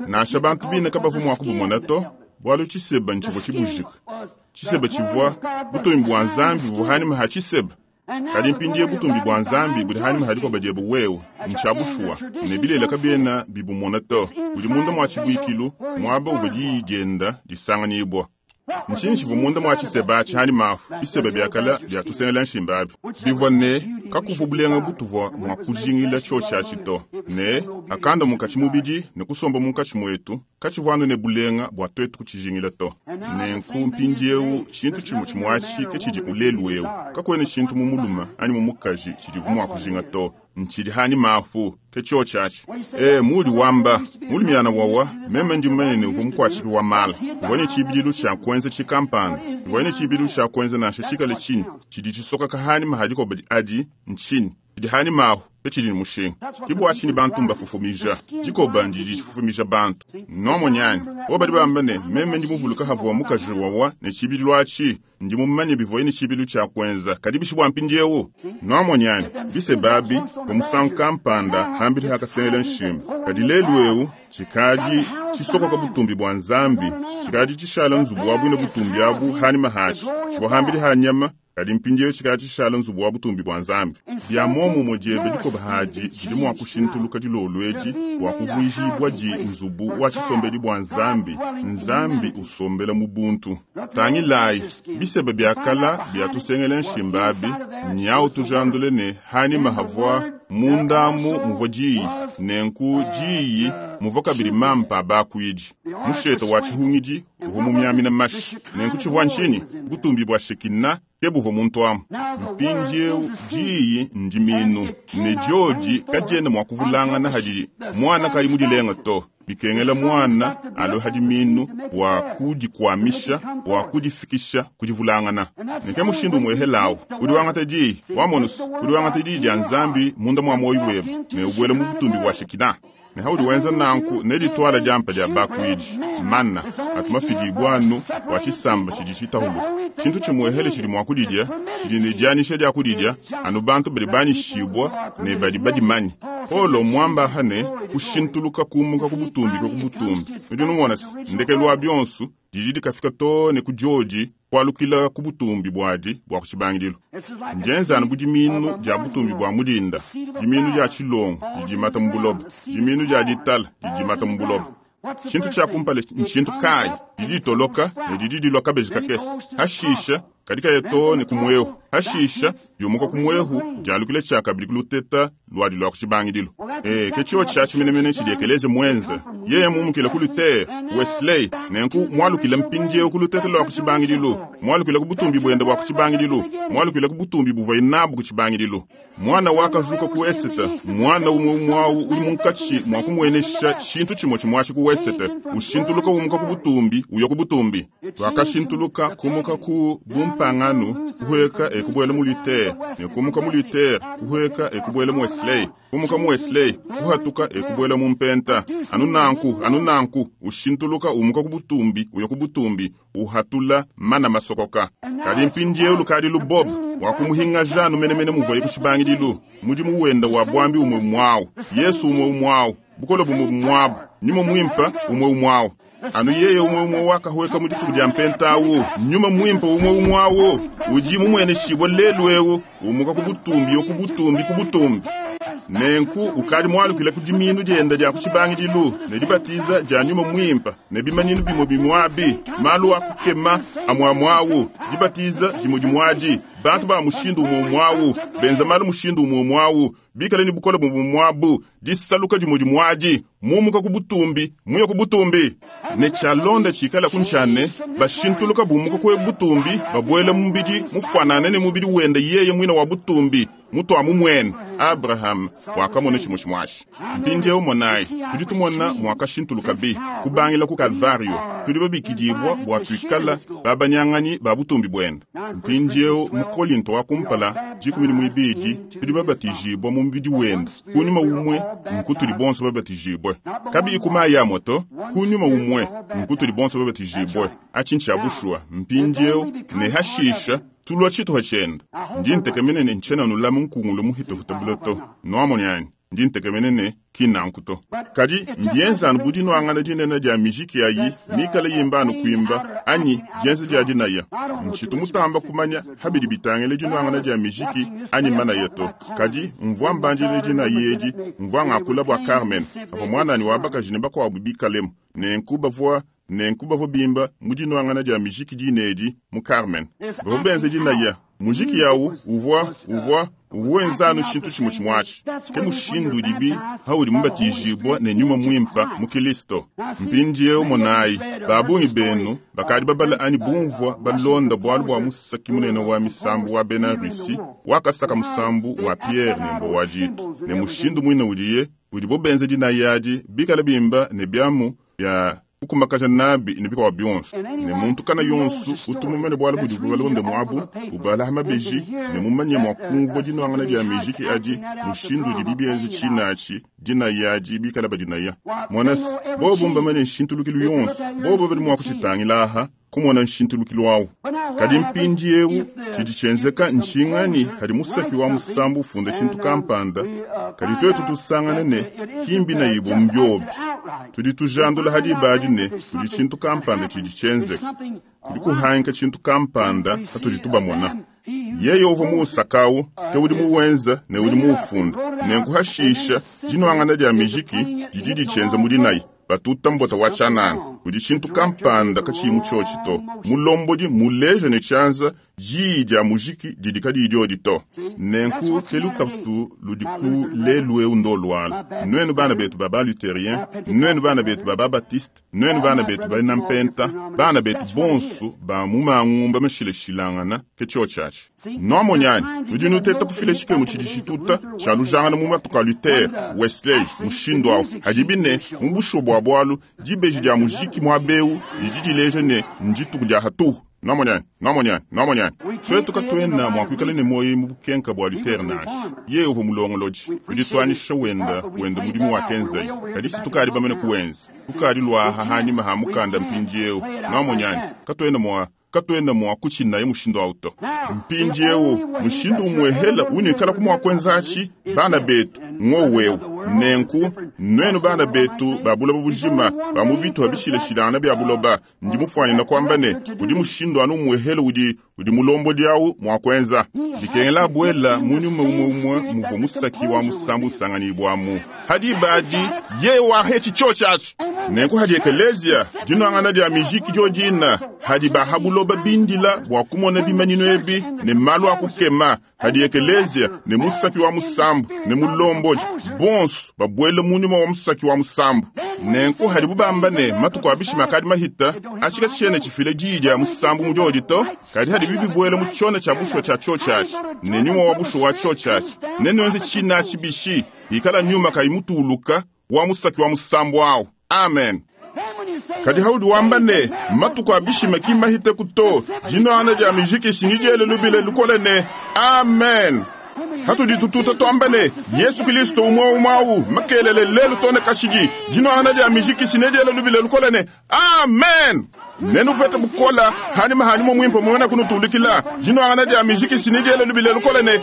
Nansha bantu bine kabavu mua kubumona to bwalu tshiseba ntshivua tshibujika. Tshiseba tshivua butumbi bua Nzambi buvua hanima ha tshiseba. Kadi mpindieu butumbi bua Nzambi budi hanima ha dikoba diebe wewe ntshia bushuwa ne bilela kabiena bibumona to. Budi munda mwa tshibwikilu mwaba uvua diyi dienda disanganyibwa. Ntshinyi tshivua munda mwa tshiseba atshi hanima afu biseba bia kale bia tusengela nshimba abi. Bivua ne kakuvua bulenga butuvua mua kujingila tshiotshi atshi to. Ne akanda munkatshi mubidi ne kusomba munkatshi muetu katshivua anu ne bulenga bua tuetu kutshijingila to. Nenku mpindieu tshintu tshimue tshimue atshi ke tshidi ku lelu eu. Kakuena tshintu mu muluma anyi mu mukaji tshidibu mua kujinga to. Ntshidi hanima afu ke tshiotshi atshi. E mudi wamba mulumiana wawa meme ndi mumanye ne uvua mukuatshiki wa mala. Uvua ne tshibidilu tshia kuenza tshikampanda. Uvua ne tshibidilu tshia kuenza nansha tshikale tshinyi tshidi tshisoka hanima ha dikoba adi ntshinyi tshidi hanima ahu ke tshidi ne mushinga. Ke bua tshinyi bantu mbafufumija dikoba ndidi tshifufumija bantu. Nwamonyani bo badi bamba ne meme ndi muvuluka havua mukaji wawa ne tshibidilu atshi ndi mumanye bivuaye ne tshibidilu tshia kuenza kadi bishi bua mpindieu. Nwamonyani biseba abi pa musangu kampanda hambidi hakasengela nshimba. Kadi lelu eu tshikadi tshisokoka butumbi bua Nzambi tshikadi tshishala nzubu wa bwina butumbi abu hanima hatshi tshivua hambidi ha nyama kadi mpindieu tshikadi tshishala nzubu wa butumbi bua Nzambi. Bia muomumue diebe dikoba hadi didi mua kushintuluka dilolo edi bua kuvuijibua di nzubu wa tshisombedi bua Nzambi. Nzambi usombela mu buntu. Tangilayi biseba bia kala bia tusengela nshimba abi nyawu tujandule ne hanima havua mundamu muvua diyi nenku diyi muvua kabidi mampa bakuidi. Musheta wa tshihungidi uvua mumiamina mashi. Nenku tshivua ntshinyi butumbi bua Shekina ke buvua muntu amu. Mpindieu diyi ndiminu ne diodi kadiena mua kuvulangana hadi mwana kayi mudilenga to. Bikengela mwana alo hadi minu bua kudikwamisha bua kudifikisha kudivulangana. Neke mushindu umwehelawu udi wangata diyi wamonusu udi wangata diyi dia Nzambi munda mwa moyo webe ne ubwela mu butumbi bua Shekina. Ne haudi wenza nanku ne ditwala diampa dia bakuidi mana atumafidibwa anu bua tshisamba tshidi tshitahuluka. Tshintu tshimwehele tshidi mua kudidia tshidi ne dianyisha dia kudidia anu bantu badi banyishibwa ne badi badimanye. Paulo mwamba hane kushintuluka kumuka ku butumbi ku butumbi. Nudi numona se ndekelu wa bionso didi dikafika to ne ku diodi kualukila ku butumbi buadi bua ku tshibangidilu. Ndienza anu bu diminu dia butumbi bua mudinda, diminu dia tshilongo didi dimata mu buloba, diminu dia ditala didi dimata mu buloba. Tshintu tshia kumpala ntshintu kayi? Didi ditoloka ne didi dilua kabeji kakese. Hashisha kadi kaya too ne ku mwehu. Hashisha diumuka ku mwehu dialukile tshiakabidi ku luteta luadi lua ku tshibangidilu. E, ke tshio tshia tshimenemene tshidi ekelezia muenze. Yeye mumukile ku Luther, Wesley, nenku mualukile mpindieu ku luteta lua ku tshibangidilu, mualukile ku butumbi buende bua ku tshibangidilu, mualukile ku butumbi buvuaye nabu ku tshibangidilu. Mwana wakajuka ku Esete, mwana umwe umwe awu uli munkatshi mwa kumuenesha tshintu tshimwe tshimwashi ku Esete, ushintuluka umuka ku butumbi uya ku butumbi. Wakashintuluka kumuka ku bumpanganu kuhweka ekubuela mu Luther, ne kumuka mu Luther kuhweka ekubuela mu Wesley, kumuka mu Wesley kuhatuka ekubuela mu Mpenta. Anu nanku, anu nanku, ushintuluka umuka ku butumbi uya ku butumbi, uhatula mana masokoka. Kadi mpindieu lukadi lubob wakumuhingaja anu menemene muvuaye ku tshibangidilu. Mudimu wenda wa bwambi umwe umwawu, Yesu umwe umwawu, bukole bumwe bumwabu, nyuma mwimpa umwe umwawu. Anu yeye umwe umwe wakahweka mu dituku dia mpenta awu, nyuma mwimpa umwe umwawu, udi mumweneshibwa lelu ewu, umuka ku butumbi yo ku butumbi ku butumbi. Nenku ukadi mualukile ku diminu dienda dia ku tshibangidilu, ne dibatiza dia nyuma mwimpa, ne bimanyinu bimwe bimwabi, malu a kukema amwamwawu, dibatiza dimwe dimwadi, bantu ba mushindu umwe umwawu, benza malu mushindu umwe umwawu, bikale ni bukole bumwe bumwabu, disaluka dimwe dimwadi, mumuka ku butumbi, muya ku butumbi. Ne tshialonda tshikala ku ntshane, bashintuluka bumuka kwe butumbi, babuela mu mubidi mufanane ne mubidi wenda yeye mwina wa butumbi, mutu mumwene. Abraham wakamona tshimwe tshimwashi. Mpindieu monayi, tudi tumona mwakashintuluka bi kubangila ku Kalvario, tudi babikidibwa bua tuikala babanyanganyi ba butumbi buenda. Mpindieu mu Kolinto wa kumpala dikumi ne muibidi, tudi babatijibwa mu mubidi wenda. Kunyuma umwe nku tudi bonso babatijibwe. Kabiyi ku mayi amwe to, kunyuma umwe nku tudi bonso babatijibwe. Atshi ntshia bushuwa. Mpindieu ne hashisha tulua tshituha tshienda. Ndi ntekemene ne ntshena nulama nkungulu muhitahuta buloto. Nuamonyanyi, ndi ntekemene ne kinanku to. Kadi mbienza anu budi nuangana dinene dia mijiki ayi, mikale yimba anu kuimba, anyi dienza dia dinaya. Ntshitu mutamba kumanya habidi bitangile dinuangana dia mijiki anyi manaya to. Kadi mvua mbanjile dinaya edi, mvua ngakula bua Carmen, avua mwananyi wa bakaji ne bakuabu bikalemu. Nenku bavua nenku bavua bimba mu dinuangana dia mijiki dinedi mu Carmen. Bavua benze dinaya, mujiki yawu uvua uvua uvua wenza anu tshintu tshimwe tshimwashi. Ke mushindu udibi haudi mubatijibwa ne nyuma mwimpa mu Kristo. Mpindieu monayi, babungi benu bakadi babala anyi bumvua balonda bualu bua musaki munene wa misambu wa bena Rusi, wakasaka musambu wa Pierre ne mbo wa ditu. Ne mushindu mwine udiye, udibo benze dinaya adi bikala bimba ne biamu bia kukumakaja nabi ne bikwa bionso. Ne muntu kana yonso utumumene bwala budi bubalonde mwabu, ubala mabeji ne mumanye mwa kumvua dinuangana dia mijiki adi mushindu udi bibienze tshinachi dinaya adi bikala badinaya. Mwanas, bobo mbamane nshintulukilu yonso, bobo badi mwa kutshitangilaha kumona nshintulukilu awu. Kadi mpindieu tshidi tshienzeka ntshingani hadi musaki wa musambu ufunda tshintu kampanda, kadi twetu tusangane ne kimbi na ibo mbyobi. Tudi tujandula hadi badi ne kudi tshintu kampanda tshidi tshienzeka. Kudi kuhanka tshintu kampanda hatudi tubamona. Yeye uvua muusakawu, ke udi muwenza ne udi muufunda. Nenku hashisha dinuangana dia mijiki didi ditshienza mu dinayi. Batuta mbota wa tshianana, kudi tshintu kampanda katshiyi mu tshiotshi to. Mulombodi muleja ne tshianza diyi dia mujiki didi kadiyi diodi to. Nenku ke lutatu ludi ku lelu eu ndo luala. Nuenu bana betu ba ba-Lutherien, nuenu bana betu ba ba-Baptiste, nuenu bana betu ba Nampenta, bana betu bonso ba mu mangumba mashilashilangana ke tshiotshi atshi. Nuamonyani, nudi nuteta kufila tshikemu tshidi tshituta tshia lujangana mu matuku a Luther, Wesley, mushindu awu. Hadibi ne mu bushuwa bua bualu, dibeji dia mujiki muabeu didi dileja ne ndituku dia hatuhu. Nuamonyani, nuamonyani, nuamonyani. Twetu katuena mua kuikala ne moyo mu bukenka bua Luther nansha. Yeye uvua mulongolodi, udi tuanyisha wenda wenda mudimu wa kenzayi. Kadi si tukadi bamene kuwenza. Tukadi luaha hanyima ha mukanda mpindieu. Nuamonyani, katuena mua katuena mua kutshinaye mushindu awu to. Mpindieu mushindu umwehela unikala ku mua kuenza atshi bana betu ngowewu. Nenku nuenu bana betu ba buloba bujima ba mu bitu bishilashilangana bya buloba, ndi mufuanyina kwamba ne kudi mushindu anu umwehela udi udi mulombodi awu mua kuenza. Bikengela abuela mu nyuma umwe umwe muvua musaki wa musambu usanganibwamu. Hadi badi ye wahe chichochachi. Nenku hadi ekelezia dinwangana dia mijiki diodina hadi bahabuloba bindila bua kumona bimanyino ebi ne malu akukema hadi ekelezia ne musaki wa musambu ne mulomboji bonso babuele mu nyuma wa musaki wa musambu. Nenku hadi bubamba ne matuku abishima kadi mahita ashika tshene tshifile diyi dia musambu mu diodito kadi hadi bibibuele mu tshiona tshia bushuwa tshia tshiotshiatshi ne nyuma wa bushuwa wa tshiotshiatshi ne nwenze tshina tshibishi ikala nyuma kayimutuluka wa musaki wa musambu awu. Amen. Kadi haudi wamba ne matuku abishima ki mahite kuto dinwana dia mijiki sinijele lubile lukole ne amen. Hatudi tututa twamba ne Yesu Kristo umwe umwawu makelele lelu tone kashidi dinwana dia mijiki sinijele lubile lukole ne amen. Nenu pete bukola hani mahani mo mwimpe mwena kunutulikila dinwana dia mijiki sinijele lubile lukole ne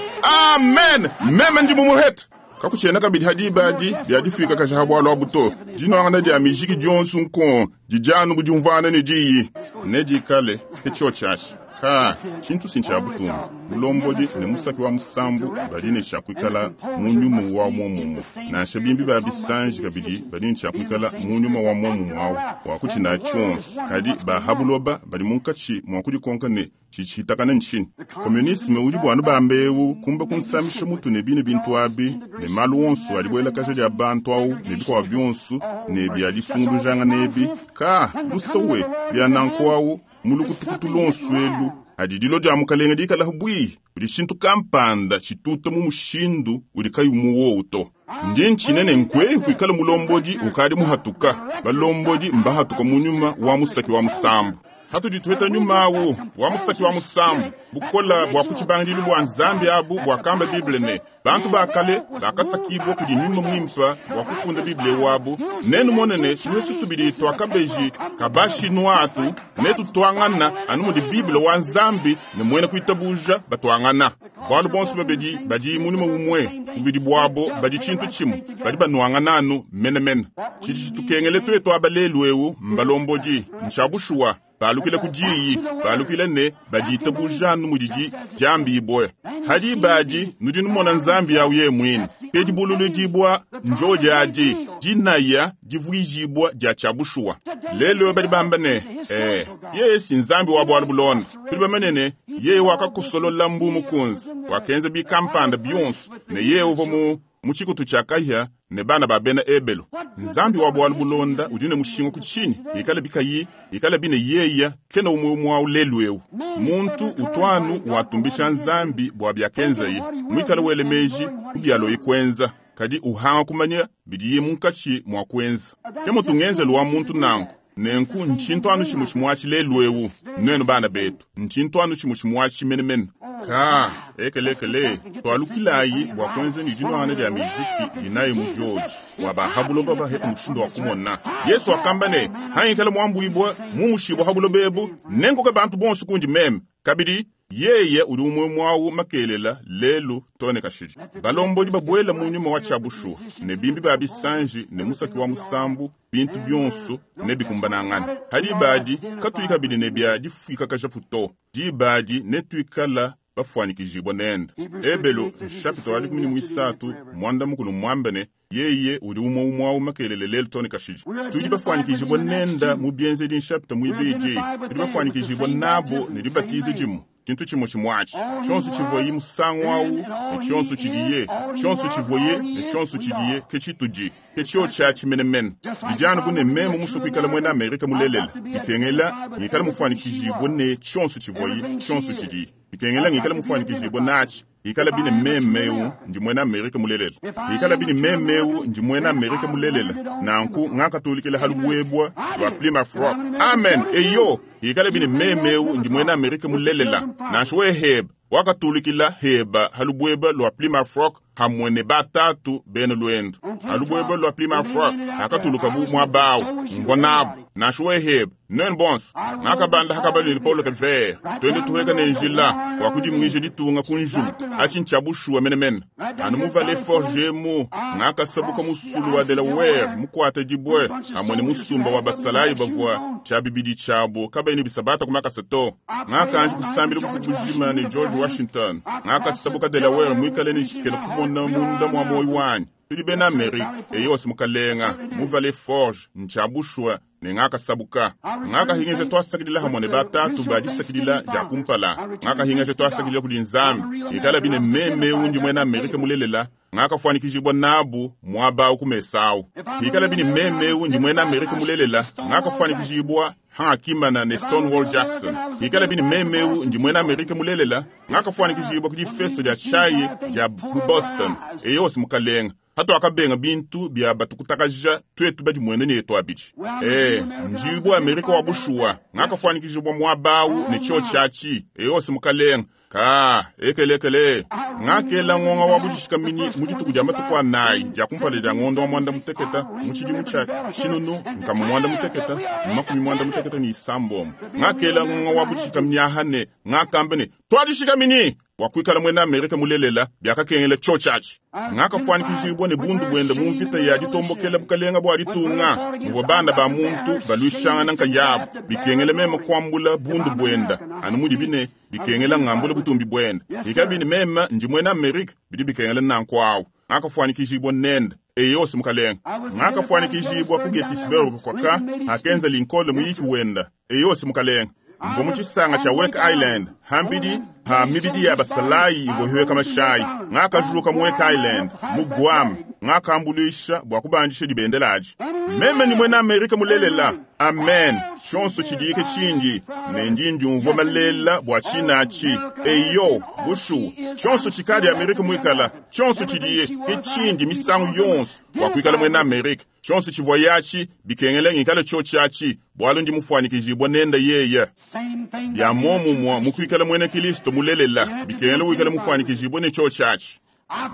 amen. Meme ndi mumuhete kakuchena kabidi hadi badi byadifika kasha bwalo abuto dinwangana dia mijiki dionsu nkon dijanu bujumvana ne diyi ne dikale echochashi ka chintu sincha butumba mulombodi ne musaki wa musambu badi ne shakwikala mu nyuma wa mwomumu nansha bimbi ba bisanji kabidi badi ne shakwikala mu nyuma wa mwomumu awu wa kuchina chonso kadi bahabuloba badi munkachi mwa kudikonka ne chichitakana nchini komunisme udi bwanu bambewu kumba kunsamisha mutu ne bine bintu abi ne malu onso alibwela kasha dia bantu awu ne bikwa byonso ne bya disungulujanga nebi ka lusowe bya nanku awu mulukutukutu lonso elu adi dilo dia mukalenga dikala bwi udi shintu kampanda chituta mu mushindu udi kayi muwowu to. Ndi nchinene nkwe kwikala mulombodi ukadi muhatuka balombodi mbahatuka mu nyuma wa musaki wa musambu. Hatudi tuheta nyuma awu wa musaki wa musambu bukola bwa kuchibangilu bwa nzambi abu bwa kamba Bible ne bantu bakale bakasakibwa kudi nyuma mwimpa bwa kufunda Bible wabu nenu monene tuhesu tubili twakabeji kabashi nwatu netu twangana anu mudi Bible wa nzambi ne mwene kuitabuja batwangana bwalu bonso babedi badi munyuma umwe bubidi bwabo badi chintu chimu badi banwangana anu menemene chidi chitukengele twetu abalelu ewu mbalombodi nchabushuwa balukile kudiyi balukile ne badita bujanu mudidi jambi boya hadi badi nudi numona nzambi yawu ye mwini pedi bululu dibwa njoja adi dinaya divuijibwa dia chabushuwa lelo badi bamba ne eh yesi nzambi wa bwalu bulona tudi bamenene yeye wakakusolola mbu mukunzi wakenza bikampanda bionso ne yeye uva mu muchikutu cha kahya ne bana ba bena ebelo nzambi wa bwalu bulonda udi ne mushinga kuchini ikala bikayi ikala bine yeya kena umwe mwa ulelu ewu muntu utwanu watumbisha nzambi bwa byakenzaye mwikala wele meji kubyalo ikwenza kadi uhanga kumanya bidiye munkachi mwa kwenza ke mutungenzelu wa muntu nanku nenku nchintu anu chimu chimwachi lelu ewu nwenu bana betu nchintu anu chimu chimwachi menemene ka ekelekele twalukilayi bwa kwenza ni dinwana dia mijiki dinayi mu George wa bahabuloba bahetu mushindo wa kumona Yesu akamba ne hangikala mwambuibwa mumushibwa habulobebu nengoke bantu bonso kundi meme kabidi yeye uli umwe mwawu makelela lelu tone kashidi balombodi babwela mu nyuma wa chabushuwa ne bimbi ba bisanji ne musaki wa musambu bintu byonso ne bikumbanangana hadi badi katuyi kabidi ne bya difika kajaputo dibadi ne tuikala bafuanikijibwa nenda ebelo nshapito wa dikumi ni mwisatu mwanda mukulu mwambene yeye uli umwe umwawu makelele lelu tone kashidi tudi bafuanikijibwa nenda mu byenzedi nshapito mwibidi tudi bafuanikijibwa nabo ne dibatize dimu chintu chimwe chimwachi chonso chivoyi musango awu ne chonso chidiye chonso chivoye ne chonso chidiye ke chituji ke chio cha chimenemene dijana bune meme musukuikala mwena Amerika mulelela ikengela ngikala mufanikijibwa ne chonso chivoyi chonso chidiye ikengela ngikala mufanikijibwa nachi ikala bine memeu ndi mwena Amerika mulelela ikala bine memeu ndi mwena Amerika mulelela nanku ngakatulikila halubwebwa lwa Plymouth Rock amen eyo ikala bine memeu ndi mwena Amerika mulelela nansho heba wakatulikila heba halubweba lwa Plymouth Rock hamwe ne batatu bene lwendo halubweba lwa Plymouth Rock akatuluka bu mwabawu ngwa nabo Nansha weheba nuenu bonso ngakabanda hakabalu ne Paulo Revere twende tuheka ne njila wa kudimwija ditunga ku njulu achi nchabushuwa menemene anu muvale forge mu ngakasabuka musulu wa Delaware mukwata dibwe amwe ne musumba wa basalayi bavua cha bibidi chabo kabayi bisabata kumakasa to ngakanje kusambila kufubujima ne George Washington ngakasabuka Delaware mwikale ne shikela kumona munda mwa moyo wanyi tudi bena Amerika eyose mukalenga muvale forge nchabushwa ne ngakasabuka ngakahingeja twasakidila hamwe ne batatu badisakidila ja kumpala ngakahingeja twasakidila kudi Nzambi ikala bine meme undi mwena Amerika mulelela ngakafanikijibwa nabu mwaba ukumesawu ikala bine meme undi mwena Amerika mulelela ngakafanikijibwa hangakimana ne Stonewall Jackson ikala bine meme undi mwena Amerika mulelela ngakafanikijibwa kudi festo ja chai ja Boston eyose mukalenga hato akabenga bintu bya batukutakaja twetu badi mwene ne twabidi eh njibwa Amerika wa bushuwa ngakafanikijibwa mwabawu ne cho chachi eyose mukalenga ka ekelekele ngakela ngonga wa budishikamini mudituku dia matuku anayi dia kumpala dia ngondo wa mwanda muteketa mu tshidimu tshia tshinunu nkama mwanda muteketa makumi mwanda muteketa ni isambomo ngakela ngonga wa budishikamini ahane ngakamba ne twadishikamini wakwikala mwena Amerika mulelela byakakengela cho chachi ngakafanikijibwa ne bundu bwenda mu mvita ya ditombokela bukalenga bwa ditunga muvua bana ba muntu balwishangana nkayabo bikengela meme kwambula bundu bwenda anu mudi bine bikengela ngambula butumbi bwenda ikabini meme ndi mwena Amerika bidi bikengela nankwawu ngakafanikijibwa nenda eyose mukalenga ngakafanikijibwa ku Gettysburg kwaka akenza Lincoln muyiki wenda eyose mukalenga mvo mu tshisanga tsha Wake Island hambidi ha mibidi ya basalayi ivohiweka mashayi ngakajuluka mu Wake Island mu Guam ngakambuluisha bua kubandisha dibendelaji meme ni mwena Amerika mulelela amen tshonso tshidike tshindi ne ndi ndiumvua malela bua tshinachi eyo bushu tshonso tshikadi Amerika muikala tshonso tshidiye ke tshindi misangu yonso bua kuikala mwena Amerika tshonso tshivua yachi bikengela ngikala tsho tshiachi bwalu ndi mufanikijibwa nenda yeye bya momumwa mukuikala mwena Kristo mulelela bikengela wikala mufanikijibwa ne tsho tshiachi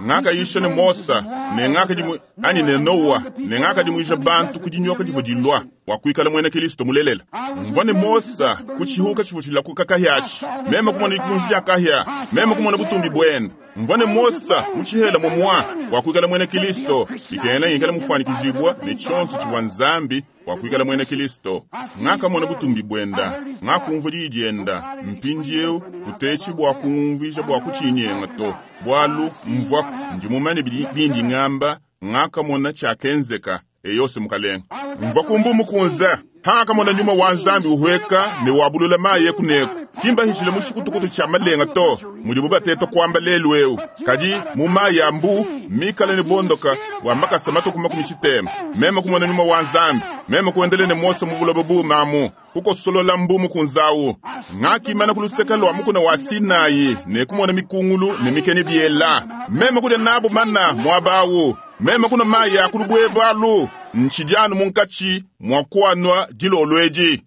ngakayisha ne Mosa ne ngakadimu ani ne Noa ne ngakadimuija bantu kudinyoka divua dilua bua kuikala mwena Kristo mulelela mvua ne Mosa kutshihuka tshivua tshilakuka kahyashi meme kumona dikunji dia kahya meme kumona butumbi bwenda mvua ne Mosa mutshihela momwa bua kuikala mwena Kristo bikengela ngikala mufanikijibwa ne tshonso tshivua Nzambi bua kuikala mwena Kristo ngakamona butumbi bwenda ngakumvua diyi dienda mpindieu kutetshi bua kungumvuija bua kutshinyenga to bwalu mvua ndi mumanye bindi ngamba ngakamona tshiakenzeka eyose mukalenga mvua kumbu mukunza hangakamona nyuma wa Nzambi uhweka ne wabulula mayi ekuneku kimbahishile mushikutukutu tshia malenga to mudibu bateta kwamba lelu eu kadi mu mayi ya mbu mikala ne bondoka bua makasa matuku makumi tshitema meme kumona nyuma wa Nzambi meme kuendele ne Mose mu buloba bumamu kukosolola mbu mukunzawu ngakimana kuluseka lwa mukuna wa Sinai ne kumona mikungulu ne mikene biela meme kudia nabu mana mwabawu meme kuna mayi akulubwebwalu ntshidi munkatshi mwa kuanwa dilolwedi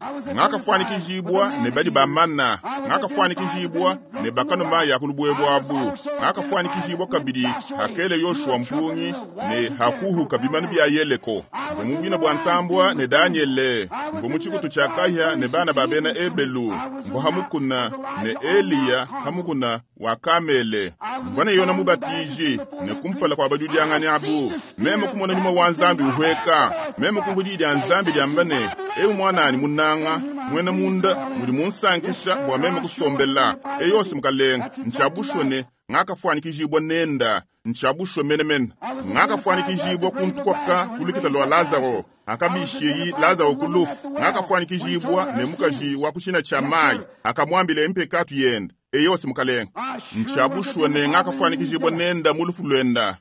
ngakafanikijibwa ne badi bamana ngakafanikijibwa ne bakano mayi akulubwebwabu ngakafanikijibwa kabidi hakele Yoshua mpungi ne hakuhuka bimanu bya Yeriko mvo mu bwina bwa ntambwa ne Daniele mvo mu tshikutu tshia kahya ne bana ba bena Ebelu mvo hamukuna ne Eliya hamukuna wa Kamele mvo ne Yona mubatiji ne kumpala kwa bajudiangani abu meme kumona nyuma wa Nzambi uhweka meme kumvua diyi dia Nzambi diamba ne ewu mwanani munanga mwena munda mudi munsankisha bua meme kusombela eyose mukalenga ntshiabushwe ne ngakafanikijibwa nenda ntshiabushwe menemene ngakafanikijibwa kuntukwaka kulukita lwa Lazaro akabishiyi Lazaro kulufu ngakafanikijibwa ne mukaji wa kushina tsha mayi akamwambile mpekatu yenda eyose mukalenga ntshiabushwe ne ngakafanikijibwa nenda mulufu lwenda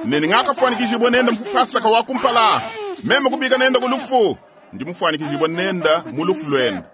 nene ngakafanikijibwa nenda mupasaka wa kumpala meme kubika nenda kulufu ndi mufanikijibwa nenda mulufu lwenda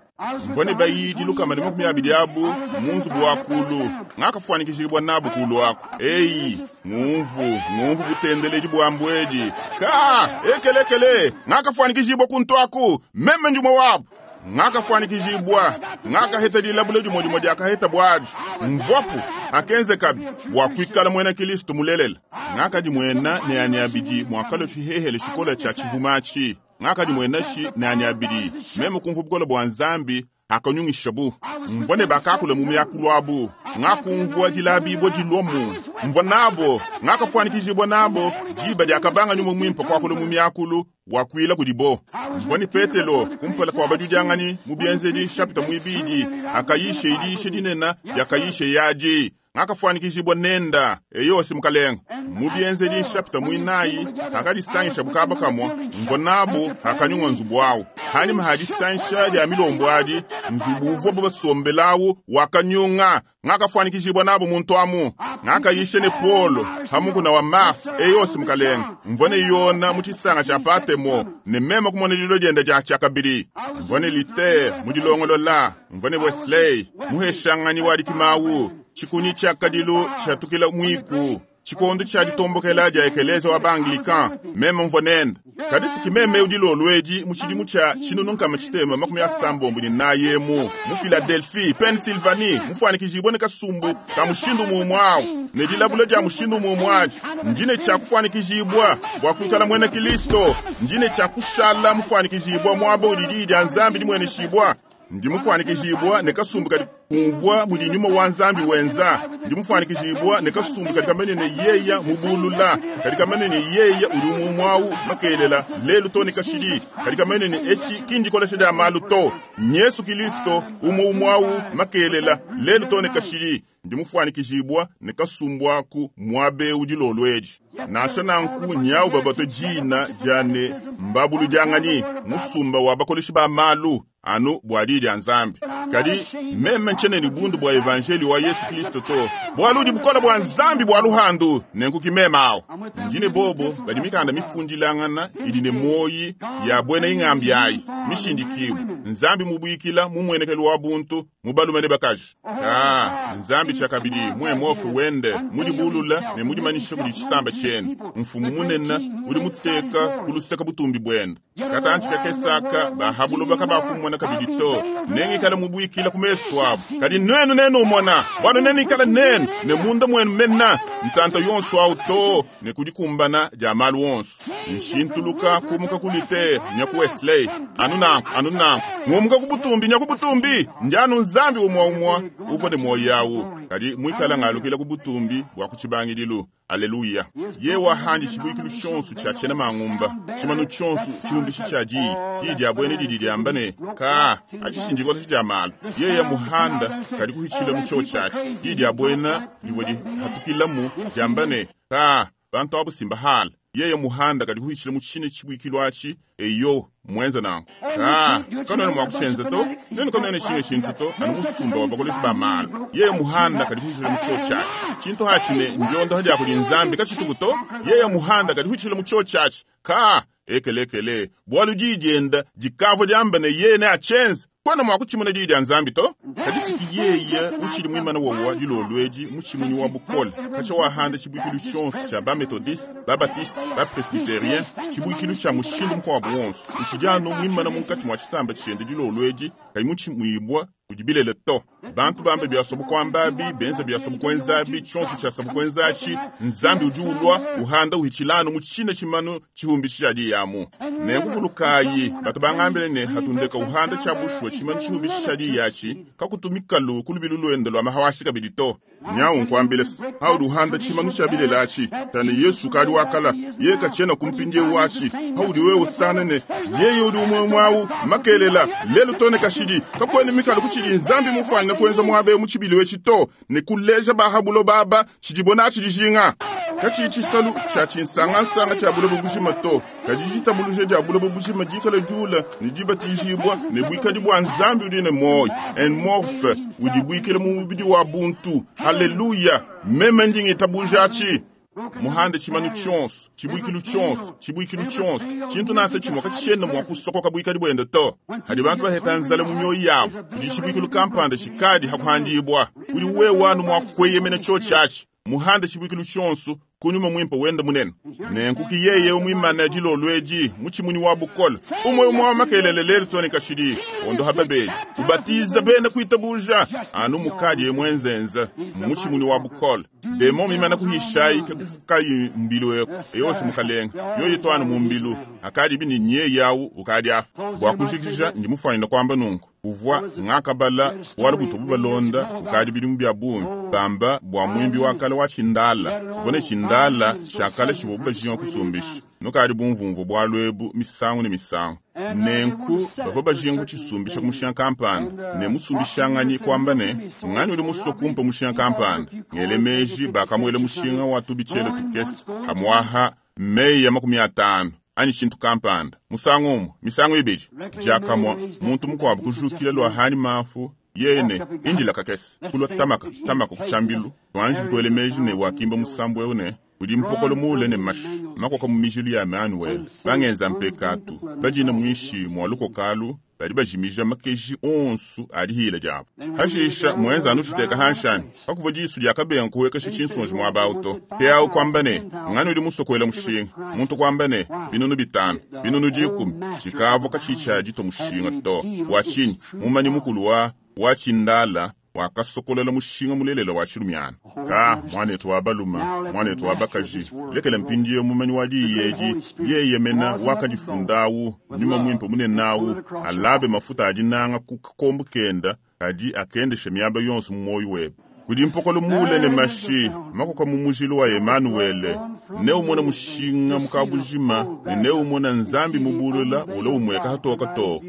mvua ne bayidi lukama ne makumi abidi abu mu nzubu wa kulu ngakafanikijibwa nabu kulu aku eyi ngumvu ngumvu butendeledi bua mbwedi ka ekelekele ngakafanikijibwa kuntu aku meme ndimwe wabu ngakafanikijibwa ngakaheta dilabula dimwe dimwe diakaheta bwadi mvuapu akenzekabi bua kuikala mwena Kristo mulelela ngakadi mwena ne ani abidi muakalo tshihehele tshikola tshia tshivumatshi Ngakadimwena tshi ne anyi abidi. Meme kumvwa bukole bwa Nzambi hakanyungishabu. Mvwa ne bakakula mu miakulu abu. Ngakumvwa dilabibwa dilomu. Mvwa nabo, ngakafuanikijibwa nabo, diba diakabanga nyuma mwimpe kwakula mu miakulu wakwila kudibo. Mvwa ni Petelo kumpala kwa bajudyangani mu bienzedi chapita mwibidi akayishe idishe dinena diakayishe yaji. Ngakafuanikijibwa nenda eyose mukalenga. Mu bienzedi chapita mwinayi akadisangisha bukaba kamwa mvwa nabo akanyungwa nzubu awo. Hanyuma hadisansha dia milombo adi nzubu uvwa basombelawo wakanyunga. Ngakafuanikijibwa nabo muntu amu. Ngakayishe ne Paulo hamukuna wa Mars eyose mukalenga. Mvwa ne Yona mu tshisanga tshia Patemo ne meme kumona lilo dienda dia tshiakabidi. Mvwa ne Luther mu dilongolola, mvwa ne Wesley muheshanganyi wa dikimawu. Chikunyi tshia kadilu tshiatukila mwiku. Chikondo tshia ditombokela dia ekeleza wa ba-Anglican, meme mvwa nenda. Kadi meme udilolwedi mu tshidimu tshia tshinunu nkama tshitema makumi asambombo ne nayemu mu Philadelphie, Pennsylvanie, mufuanikijibwe ne kasumbu ka mushindu mumwe awu ne dilabula dia mushindu mumwe adi. Ndine tshia kufuanikijibwa bua kuikala mwena Kristo, ndine tshia kushala mufuanikijibwa mwaba udi dia Nzambi dimweneshibwa. Ndi mufuanikijibwa ne kasumbu kadi kumvwa mudi nyuma wa Nzambi wenza. Ndi mufuanikijibwa ne kasumbu kadi kamene ne yeya mubulula, kadi kamene ne yeya udi mumwawu makelela lelu to ne kashidi, kadi kamene ne echi kindikolesha dia malu to. Yesu Kristo umwe umwawu makelela lelu to ne kashidi. Ndi mufuanikijibwa ne kasumbu aku mwabe udi lolweji. Nansha nanku nyawu babato jina jane mbabulu jangani musumba wa bakoleshi ba malu anu bwa didi ya Nzambi. Kadi meme nchene ni bundu bwa evangeli wa Yesu Kristo to. Bwalu udi bukola bwa Nzambi bwa luhandu nenku kimema awo. Ndine bobo badi mikanda mifundilangana idi ne moyi ya bwena ingambi ayi mishindikiwe. Nzambi mubwikila mumwenekelo wa buntu mubalume ne bakaji. Ah, Nzambi chakabidi mwe mofu wende mudi bulula ne mudi manisha kudi chisamba chene. Mfumu munene udi muteka kuluseka butumbi bwenda. Katanchi kakesaka bahabulo bakabakumona kabidi to. Nengikala mubwikila kumeso abo. Kadi nwenu nenu umona, bwana nenikala nenu ne munda mwenu mena ntanta yonso awo to ne kudikumbana dia malu wonso. Nshintuluka kumuka kulite nyaku Wesley anu nanku anu nanku ngumuka kubutumbi nyaku butumbi njanu Nzambi umwa umwa uvwa ne moyo yawo. Kadi mwikala ngalukila kubutumbi bwa kuchibangidilu. Aleluya. Ye wahandi chibuikilu chonso cha chena mangumba. Chimanu chonso chilumbishi cha ji. Di dia bwene di di ambane. Ka achishinjiko cha malu. Ye ya muhanda kadi kuhichila mu cho chachi. Di dia bwena diwodi hatukila mu jambane. Ka bantu abu simba hala. Ye ya muhanda kadi kuhichila mu chine chibuikilu achi eyo mwenza nangu. Ka kono ne mwakushenza to. Nenu kono ne shinge shintu to anu musumba wa bakoleshi ba malu. Ye ya muhanda kadi kuhichila mu cho chachi. Chinto hachine njondo haja kuli Nzambi kachitukuto. Ye ya muhanda kadi kuhichila mu cho chachi. Ka ekelekele bwalu jijenda jikavo jambane ye ne achenza. Kwana mwakuchimuna didi ya Nzambi to. Kadisiki yeye ushiri mwimana wowa dilolweji muchimunyi wa bukole. Kacha wahanda chibuikilu chonso cha ba Methodiste, ba Baptiste, ba Presbyterien, chibuikilu cha mushindu mkwa wonso. Nchijano mwimana munkachi mwa chisamba chende dilolweji kai muchimwibwa kujibilele to. Bantu bambe byasobu kwambabi, benza byasobu kwenzabi, chonso cha sabu kwenzachi, Nzambi ujulwa, uhanda uhichilano muchine chimanu chihumbishi yamu. Nekuvulukayi, batu bangambile ne hatundeka uhanda cha bushwa chimanu chihumbishi chadi yachi, kakutumikalu kulubilu lwendo lwa mahawashi kabidi to. Nyawu nkwambile, haudu uhanda chimanu cha bilelachi, tane Yesu kali wakala, ye kachena kumpindie wachi, haudi wewe sanene, yeye udi umwe mwawu, makelela, lelu tone kashidi, kakweni mikalu kuchidi Nzambi mufanya kwenza mwabe muchibili wechito, ne kuleja bahabulo baba, chijibona chijinga. Kachi chisalu cha chinsanga nsanga cha bulobo bushima to. Kaji jitabuluje ja bulobo bushima jikala jula, ni jibatijibwa, ne bwikadi bwa Nzambi udi ne moyo. En morphe, udi bwikele mu mubidi wa buntu. Haleluya. Meme ndingi tabujachi. Muhande chimanu chonso, chibuikilu chonso, chibuikilu chonso. Chintu nase chimwe kachishenda mwa kusokoka bwikadi bwende to. Hadi bantu baheta nzale mu myoyo yabo. Udi chibuikilu kampanda shikadi hakuhandibwa. Udi wewe wanu mwa kweyemena cho chachi. Muhanda tshibuikilu tshionso ku nyuma muimpe wende munene. Nenku ki yeye muimane dilolo edi mu tshimunyi wa bukole. Umwe umwe wa makelele lelu too ne kashidi ondo ha babeli. Ubatiza bena kuitabuja anu mukadi mwenzenza mu tshimunyi wa bukole. Demo mimana kuhishayi ke kufukayi mbilu eko. Eyose mukalenga yoyi toana mu mbilu akadi bini nye yawu ukadi apa. Bua kujikija ndi mufanyina kwamba nunku. Uvua ngakabala bualu butu bubalonda ukadi bidimu bya bungi bamba bua mwimbi wa kale wa tshindala uvua ne tshindala tshia tshivua bajinga kusumbisha nukadi bumvumvu bualu ebu misangu ne misangu. Nenku bavua bajinga kutshisumbiša ku mushinga kampanda ne musumbishanganyi kwamba ne ngani udi musue kumpa mushinga kampanda ngele meji bakamuela mushinga wa tubitshele tukese hamwaha meyi ya makumi atanu anyi tshintu kampanda musangu umwe misangu ibidi diakamua muntu mukuabu kujukila lua hani mafu yene indila kakese kulwa tamaka tamaka kutshambilu twanji bikuele meji ne wakimba musambu eu ne udi mpokolo muule ne mashi makoka mu mijilu ya Manuel bangenza mpekatu badina mwishi mwa lukokalu badi bajimija makeji onsu adi hila diabo. Hashisha mwenza anu tshiteka hanshani pakuva disu diakabenga kuwekesha tshinsonji muaba auto peawu kwamba ne ngani udi musokoela mushinga muntu kwamba ne binunu bitanu binunu dikumi tshikavua katshitshia dito mushinga to bua tshinyi mumanyi mukulu wa wa tshindala wakasokolela mushinga mulelela wa tshilumiana. Ka mwanetu wa baluma mwanetu wa bakaji lekela mpindiye mumanyi wa diyi edi yeye mena wakadifundawu nyuma mwimpe munenawu alabe mafuta adinanga ku kakombo kenda kadi akendesha miaba yonso mu moyo webe. Kudi mpokolo mule ne mashi makoka mu mujilu wa Emanuele ne umona mushinga mukabujima ne ne umona nzambi mubulula ula umweka hatoka to.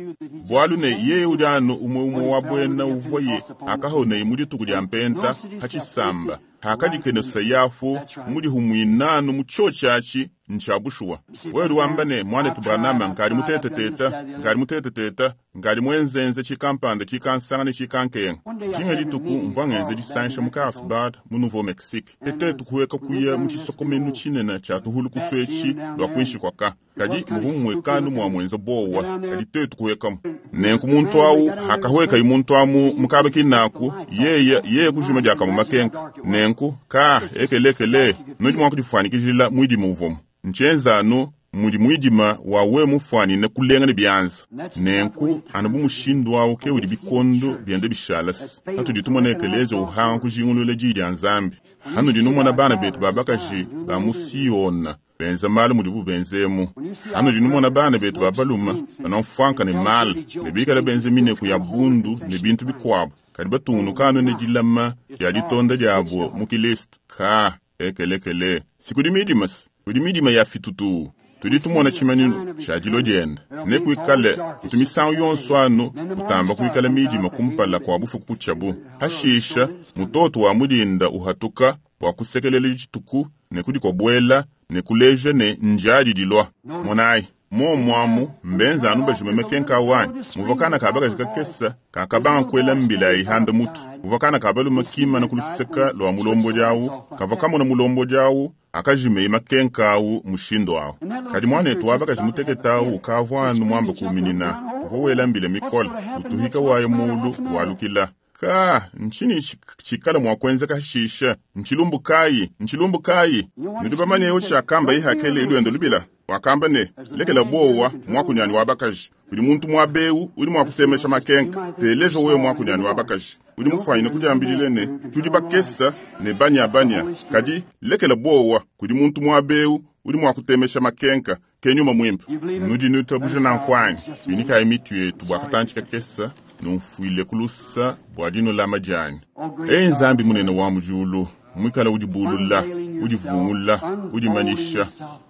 Bwalu ne yeye udi anu umwe umwe wa bwena uvuye akahoneye mu dituku dia mpenta hachisamba hakadikenosa yafu mudihumwinanu mu cho chachi nchabushuwa. Wewe wamba ne mwanetu Branham nkali muteteteta nkali muteteteta nkali mwenzenze chikampanda chikansanga ne chikankenga. Tshinga dituku mvua ngenze disansha mu Carlsbad mu Nouveau Mexique. Tete tukuweka kuya mu tshisokomenu tshinene tshia tuhulu kuswetshi lwa kwinshi kwaka. Kadi muhumwekanu mwa mwenza bowa kadi tetu tukuwekamu. Nenku muntu awu hakahweka imuntu amu mukabe kinaku yeye yeye kujuma diakamu makenka. Nenku ka ekelekele nudi mwa kudifanikijila mwidima uvomu. Nchenzanu mudi mwidima wawe mufwanine kulenga ne byanza. Nenku anu bu mushindu wawu ke udi bikondo byende bishalasi. Hatudi tumona ekelezia uhanga kujingulula diyi dia Nzambi. Hanudi numona bana betu ba bakaji ba mu Siyona benza malu mudibu benzemu. Hanudi numona bana betu ba baluma banamfwanka ne mala ne bikala benze mineku ya bundu ne bintu bikuabu. Kadi batungunukanu ne dilama dia ditonda diabo mu Kristo. Ka ekelekele sikudi midimasi kudi midima ya fitutu. Tudi tumona tshimanyinu tshia dilo diende ne kuikale kutu misangu yonso anu kutamba kuikala midima kumpala kwa bufuku kutshabu. Hashisha mutoto wa mudinda uhatuka bua kusekelela dituku ne kudikobuela ne kuleja ne njadi dilua. Monayi momwamu mbenza anu bajime kenka wanyi muvakana kabakaji kakesa kakabanga kuela mbila ihanda mutu muvakana kabaluma kima na kuluseka lwa mulombo diawu kava kamona mulombo diawu akajime makenka awu mushindo awu. Kadi mwanetu wabakaji muteketawu ukavua anu mwamba kuminina uvua mbila mikola utuhika waye mulu walukila. Ka nchini chikala mwa kwenzeka hashisha nchilumbu kayi nchilumbu kayi nudi bamanye yo chakamba ihakele ilwendo lubila wakamba ne lekela bowa mwakunyani wabakaji udi muntu mwabewu udi mwakutemesha makenka telejo wewe mwakunyani wabakaji udi mufanyine kudiambilile ne tudi bakesa ne banya banya kadi lekela bowa kudi muntu mwabewu udi mwakutemesha makenka kenyuma mwimpe nudi nutabuja na nkwanyi binikayi mitu yetu bua katanchi kakesa numfuile kulusa bua dinolama dianyi. Ei Nzambi munene wa mujulu mwikala udibulula udivungula udimanisha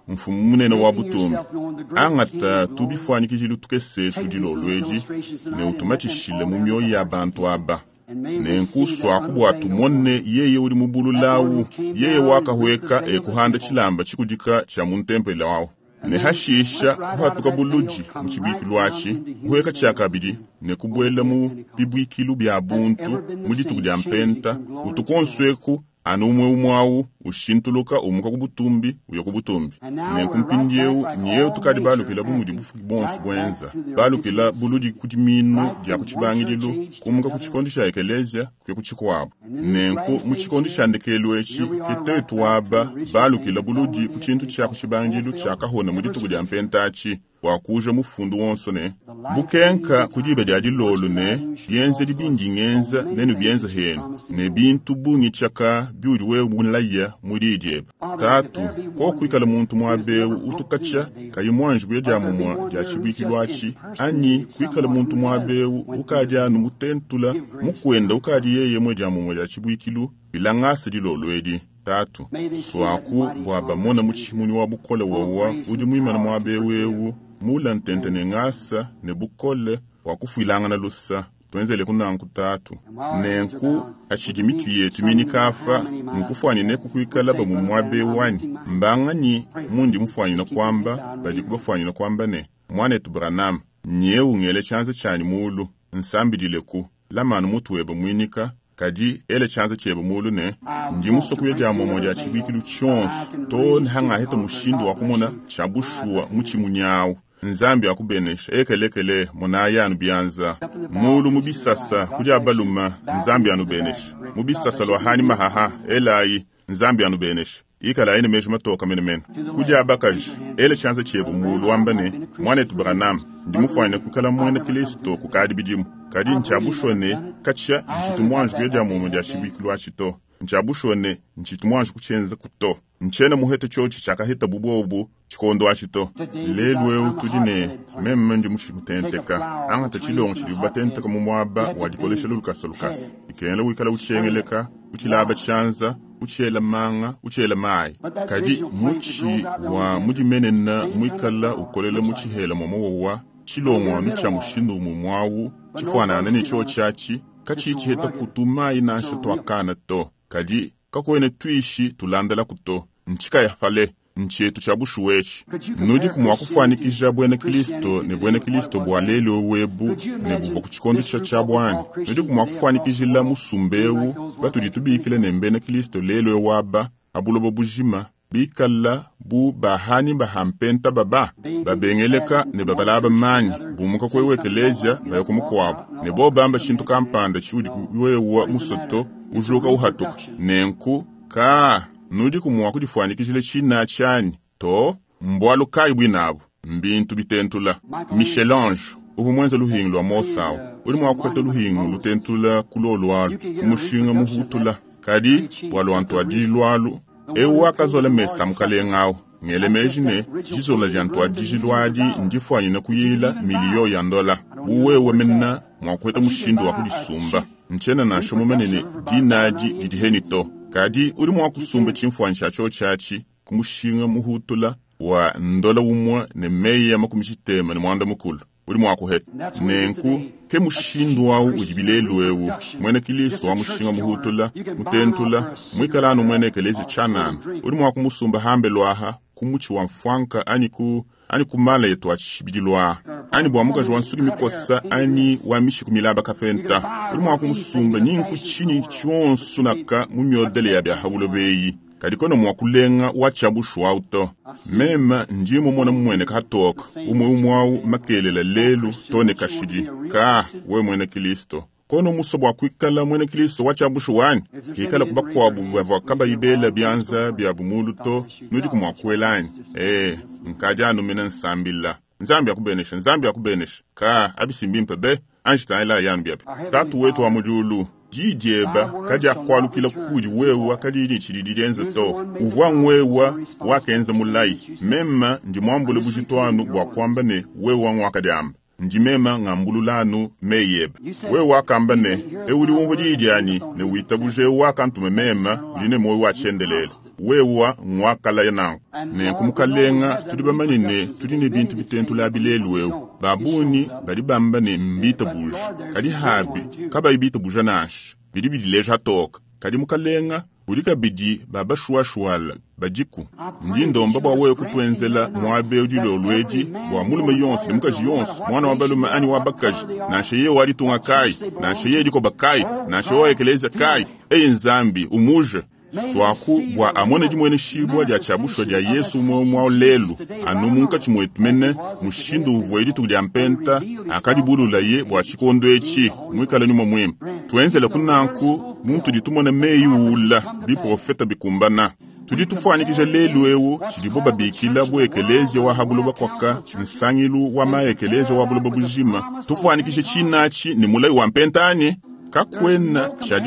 mfumu munene wa butumbi angata tubifuanikijilu tukese tudilolo edi ne utumatishile mu mioyo ya bantu aba. Nenku swako bua tumone yeye udi mubululawu yeye wakahweka ekuhanda tshilamba tshikudika tshia mu ntempelo wawu. Ne hashisha kuhatuka buludi mu tshibikilu atshi kuhweka tshiakabidi ne kubuela mu bibuikilu bya buntu mu dituku dia mpenta utukonso eku anu umwe umwe awu Ushintuluka umuka ku butumbi uya ku butumbi. Nenku mpindieu nyeu tukadi balukila bu mudi bufuki bonso bwenza. Balukila buludi ku diminu dia ku tshibangidilu, kumuka ku tshikondo tshia ekeleziya kuya ku tshikuabu. Nenku mu tshikondo tshia ndekelu etshi ke tetu aba balukila buludi ku tshintu tshia ku tshibangidilu tshia kahona mu dituku dia mpenta atshi, bua kuja mufundu wonso ne bukenka ku diba dia dilolo ne bienzedi bindi ngenza nenu bienza henu ne bintu bungi tshaka biudi wewe mulaya mu diyi diebe. Tatu, kokuikala muntu muabeu utukatsha kayi muanji kuya dia mumua dia tshibuikilu atshi, anyi kuikala muntu muabeu ukadi anu mutentula mukwenda ukadi yeye mwe dia mumua dia tshibuikilu bilangasa dilolo edi. Tatu, swaku bua bamona mu tshimunyi wa bukole wawa udi muimana muabeu eu mula ntente ne ngasa ne bukole wa kufuilangana lusa. Twenzele kunanku tatu. Nenku atshidi mitu yetu minikapa nkufuanyine kukuikala bamu muabeu wanyi. Mbanganyi mundi mufuanyine kwamba badi kubafuanyine kwamba ne mwanetu Branham nyeu ngele tshianza tshianyi mulu nsambidile ku lamanu mutu webe mwinika kadi ele tshianza tshiebe mulu ne ndi musoko ya dia momo dia tshibuikilu tshionso to nihangaheta mushindu wa kumona tshia bushuwa mu tshimunyawu. Nzambi akubenesha ekelekele monaya anu bianza mulu mu bisasa kudi abaluma Nzambi anubenesha mu bisasa lwa hani mahaha elayi Nzambi anubenesha ikala ine meji matoka menemene kudi abakaji ele tshianza tshiebe mulu wamba ne mwanetu Branham ndi mufuanyine kukala mwena Kristo kukadi bidimu kadi ntshiabushuwa ne katshia ntshitu muanji kuya dia momo dia tshibuikilu atshi to ntshiabushuwa ne ntshitu muanji kutshienza kuto ntshiena muhete tshiotshi tshiakaheta bubobu tshikondo atshi to. Lelu eu tudi ne meme ndi mushimutenteka angata tshilongo tshidi batenteka mu muaba wa dikolesha lukasa lukasa ikengela wikala utshiengeleka utshilaba tshianza utshiela manga utshiela mayi kadi mutshi wa mudimenena mwikala ukolela mu tshihela momowowa tshilongo anu tshia mushindu mumwawu tshifuanana ne tshio tshiatshi katshi tshiheta kutu mayi nansha twakana to kadi kakwene twishi tulandela kuto ntshikaya pale nchetu cha bushuweshi. Nudi kumwa kufanikisha bwena Kristo ne bwena Kristo bwa lelo webu ne buvua ku tshikondo tsha tsha bwani. Nudi kumwa kufanikishila musumbeu batudi tubikile ne mbena Kristo lelo waba abulobo bujima bikala bu bahani bahampenta baba babengeleka ne babalaba manyi bumuka kwewe ekelezia baya kumukwabo ne bo bamba shintu kampanda tshiudi wewa musoto ujuka uhatuka nenku ka nudi kumwa kudifuanikishila tshina tshianyi to mbwalu kayi bwinabo mbintu bitentula. Michel-Ange uvu mwenza luhingu lwa Mosau uli mwa kuheta luhingu lutentula kulolwalu kumushinga muhutula kadi bwalwantu adilwalu eu wakazola mesa mukalengawo ngele meji ne jizola dia ntwadijilwadi ndifuanyine kuyila miliyo ya ndola buwewe mena mwa kuheta mushindu wa kudisumba nchena nansha mumenene dinadi didiheni to kadi uli mwa kusumba tshimfuanyi tshia tshio tshiatshi kumushinga muhutula wa ndola umwe ne meyi ya makumi tshitema ne mwanda mukulu uli mwa kuheta. Nenku ke mushindu wawu udi bilelu ewu mwene Kristo wa mushinga muhutula mutentula mwikala anu mwene ekelezi tshanana uli mwa kumusumba hambe lwaha kumutshi wa mfwanka ani ku ani kumala yetu atshibidilwa ani bwa mukaji wa nsuki mikosa ani wa mishiku milaba kapenta uli mwa kumusumba ninku tshini tshionso naka mu myodele ya bya habulobeyi kadi kono mwa kulenga wa tshiabushuwa uto mema ndi mumona mumwene katoka umwe umwawu makelela lelu tone kashidi ka we mwene Kristo kono muso bwa kwikala mwene Kristo wa tshiabushuwani ikala kubakwabu bavua kabayibela bianza bya bumulu to nudi kumwa kuelani eh nkadi anu mina nsambila Nzambi akubenesha Nzambi akubenesha ka abisimbimpe be anjitaela yanu byape. Tatu wetu wa mujulu didieba kadi akwalukila kudi wewa kadi ni tshidi dienza to uvua ngwewa wakenza mulayi mema ndi mwambule bujitwanu bwa kwamba ne wewa ngwakadiamba ndi mema ngambululanu meyeba wewe wakamba ne euli wumva didiani ne witabuje wakantume mema uli ne moyo wachendelele wewa ngwakalaya nangu ne kumukalenga tudi bamanye ne tudi ne bintu bitentula bilelu ewu babuni badi bamba ne mbita buja kadi habi kabayi bita buja nansha bidi bidileja toka kadi mukalenga uli kabidi babashuwashuwala badiku ndi ndomba bwa wewe kutwenzela mwabe udi lolwedi bwa mulume yonse ne mukaji yonse mwana wa balume ani wa bakaji nansha ye walitunga kai nansha ye dikoba kai nansha wa ekeleza kai eyi Nzambi umuje Swaku bua amone dimueneshibua dia tshiabushwa dia Yesu umwe umwe awu lelu, anu munkatshi muetu mene, mushindu uvuaye dituku dia mpenta, akadibululaye bua tshikondo etshi, muikale nyuma muimpe. Tuenzele kunanku, muntu ditumona meyi uula, biprofeta bikumbana. Tudi tufuanyikija lelu ewu tshidibo babikila bu ekelezia wa ha buloba kwaka nsangilu wa maekelezia wa buloba bujima. Tufuanyikije tshinatshi ne mulayi wa mpenta anyi? Kakwena tshia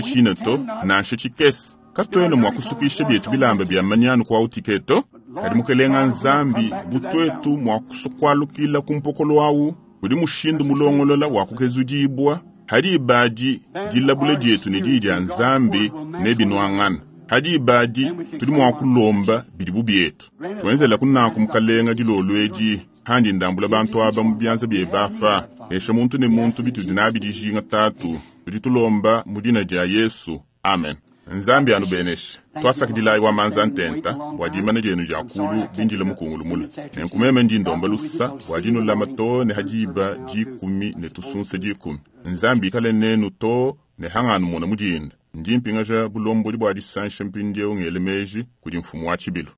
tshina to, nansha tshikese. Katuena mua kusukisha bietu bilamba bia manyanu kwa utiketo. Kadi mukelenga Nzambi butwetu mua kusukwalukila ku mpokolo awu, udi mushindu mulongolola wa kukezudibwa, hadi ibadi dilabula dietu ne diyi dia Nzambi ne binuangana. Hadi ibadi tudi mua kulomba bidibu bietu. Tuenzela kunanku mukalenga dilolo edi, handi ndambula bantu aba mu bianza biebe apa, nesha muntu ne muntu bitudi nabi dijinga tatu. Tudi tulomba mu dina dia Yesu. Amen. Nzambi anubeneshe. Twasakidilayi wa manza ntenta bua dimana dienu dia kulu bindile mukungulu mule. Nenku meme ndi ndomba lusa bua dinulama to ne hadiba dikumi ne tusunse dikumi. Nzambi ikale nenu to ne hanganu mona mudinda. Ndi mpingaja bulombodi bua disansha mpindieu ngele meji kudi mfumu wa tshibilu.